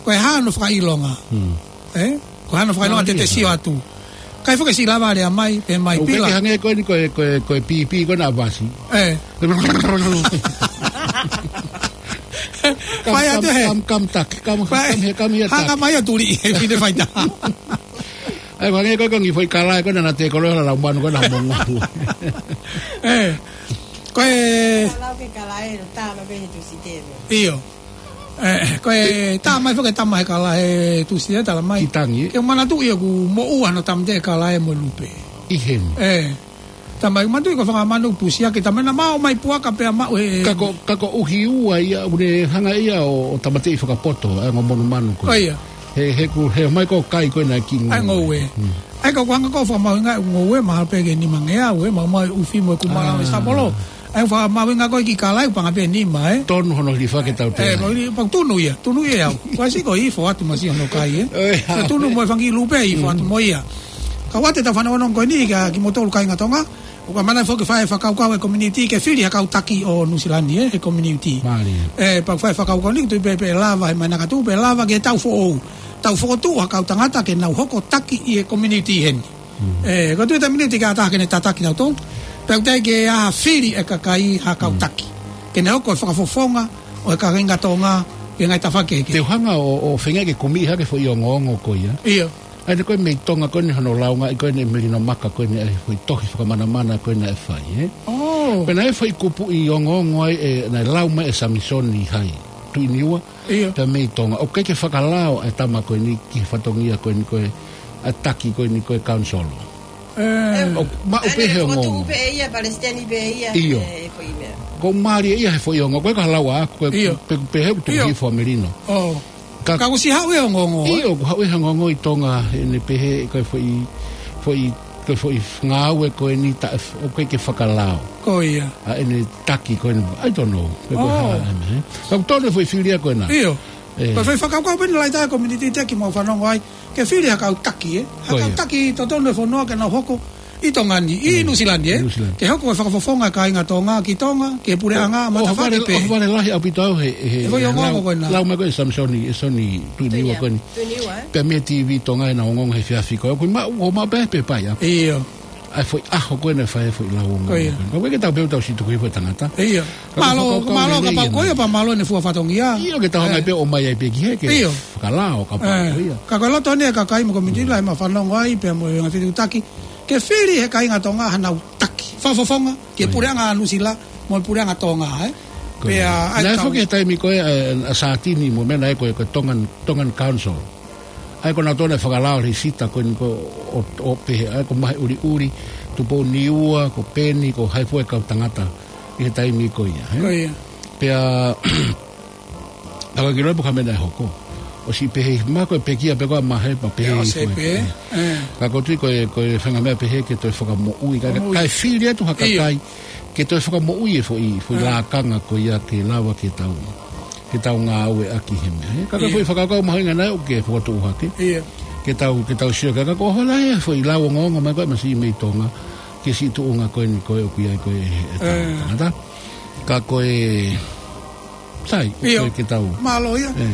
Ko e hā hono fakaʻilonga. Hmm. Ē? Ko e hā hono fakaʻilonga te te sio atu. Mālie. ʻIkai foki ke siʻi lava lea mai, pe mai pila. ʻOku ke hangē ko eni ko e, ko e, ko e pīpī ko ena ʻa Vasi. Ē. Fai atu he. Kam, kam, kam, tak, kam, kam here, kam here, tak. Hanga mai ʻo tuli, he pine faita. ʻAi, ko e hangē ko e, ko e ngaahi foʻi kalae ko ena naʻa te koloa ʻa Laumanu ko ena mongo. Ē. Ko e. Ka lau ke kalae, tā ma pē he Tusite. ʻIo. Ē, ko e tā mai foki e tama he kalae Tusite tala mai. Ki Tangi, ē? Ke manatuʻi ʻoku moʻua hono tāmateʻi e kalae mo e lupe. ʻI heni. Ē. Tama ʻi manatuʻi ko e fanga manu pusi ake, tama naʻa maʻu mai puaka pea maʻu he. Ka ko, ka koeʻuhi ua ia, ʻoku ne hanga ia ʻo, ʻo tāmateʻi fakapoto, ʻa e ongo monumanu ko ē. Ko ia. He, he ʻoku, he mai ko e kai ko ena ki ngoue. ʻA e ngoue. Hmm. ʻAi, ka ʻoku hanga ko e fakamahuʻinga e ngoue, mahalo pē ke nimangeau, ē, maʻu mai ʻufi mo e kumala mo e sapolo. ʻAi, fakamahuʻinga ko e kiʻi kalae, paʻanga pē nima, ē. Tonu hono hilifaki ʻetau tēnā. Ē, mo hili, pau tunu ia, tunu ia au. Kuo ʻosi ko e ifo atu masiʻi hono kai, ē. Ē, ha. Ko e tunu mo e fanga kiʻi lupe, ifo atu mo ia. Ka ʻoatu ʻetau fanongonongo ko eni kia kimoutolu kāinga Tonga, ʻoku ʻamanaki foki ke fai e fakakaukau e community ke fili ha kau taki ʻo Nuʻusila ni, ē, he community. Mālie. Ē, pea fai e fakakaukau ni, tui pē pe lava, he mai naka tu pe lava ke tau foʻou. Tau fokotuʻu ha kau tangata ke nau hoko taki ʻi he community heni. Mm. Ē, ko e tui e community ke ʻatā ke ne tataki tautolu. Pea ʻoku teʻeki ke ʻi ai ha fili e kakai ha kau taki. Ke ne hoko e fakafofonga ʻo e kāinga Tonga, ʻi he ngaahi tafaʻaki kehekehe. Te u hanga ʻo, ʻo feinga ke kumi hake foʻi ongoongo ko ia. ʻIo. ʻA ia ko e mei Tonga ko eni hono launga ʻi ko eni e melino maka ko eni ʻa e foʻi tohi fakamanamana ko eni naʻe fai, ē? ʻŌ. Pea naʻe foʻi kupuʻi ongoongo ai ē, naʻe lau mai ʻe Samisoni Hai, Tuʻi Niua, ʻio, pea mei Tonga. ʻOku ʻikai ke fakalao e tama ko eni ki he fatongia ko eni ko e, ʻa e taki ko eni ko e kaunisolo. ʻE, ʻoku maʻu pē he ongoongo. Tuʻu pē ia, palesiteni pē ia, ʻio, ʻe, foʻi meʻa. Ko e mālie ia he foʻi ongoongo. Ko e ka lau ʻaʻaku, ko e, ʻio, pe, pehē ʻoku tuku, ʻio, hifo ʻa Melino. ʻO. Ka, ka kuo ʻosi haʻu e ongoongo, ē? ʻIo, kuo haʻu e ongoongo ʻi Tonga, ʻene pehē ko e foʻi, foʻi, ko e foʻi ngāue ko eni taʻe f-, ʻoku ʻikai ke fakalao. Ko ia. ʻA ʻene taki ko eni, I don't know. Ko e, ʻo, hā, ʻene, ē? Ka ʻoku tonu e foʻi fili ia ko ena. ʻIo. ʻE. Ko e foʻi fakakaukau pē eni lahi taha e community, Teki, mo fanongo ai. Ke fili ha kau taki, ē? Ha kau, ko ia, taki totonu e fonua ke nau hoko ʻi Tonga ni, ʻi, mm, Nuʻusila ni, ē? Nuʻusila. Ke hoko e fakafofonga e kāinga Tonga ki Tonga, ki he puleʻanga, ʻo, ʻo matāfaki vale, pē. ʻO vale lahi ʻaupito au he, he, he foʻi, he ongoongo, lau, ko ena, lau mai ko e Samisoni, e Soni Tuiniua, Tuiniua, ko eni. Tuiniua, ē? Pea mei he TV Tonga ʻena ongoongo he efiafi ko ē. Ko e maʻu, ʻo maʻu pē, pē pai ʻaku. ʻIo. ʻA e foʻi ʻaho ko ena ʻe fai e foʻi lau ongoongo. Ko ia. Ko e ke tau pehē ʻoku tau siʻi tuku hifo e tangata. ʻIo. Ka mālō, ko e fakakaukau mālō lelei kapau ʻena. Ko ia pea mālō ʻene fua fatongia. ʻIo, ke tau, ē, hanga pē ʻo ʻomai ai pē ki hē ke, ʻio, fakalao kapau, ē, ko ia. Ka ko e loto eni e kakai mo e community, mm, lahi mo fanongo ai, pea mo e ngaahi fetuʻutaki. Ke fili he kāinga Tonga hanau taki fakafofonga ki he, ko ia, puleʻanga Nuʻusila mo e puleʻanga Tonga, ē? Ko ia. Pea, ʻa e, naʻe kau foki he taimi ko ē, ʻa, ʻa Sātini mo e meʻa naʻe ko e, ko e Tongan, Tongan Council. ʻA ia ko nautolu naʻe fakalao lēsisita ko eni ko ē ʻo, ʻo pehē, ʻa ia ko Maheʻuliʻuli, Tupouniua, ko Peni, ko hai fua e kau tangata ʻi he taimi ko ia, ē? Ko ia. Pea, ka ko e kiʻi loe pē ko e hā e meʻa naʻe hoko. ʻOsi pehē, mahalo ko e pekia pē ko ē ʻa Mahe, pea pehē, ē, ʻosi hifo pē, ē. Ē. Ka ko e tui ko e, ko e faʻahinga meʻa pehē ke toe fakamoʻui, ka, moʻui, kae fili atu ha, ʻio, kakai ke toe fakamoʻui e foʻi, foʻi, ē, lakanga ko ia ke lava ke tau, ke tau ngāueʻaki he meʻa, ē. Ka ko e, ʻio, foʻi fakakaukau mahuʻinga naʻe ʻoku ke fokotuʻu hake. ʻIo. Ke tau, ke tau sio ki ai, ka ko e ʻohovale e foʻi lau ongoongo mai ko ē masiʻi mei Tonga ki he siʻi tuʻunga ko eni ko ē ʻoku ʻi ai ko ē e, e, ē, tangata. Ka ko e, sai, ʻio, ko e ke tau. Mālō ia. Ē.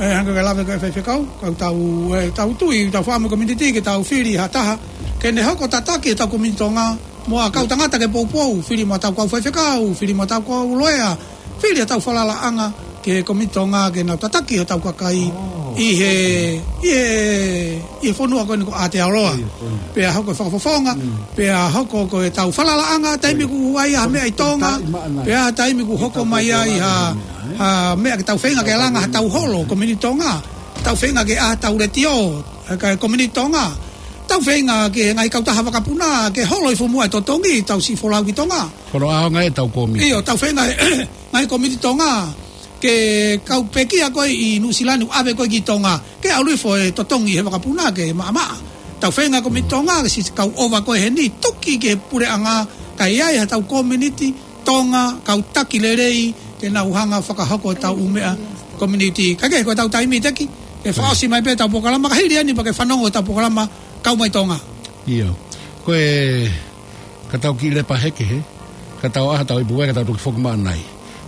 Ē, hangē ko e lave ko ē ʻa e faifekau, ka tau, ē, tau tui, tau fakaʻamu e community ke tau fili ha taha ke ne hoko tataki ʻetau community Tonga, mo e kau tangata ke poupou, fili mo ʻetau kau faifekau, fili mo ʻetau kau loea, fili ʻetau falalaʻanga ki he community Tonga ke nau tataki hotau kakai, ʻo, ʻi he, ʻi he, ʻi he fonua ko eni ko Aotearoa. ʻIo, ko ia. Pea hoko e fakafofonga, mm, pea hoko ko ʻetau falalaʻanga, taimi, ʻio, ʻoku ʻi ai ha meʻa ʻi Tonga, maʻa nai, pea taimi ʻoku hoko mai ai ha, ha meʻa ke tau feinga ke langa hatau holo, community Tonga, tau feinga ke ʻā hatau letiō, ē, ka e community Tonga, tau feinga ki he ngaahi kautaha vakapuna ke holo ʻi fua muʻa e totongi, tau siʻi folau ki Tonga. Ko hono ʻaonga ʻetau kōmiti. ʻIo, tau feinga he ngaahi kōmiti Tonga, ke kau pekia ko ē ʻi Nuʻusila ni ʻave ko ē ki Tonga, ke ʻalu hifo e totongi he vakapuna ke maʻamaʻa. Tau feinga kōmiti Tonga, ke siʻi kau ʻova ko ē heni, tuki ki he puleʻanga, kae ʻi ai hatau kōmiti Tonga, kau taki lelei, ke nau hanga fakahoko ʻetau ʻū meʻa community. Ka ko e, ko ʻetau taimi, Teki, ke, ē, fakaʻosi mai pē ʻetau polokalama, ka hili eni pea ke fanongo ʻetau polokalama, Kau Mai Tonga. ʻIo. Ko e, ka tau kiʻi lepa hake hē, ka tau ʻā hatau ipu vai, ka tau toki foki maʻa nai.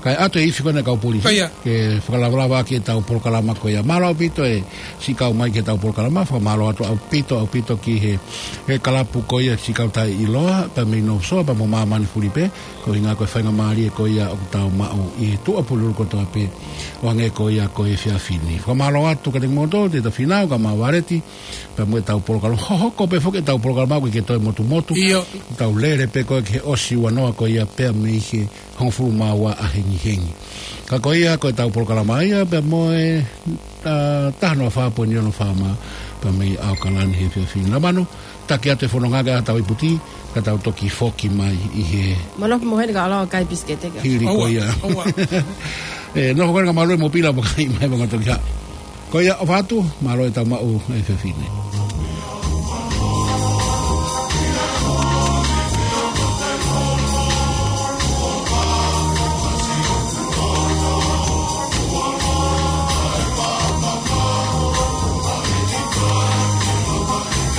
Kae ʻatu e ifi ko ena e kau polisi, ko ia, ke fakalavalava ʻaki ʻetau polokalama ko ia. Mālō ʻaupito e siʻi kau mai ki heʻetau polokalama, fakamālō atu ʻaupito, ʻaupito ki he, he kalapu ko ia siʻi kau taʻeʻiloa, pea mei North Shore, pea mo māmani fulipē, ko e ʻuhinga ko e faingamālie ko ia ʻoku tau maʻu ʻi he tuʻapulelulu kotoa pē, ʻo hangē ko ia ko e efiafi ni. Fakamālō atu kiate kimoutolu, Tēvita Fīnau, kae ʻumaʻā Valeti, pea mo ʻetau polokalama. Hohoko pē foki ʻetau polokalama ʻoku ʻikai ke toe motumotu. ʻIo. Tau lele pē ko ē ki he ʻosi ua noa ko ia pea mei he hongofulu mā ua ʻahengihengi. Ka ko ia ko ʻetau polokalama ia pea mo e, ā, taha noa fā poini ono FM, pea mei ʻAokalani he efiafi ni. Lamanu, taki atu e fononga ke ʻā hatau ipu vai, ka tau toki foki mai ʻi he Manoki mo heni ka ʻalu ʻo kai pisikete ka. Hili ko ia. ʻOua. ʻOua. ʻE, nofo ko ena ka mālō e mopila mo kai mai mo ka toki haʻu. Ko ia ʻofa atu, mālō ʻetau maʻu e efiafi ni.